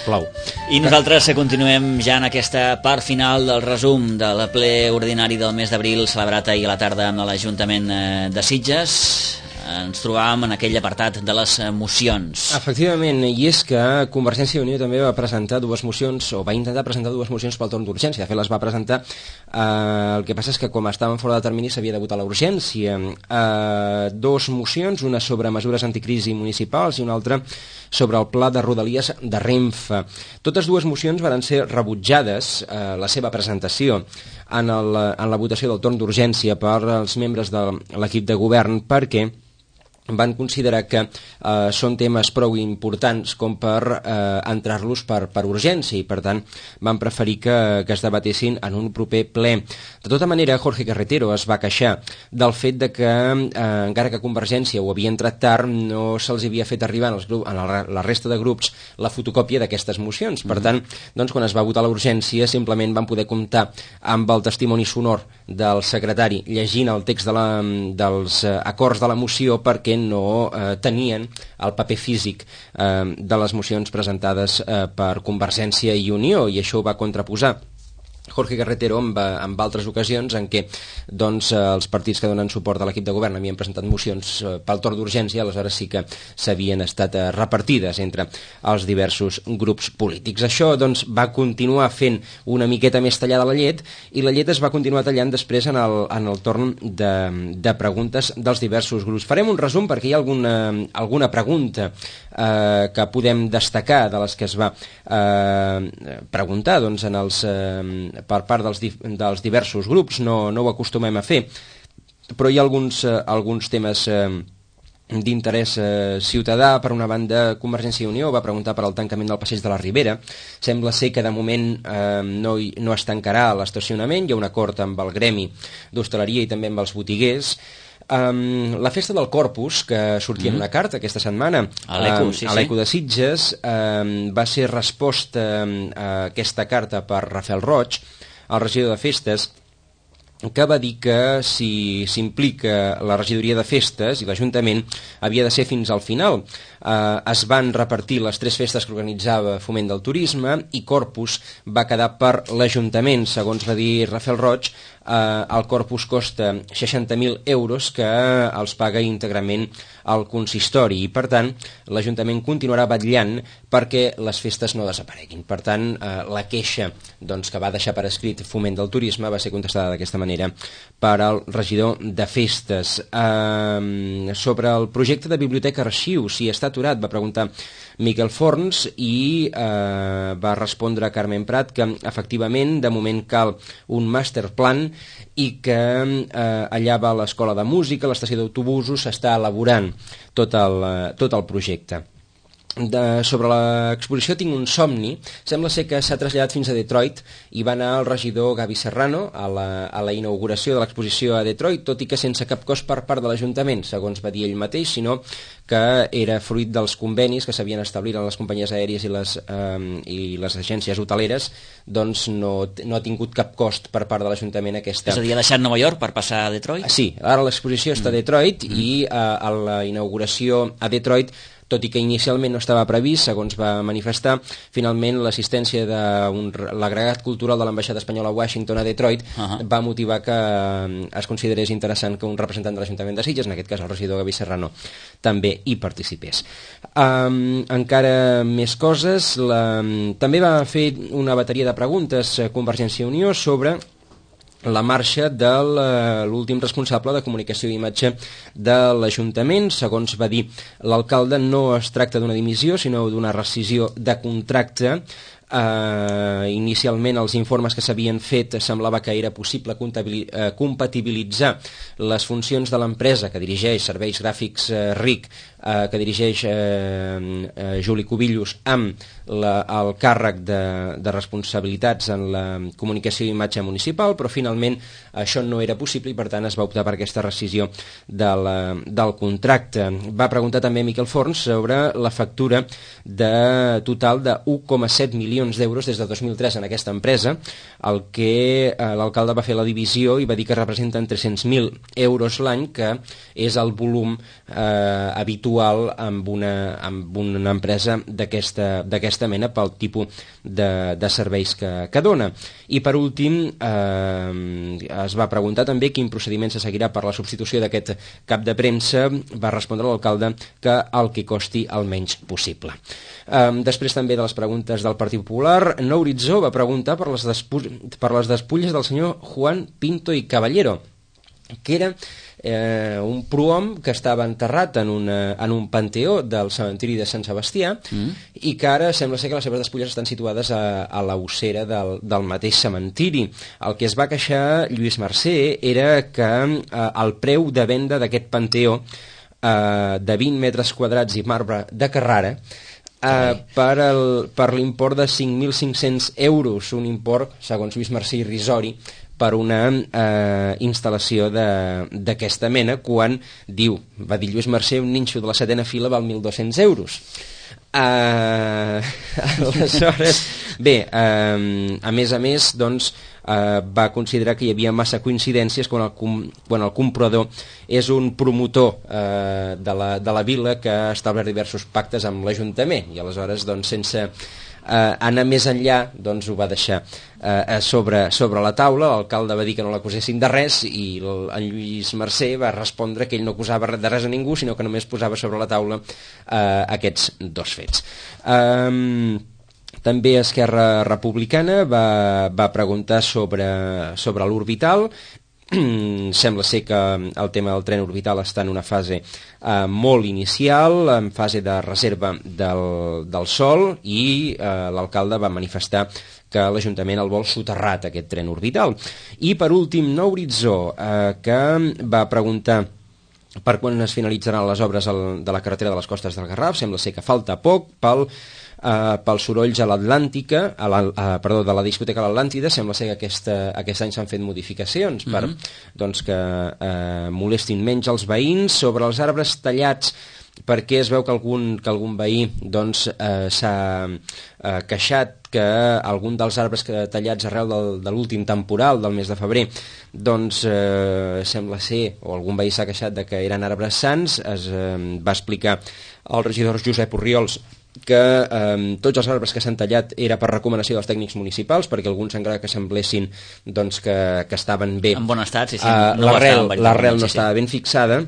Plou. I nosaltres continuem ja en aquesta part final del resum del ple ordinari del mes d'abril celebrat ahir a la tarda amb l'Ajuntament de Sitges. Ens trobàvem en aquell apartat de les mocions. Efectivament, i és que Convergència i Unió també va presentar dues mocions, o va intentar presentar dues mocions pel torn d'urgència. De fet, les va presentar, eh, el que passa és que com estaven fora de termini s'havia de votar la urgència. Eh, dos mocions, una sobre mesures anticrisi municipals i una altra sobre el pla de Rodalies de Renfe. Totes dues mocions van ser rebutjades, eh, la seva presentació, en, el, en la votació del torn d'urgència per als membres de l'equip de govern, perquè van considerar que eh, són temes prou importants com per eh, entrar-los per, per urgència i per tant van preferir que, que es debatessin en un proper ple. De tota manera, Jorge Carretero es va queixar del fet de que eh, encara que Convergència ho havia entrat tard, no se'ls havia fet arribar als grup, a la, la resta de grups la fotocòpia d'aquestes mocions. Per tant, doncs, quan es va votar la urgència simplement van poder comptar amb el testimoni sonor del secretari llegint el text de la, dels eh, acords de la moció perquè no eh, tenien el paper físic eh, de les mocions presentades eh, per Convergència i Unió, i això ho va contraposar Jorge Carretero amb, amb altres ocasions en què doncs, els partits que donen suport a l'equip de govern havien presentat mocions eh, pel torn d'urgència, aleshores sí que s'havien estat eh, repartides entre els diversos grups polítics. Això doncs, va continuar fent una miqueta més tallada la llet, i la llet es va continuar tallant després en el, en el torn de, de preguntes dels diversos grups. Farem un resum perquè hi ha alguna, alguna pregunta eh, que podem destacar de les que es va eh, preguntar doncs, en els eh, per part dels, dels diversos grups. No, no ho acostumem a fer, però hi ha alguns, eh, alguns temes eh, d'interès eh, ciutadà. Per una banda, Convergència i Unió va preguntar per al tancament del passeig de la Ribera. Sembla ser que de moment eh, no, no es tancarà l'estacionament, hi ha un acord amb el gremi d'hostaleria i també amb els botiguers. Um, la festa del Corpus, que sortia mm. en una carta aquesta setmana a l'Eco, sí, um, a l'Eco de Sitges, um, va ser resposta um, a aquesta carta per Rafael Roig, el regidor de Festes, que va dir que si s'implica la regidoria de festes i l'Ajuntament havia de ser fins al final. Eh, es van repartir les tres festes que organitzava Foment del Turisme i Corpus va quedar per l'Ajuntament. Segons va dir Rafael Roig, eh, el Corpus costa seixanta mil euros que els paga íntegrament el consistori i per tant l'Ajuntament continuarà vetllant perquè les festes no desapareguin. Per tant, eh, la queixa doncs, que va deixar per escrit Foment del Turisme va ser contestada d'aquesta manera per al regidor de festes. Eh, sobre el projecte de biblioteca arxiu, si està aturat, va preguntar Miquel Forns i eh, va respondre a Carmen Prat que efectivament de moment cal un master plan i que eh, allà va l'escola de música, l'estació d'autobusos, s'està elaborant tot el, tot el projecte. De, sobre l'exposició Tinc un somni, sembla ser que s'ha traslladat fins a Detroit i va anar el regidor Gavi Serrano a la, a la inauguració de l'exposició a Detroit, tot i que sense cap cost per part de l'Ajuntament, segons va dir ell mateix, sinó que era fruit dels convenis que s'havien establit en les companyies aèries i les, eh, i les agències hoteleres, doncs no, no ha tingut cap cost per part de l'Ajuntament aquesta... És a dir, ha deixat Nova York per passar a Detroit? Sí, ara l'exposició està a Detroit mm. i eh, a la inauguració a Detroit, tot i que inicialment no estava previst, segons va manifestar, finalment l'assistència de l'agregat cultural de l'ambaixada espanyola a Washington a Detroit uh-huh. va motivar que es considerés interessant que un representant de l'Ajuntament de Sitges, en aquest cas el regidor Gavi Serrano, també hi participés. Um, encara més coses, la, també va fer una bateria de preguntes a Convergència i Unió sobre la marxa de l'últim responsable de comunicació i imatge de l'Ajuntament. Segons va dir l'alcalde, no es tracta d'una dimissió, sinó d'una rescisió de contracte. Uh, inicialment els informes que s'havien fet semblava que era possible uh, compatibilitzar les funcions de l'empresa que dirigeix Serveis Gràfics uh, R I C, uh, que dirigeix uh, uh, Juli Cubillos, amb la, el càrrec de, de responsabilitats en la comunicació i imatge municipal, però finalment això no era possible i per tant es va optar per aquesta rescisió de la, del contracte. Va preguntar també Miquel Forns sobre la factura de total de un coma set milions milions d'euros des de dos mil tres en aquesta empresa, el que eh, l'alcalde va fer la divisió i va dir que representen tres-cents mil euros l'any, que és el volum eh, habitual amb una, amb una empresa d'aquesta mena pel tipus de, de serveis que, que dona. I per últim eh, es va preguntar també quin procediment se seguirà per la substitució d'aquest cap de premsa. Va respondre l'alcalde que el que costi el menys possible. Um, després també de les preguntes del Partit Popular, Nou Horitzó va preguntar per les, per les despulles del senyor Juan Pinto i Caballero, que era eh, un prohom que estava enterrat en, una, en un panteó del cementiri de Sant Sebastià mm. i que ara sembla ser que les seves despulles estan situades a, a la ossera del, del mateix cementiri. El que es va queixar Lluís Mercè era que eh, el preu de venda d'aquest panteó eh, de vint metres quadrats i marbre de Carrara Uh, per, el, per l'import de cinc mil cinc-cents euros, un import, segons Lluís Mercè, irrisori per una uh, instal·lació d'aquesta mena, quan diu, va dir Lluís Mercè, un ninxo de la setena fila val mil dos-cents euros. Uh, aleshores, bé, uh, a més a més, doncs, uh, va considerar que hi havia massa coincidències quan el, com, quan el comprador és un promotor uh, de, la, de la vila que ha establert diversos pactes amb l'Ajuntament, i aleshores, doncs, sense Uh, anar més enllà, doncs ho va deixar uh, sobre, sobre la taula. L'alcalde va dir que no l'acusessin de res i el, en Lluís Mercè va respondre que ell no acusava de res a ningú, sinó que només posava sobre la taula uh, aquests dos fets. Um, també Esquerra Republicana va, va preguntar sobre, sobre l'orbital. Sembla ser que el tema del tren orbital està en una fase eh, molt inicial, en fase de reserva del, del sòl, i eh, l'alcalde va manifestar que l'Ajuntament el vol soterrat, aquest tren orbital. I per últim, Nou Horitzó, eh, que va preguntar per quan es finalitzaran les obres al, de la carretera de les Costes del Garraf. Sembla ser que falta poc pel Uh, pels sorolls a l'Atlàntica, a la, uh, perdó, de la discoteca a l'Atlàntida. Sembla ser que aquesta, aquest any s'han fet modificacions per mm-hmm. doncs que uh, molestin menys els veïns. Sobre els arbres tallats, perquè es veu que algun, que algun veí doncs, uh, s'ha uh, queixat que algun dels arbres que tallats arrel del, de l'últim temporal del mes de febrer, doncs uh, sembla ser, o algun veí s'ha queixat de que eren arbres sans. Es uh, va explicar el regidor Josep Orriols que eh, tots els arbres que s'han tallat era per recomanació dels tècnics municipals, perquè alguns encara que semblessin doncs, que, que estaven bé, en bon estat, sí, sí, uh, no l'arrel l'arrel no sí, estava sí. ben fixada.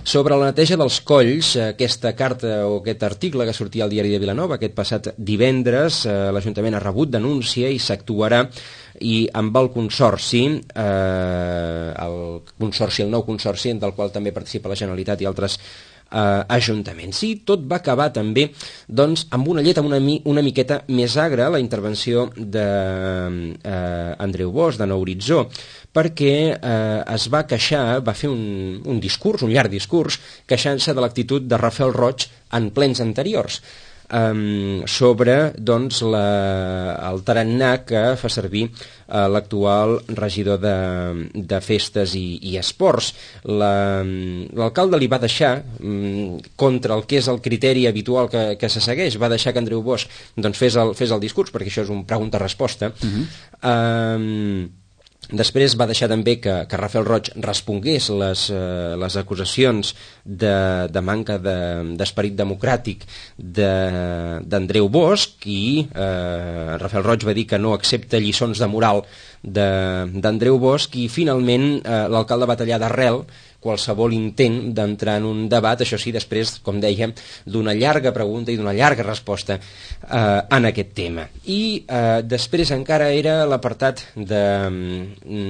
Sobre la neteja dels colls, aquesta carta o aquest article que sortia al diari de Vilanova aquest passat divendres, eh, l'Ajuntament ha rebut denúncia i s'actuarà, i amb el consorci, eh, el consorci, el nou consorci, del qual també participa la Generalitat i altres Uh, ajuntaments. I tot va acabar també doncs, amb una llet amb una, mi, una miqueta més agra, la intervenció d'Andreu uh, Bosch, de Nou Horitzó, perquè uh, es va queixar, va fer un, un discurs, un llarg discurs, queixant-se de l'actitud de Rafael Roig en plens anteriors. Um, sobre doncs, la, el tarannà que fa servir uh, l'actual regidor de, de festes i, i esports. L'alcalde la, li va deixar, um, contra el que és el criteri habitual que, que se segueix, va deixar que Andreu Bosch doncs, fes, el, fes el discurs, perquè això és un pregunta-resposta. Uh-huh. um, Després va deixar també que, que Rafael Roig respongués les, eh, les acusacions de, de manca d'esperit de, democràtic d'Andreu Bosch, i eh, Rafael Roig va dir que no accepta lliçons de moral d'Andreu Bosch, i finalment eh, l'alcalde va tallar d'arrel qualsevol intent d'entrar en un debat, això sí, després, com dèiem, d'una llarga pregunta i d'una llarga resposta eh, en aquest tema. I eh, després encara era l'apartat de,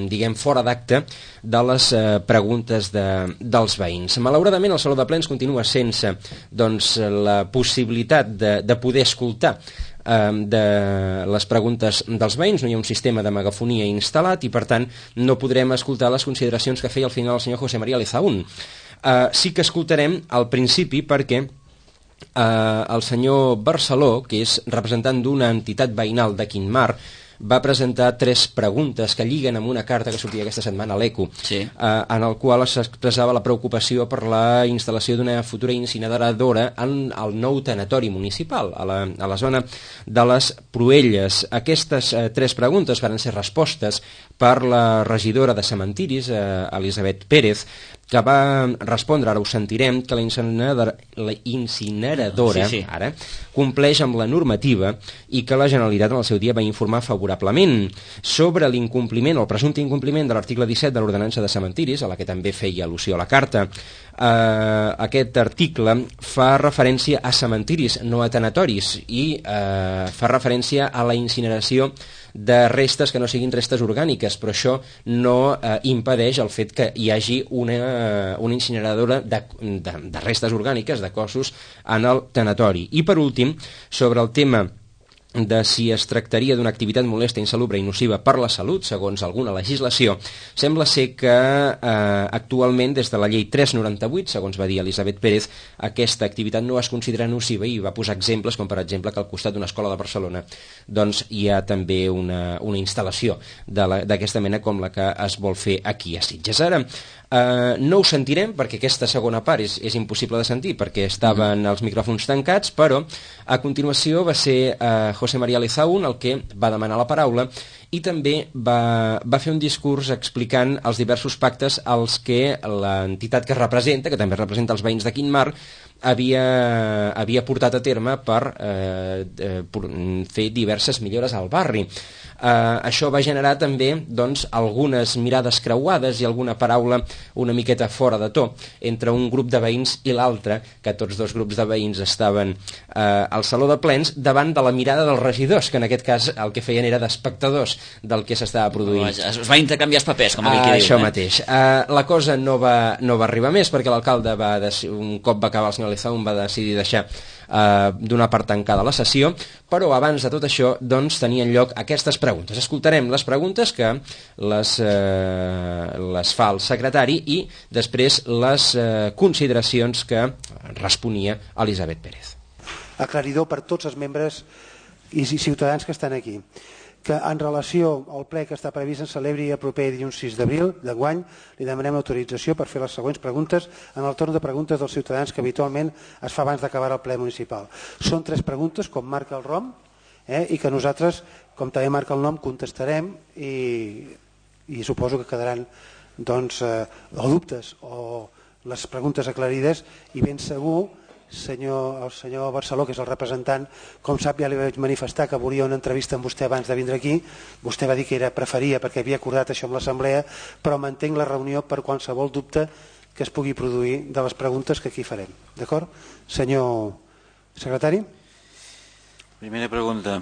diguem, fora d'acte de les eh, preguntes de, dels veïns. Malauradament, el Saló de Plens continua sense doncs, la possibilitat de, de poder escoltar de les preguntes dels veïns. No hi ha un sistema de megafonia instal·lat i per tant no podrem escoltar les consideracions que feia al final el senyor José María Lezaún. Uh, sí que escoltarem al principi, perquè uh, el senyor Barceló, que és representant d'una entitat veïnal de Quintmar, va presentar tres preguntes que lliguen amb una carta que sortia aquesta setmana a l'Eco, sí. eh, en el qual s'expressava la preocupació per la instal·lació d'una futura incineradora en el nou tanatori municipal, a la, a la zona de les Pruelles. Aquestes eh, tres preguntes van ser respostes per la regidora de Cementiris, eh, Elisabet Pérez, que va respondre, ara ho sentirem, que la incineradora, la incineradora sí, sí. ara compleix amb la normativa i que la Generalitat en el seu dia va informar favorablement sobre l'incompliment o el presumpte incompliment de l'article disset de l'ordenança de cementiris, a la que també feia al·lusió a la carta. Eh, aquest article fa referència a cementiris, no a tanatoris, i eh, fa referència a la incineració de restes que no siguin restes orgàniques, però això no eh, impedeix el fet que hi hagi una, una incineradora de, de, de restes orgàniques, de cossos, en el tanatori. I per últim, sobre el tema de si es tractaria d'una activitat molesta, insalubre i nociva per la salut, segons alguna legislació, sembla ser que eh, actualment, des de la llei tres noranta-vuit, segons va dir Elisabet Pérez, aquesta activitat no es considera nociva, i va posar exemples, com per exemple que al costat d'una escola de Barcelona doncs hi ha també una, una instal·lació d'aquesta mena com la que es vol fer aquí a Sitges. Ara, Uh, no ho sentirem perquè aquesta segona part és, és impossible de sentir perquè estaven els micròfons tancats, però a continuació va ser uh, José María Lezaun el que va demanar la paraula i també va, va fer un discurs explicant els diversos pactes als que l'entitat que representa, que també representa els veïns de Quintmar, havia, havia portat a terme per eh, eh, fer diverses millores al barri. Uh, això va generar també doncs, algunes mirades creuades i alguna paraula una miqueta fora de to entre un grup de veïns i l'altre, que tots dos grups de veïns estaven uh, al saló de plens davant de la mirada dels regidors, que en aquest cas el que feien era d'espectadors del que s'estava produint. Es va intercanviar els papers, com aquell que uh, diu. Això eh? mateix. Uh, la cosa no va, no va arribar més perquè l'alcalde va un cop va acabar el senyor Lezaun va decidir deixar Uh, d'una part tancada la sessió, però abans de tot això doncs tenien lloc aquestes preguntes. Escoltarem les preguntes que les, uh, les fa el secretari i després les uh, consideracions que responia Elisabet Pérez. Aclaridor per tots els membres i ciutadans que estan aquí, que en relació al ple que està previst en celebri el proper dilluns sis d'abril d'enguany, li demanem l'autorització per fer les següents preguntes en el torn de preguntes dels ciutadans que habitualment es fa abans d'acabar el ple municipal. Són tres preguntes, com marca el ROM, eh, i que nosaltres, com també marca el nom, contestarem i, i suposo que quedaran doncs, eh, o dubtes o les preguntes aclarides i ben segur Senyor, el senyor Barceló, que és el representant, com sap, ja li vaig manifestar que volia una entrevista amb vostè abans de vindre aquí. Vostè va dir que era preferia perquè havia acordat això amb l'assemblea, però mantenc la reunió per qualsevol dubte que es pugui produir de les preguntes que aquí farem. D'acord? Senyor secretari? Primera pregunta.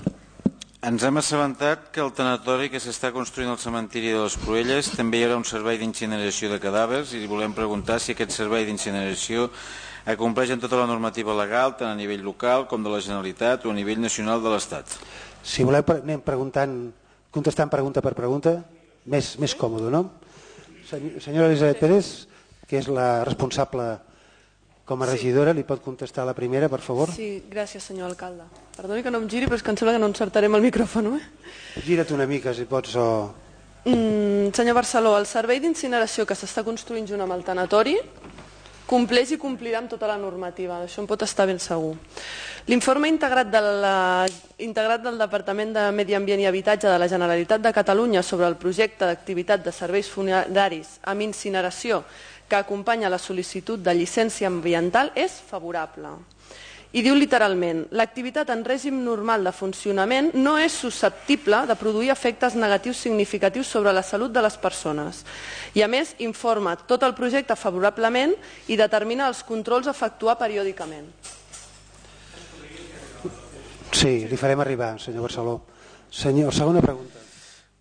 Ens hem assabentat que el tanatori que s'està construint al cementiri de les Pruelles també hi haurà un servei d'incineració de cadàvers i volem preguntar si aquest servei d'incineració acompleix en tota la normativa legal, tant a nivell local com de la Generalitat o a nivell nacional de l'Estat. Si voleu, anem preguntant, contestant pregunta per pregunta, més, més còmode, no? Senyora Elisabet Pérez, que és la responsable com a regidora, li pot contestar la primera, per favor? Sí, gràcies, senyor alcalde. Perdoni que no em giri, però és que em sembla que no encertarem el micròfon, eh? Gira't una mica, si pots, o... Mm, senyor Barceló, el servei d'incineració que s'està construint junt amb el tanatori compleix i complirà amb tota la normativa, això en pot estar ben segur. L'informe integrat, de la, integrat del Departament de Medi Ambient i Habitatge de la Generalitat de Catalunya sobre el projecte d'activitat de serveis funeraris amb incineració que acompanya la sol·licitud de llicència ambiental és favorable. I diu literalment, l'activitat en règim normal de funcionament no és susceptible de produir efectes negatius significatius sobre la salut de les persones. I a més, informa tot el projecte favorablement i determina els controls a efectuar periòdicament. Sí, li farem arribar, senyor Barceló. Senyor, segona pregunta.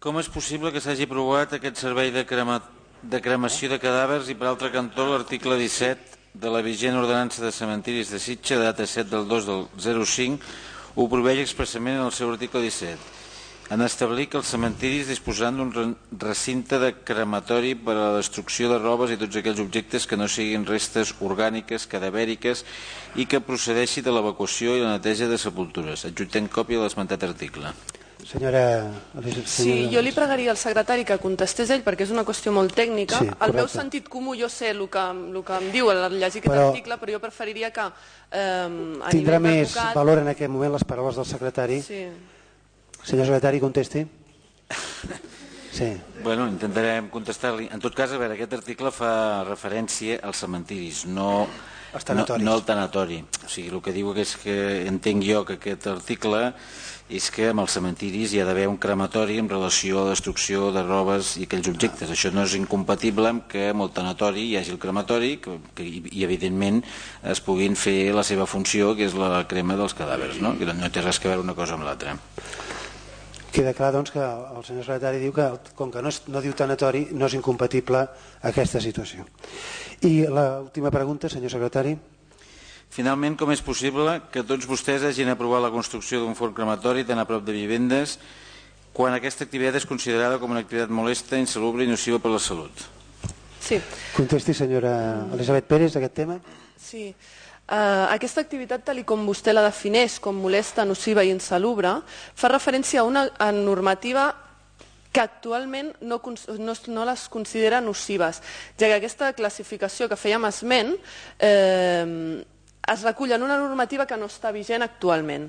Com és possible que s'hagi aprovat aquest servei de, crema, de cremació de cadàvers i per altre cantó l'article disset de la vigent ordenança de cementiris de Sitges, data set del dos del zero cinc, ho prohibeix expressament en el seu article disset. En establir que els cementiris disposaran d'un recinte de crematori per a la destrucció de robes i tots aquells objectes que no siguin restes orgàniques, cadavèriques i que procedeixi de l'evacuació i la neteja de sepultures. Adjuntem còpia de l'esmentat article. Senyora... Sí, jo li pregaria al secretari que contestés ell, perquè és una qüestió molt tècnica. Sí, el meu correcte. sentit comú, jo sé el que, el que em diu al llegir aquest Però- article, però jo preferiria que eh, a Tindrà nivell més d'advocat... valor en aquest moment les paraules del secretari. Sí. Senyor secretari, contesti. Sí. Bueno, intentarem contestar-li. En tot cas, a veure, aquest article fa referència als cementiris, no, Els no, tanatoris. no al tanatori. O sigui, el que diu és que entenc jo que aquest article és que amb els cementiris hi ha d'haver un crematori en relació a la destrucció de robes i aquells objectes. Això no és incompatible amb que amb el tanatori hi hagi el crematori que, que, i, evidentment, es puguin fer la seva funció, que és la crema dels cadàvers, no? Que no té res a veure una cosa amb l'altra. Queda clar, doncs, que el senyor secretari diu que, com que no, és, no diu tanatori, no és incompatible aquesta situació. I l'última pregunta, senyor secretari. Finalment, com és possible que tots vostès hagin aprovat la construcció d'un forn crematori tan a prop de vivendes quan aquesta activitat és considerada com una activitat molesta, insalubre i nociva per la salut? Sí. Contesti, senyora Elisabet Pérez, aquest tema. Sí. Uh, aquesta activitat, tal com vostè la defineix com molesta, nociva i insalubre, fa referència a una a normativa que actualment no, no, no les considera nocives, ja que aquesta classificació que fèiem esment eh, es recull en una normativa que no està vigent actualment.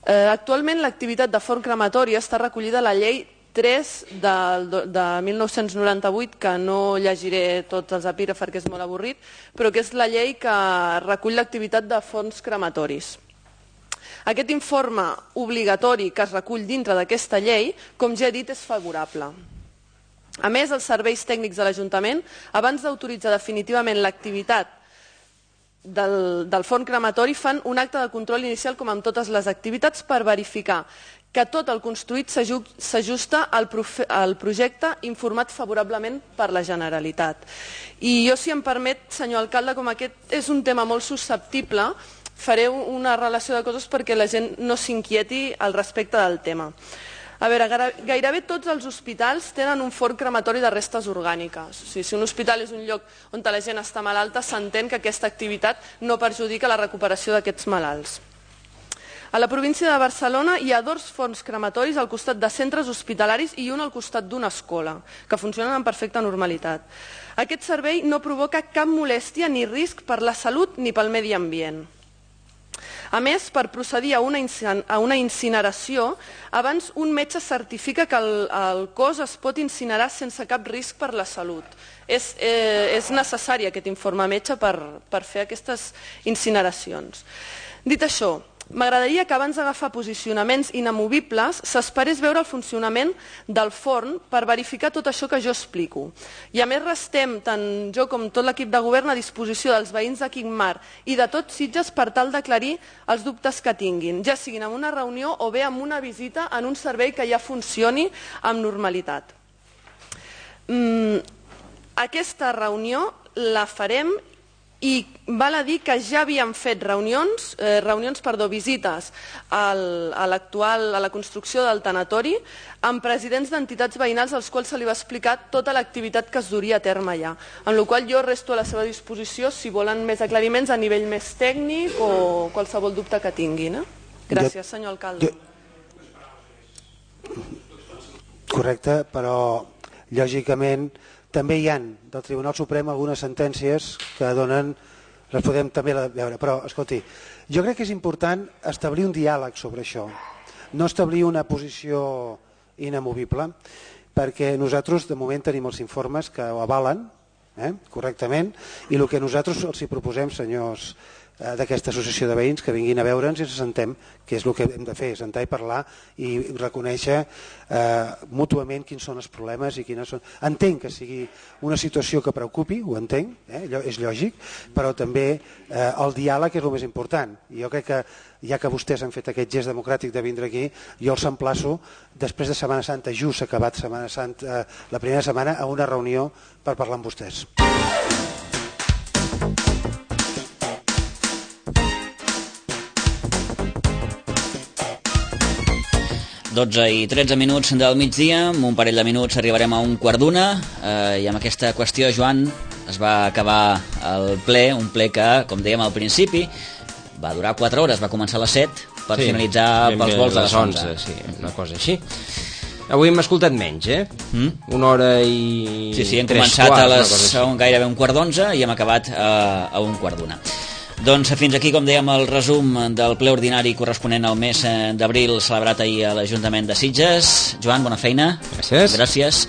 Eh, actualment l'activitat de forn crematori està recollida a la llei tres de, de mil nou-cents noranta-vuit, que no llegiré tots els epígrafs perquè és molt avorrit, però que és la llei que recull l'activitat de forns crematoris. Aquest informe obligatori que es recull dintre d'aquesta llei, com ja he dit, és favorable. A més, els serveis tècnics de l'Ajuntament, abans d'autoritzar definitivament l'activitat del, del forn crematori, fan un acte de control inicial, com amb totes les activitats, per verificar que tot el construït s'ajusta al, al projecte informat favorablement per la Generalitat. I jo, si em permet, senyor alcalde, com aquest és un tema molt susceptible, faré una relació de coses perquè la gent no s'inquieti al respecte del tema. A veure, gairebé tots els hospitals tenen un forn crematori de restes orgàniques. O sigui, si un hospital és un lloc on la gent està malalta, s'entén que aquesta activitat no perjudica la recuperació d'aquests malalts. A la província de Barcelona hi ha dos forns crematoris al costat de centres hospitalaris i un al costat d'una escola, que funcionen amb perfecta normalitat. Aquest servei no provoca cap molèstia ni risc per la salut ni pel medi ambient. A més, per procedir a una, a una incineració, abans un metge certifica que el, el cos es pot incinerar sense cap risc per la salut. És, eh, és necessari aquest informe metge per, per fer aquestes incineracions. Dit això, m'agradaria que abans d'agafar posicionaments inamovibles s'esperés veure el funcionament del forn per verificar tot això que jo explico. I a més restem, tant jo com tot l'equip de govern, a disposició dels veïns de Quintmar i de tots Sitges per tal d'aclarir els dubtes que tinguin, ja siguin en una reunió o bé en una visita en un servei que ja funcioni amb normalitat. Mm, aquesta reunió la farem i val a dir que ja havíem fet reunions, eh, reunions perdó, visites al, a, l'actual, a la construcció del tanatori amb presidents d'entitats veïnals als quals se li va explicar tota l'activitat que es duria a terme allà. En la qual jo resto a la seva disposició si volen més aclariments a nivell més tècnic o qualsevol dubte que tinguin. Eh? Gràcies, senyor alcalde. Correcte, però lògicament també hi ha del Tribunal Suprem algunes sentències que donen, les podem també veure, però escolti, jo crec que és important establir un diàleg sobre això, no establir una posició inamovible, perquè nosaltres de moment tenim els informes que ho avalen eh, correctament, i el que nosaltres els hi proposem, senyors eh, d'aquesta associació de veïns, que vinguin a veure'ns i ens sentem, que és el que hem de fer, sentar i parlar i reconèixer eh, mútuament quins són els problemes i quines són... Entenc que sigui una situació que preocupi, ho entenc, eh, és lògic, però també eh, el diàleg és el més important. I jo crec que, ja que vostès han fet aquest gest democràtic de vindre aquí, jo els emplaço, després de Setmana Santa, just acabat Setmana Santa, eh, la primera setmana, a una reunió per parlar amb vostès. dotze i tretze minuts del migdia, amb un parell de minuts arribarem a un quart d'una, eh, i amb aquesta qüestió, Joan, es va acabar el ple, un ple que, com dèiem al principi, va durar quatre hores, va començar a les set, per sí, finalitzar pels vols de les onze. Sí, una cosa així. Avui hem escoltat menys, eh? Mm? Una hora i... Sí, sí, hem començat quarts, a les a un, gairebé un quart d'onze i hem acabat a, a un quart d'una. Doncs fins aquí, com dèiem, el resum del ple ordinari corresponent al mes d'abril celebrat ahir a l'Ajuntament de Sitges. Joan, bona feina. Gràcies. Gràcies.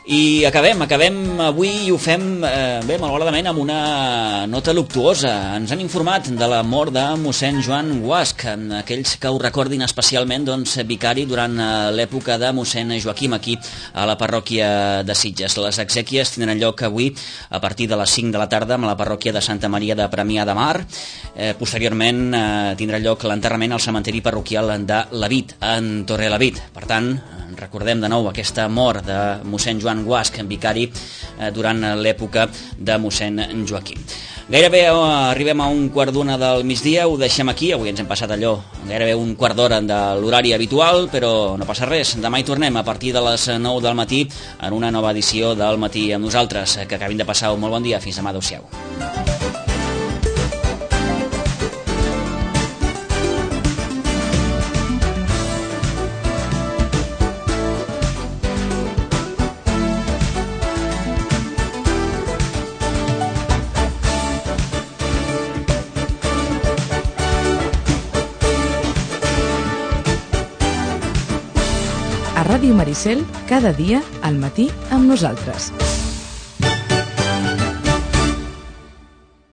I acabem, acabem avui i ho fem eh, bé, malauradament, amb una nota luctuosa. Ens han informat de la mort de mossèn Joan Guasch, aquells que ho recordin especialment, doncs, vicari durant l'època de mossèn Joaquim aquí a la parròquia de Sitges. Les exèquies tindran lloc avui a partir de les cinc de la tarda a la parròquia de Santa Maria de Premià de Mar. Eh, posteriorment eh, tindrà lloc l'enterrament al cementeri parroquial de Lavit, en Torrelavit. Per tant, recordem de nou aquesta mort de mossèn Joan Guasch, vicari eh, durant l'època de mossèn Joaquim. Gairebé eh, arribem a un quart d'una del migdia, ho deixem aquí, avui ens hem passat allò gairebé un quart d'hora de l'horari habitual, però no passa res, demà hi tornem a partir de les nou del matí en una nova edició del Matí amb nosaltres. Que acabin de passar un molt bon dia, fins demà, adeu-siau. Ràdio Maricel, cada dia al matí amb nosaltres.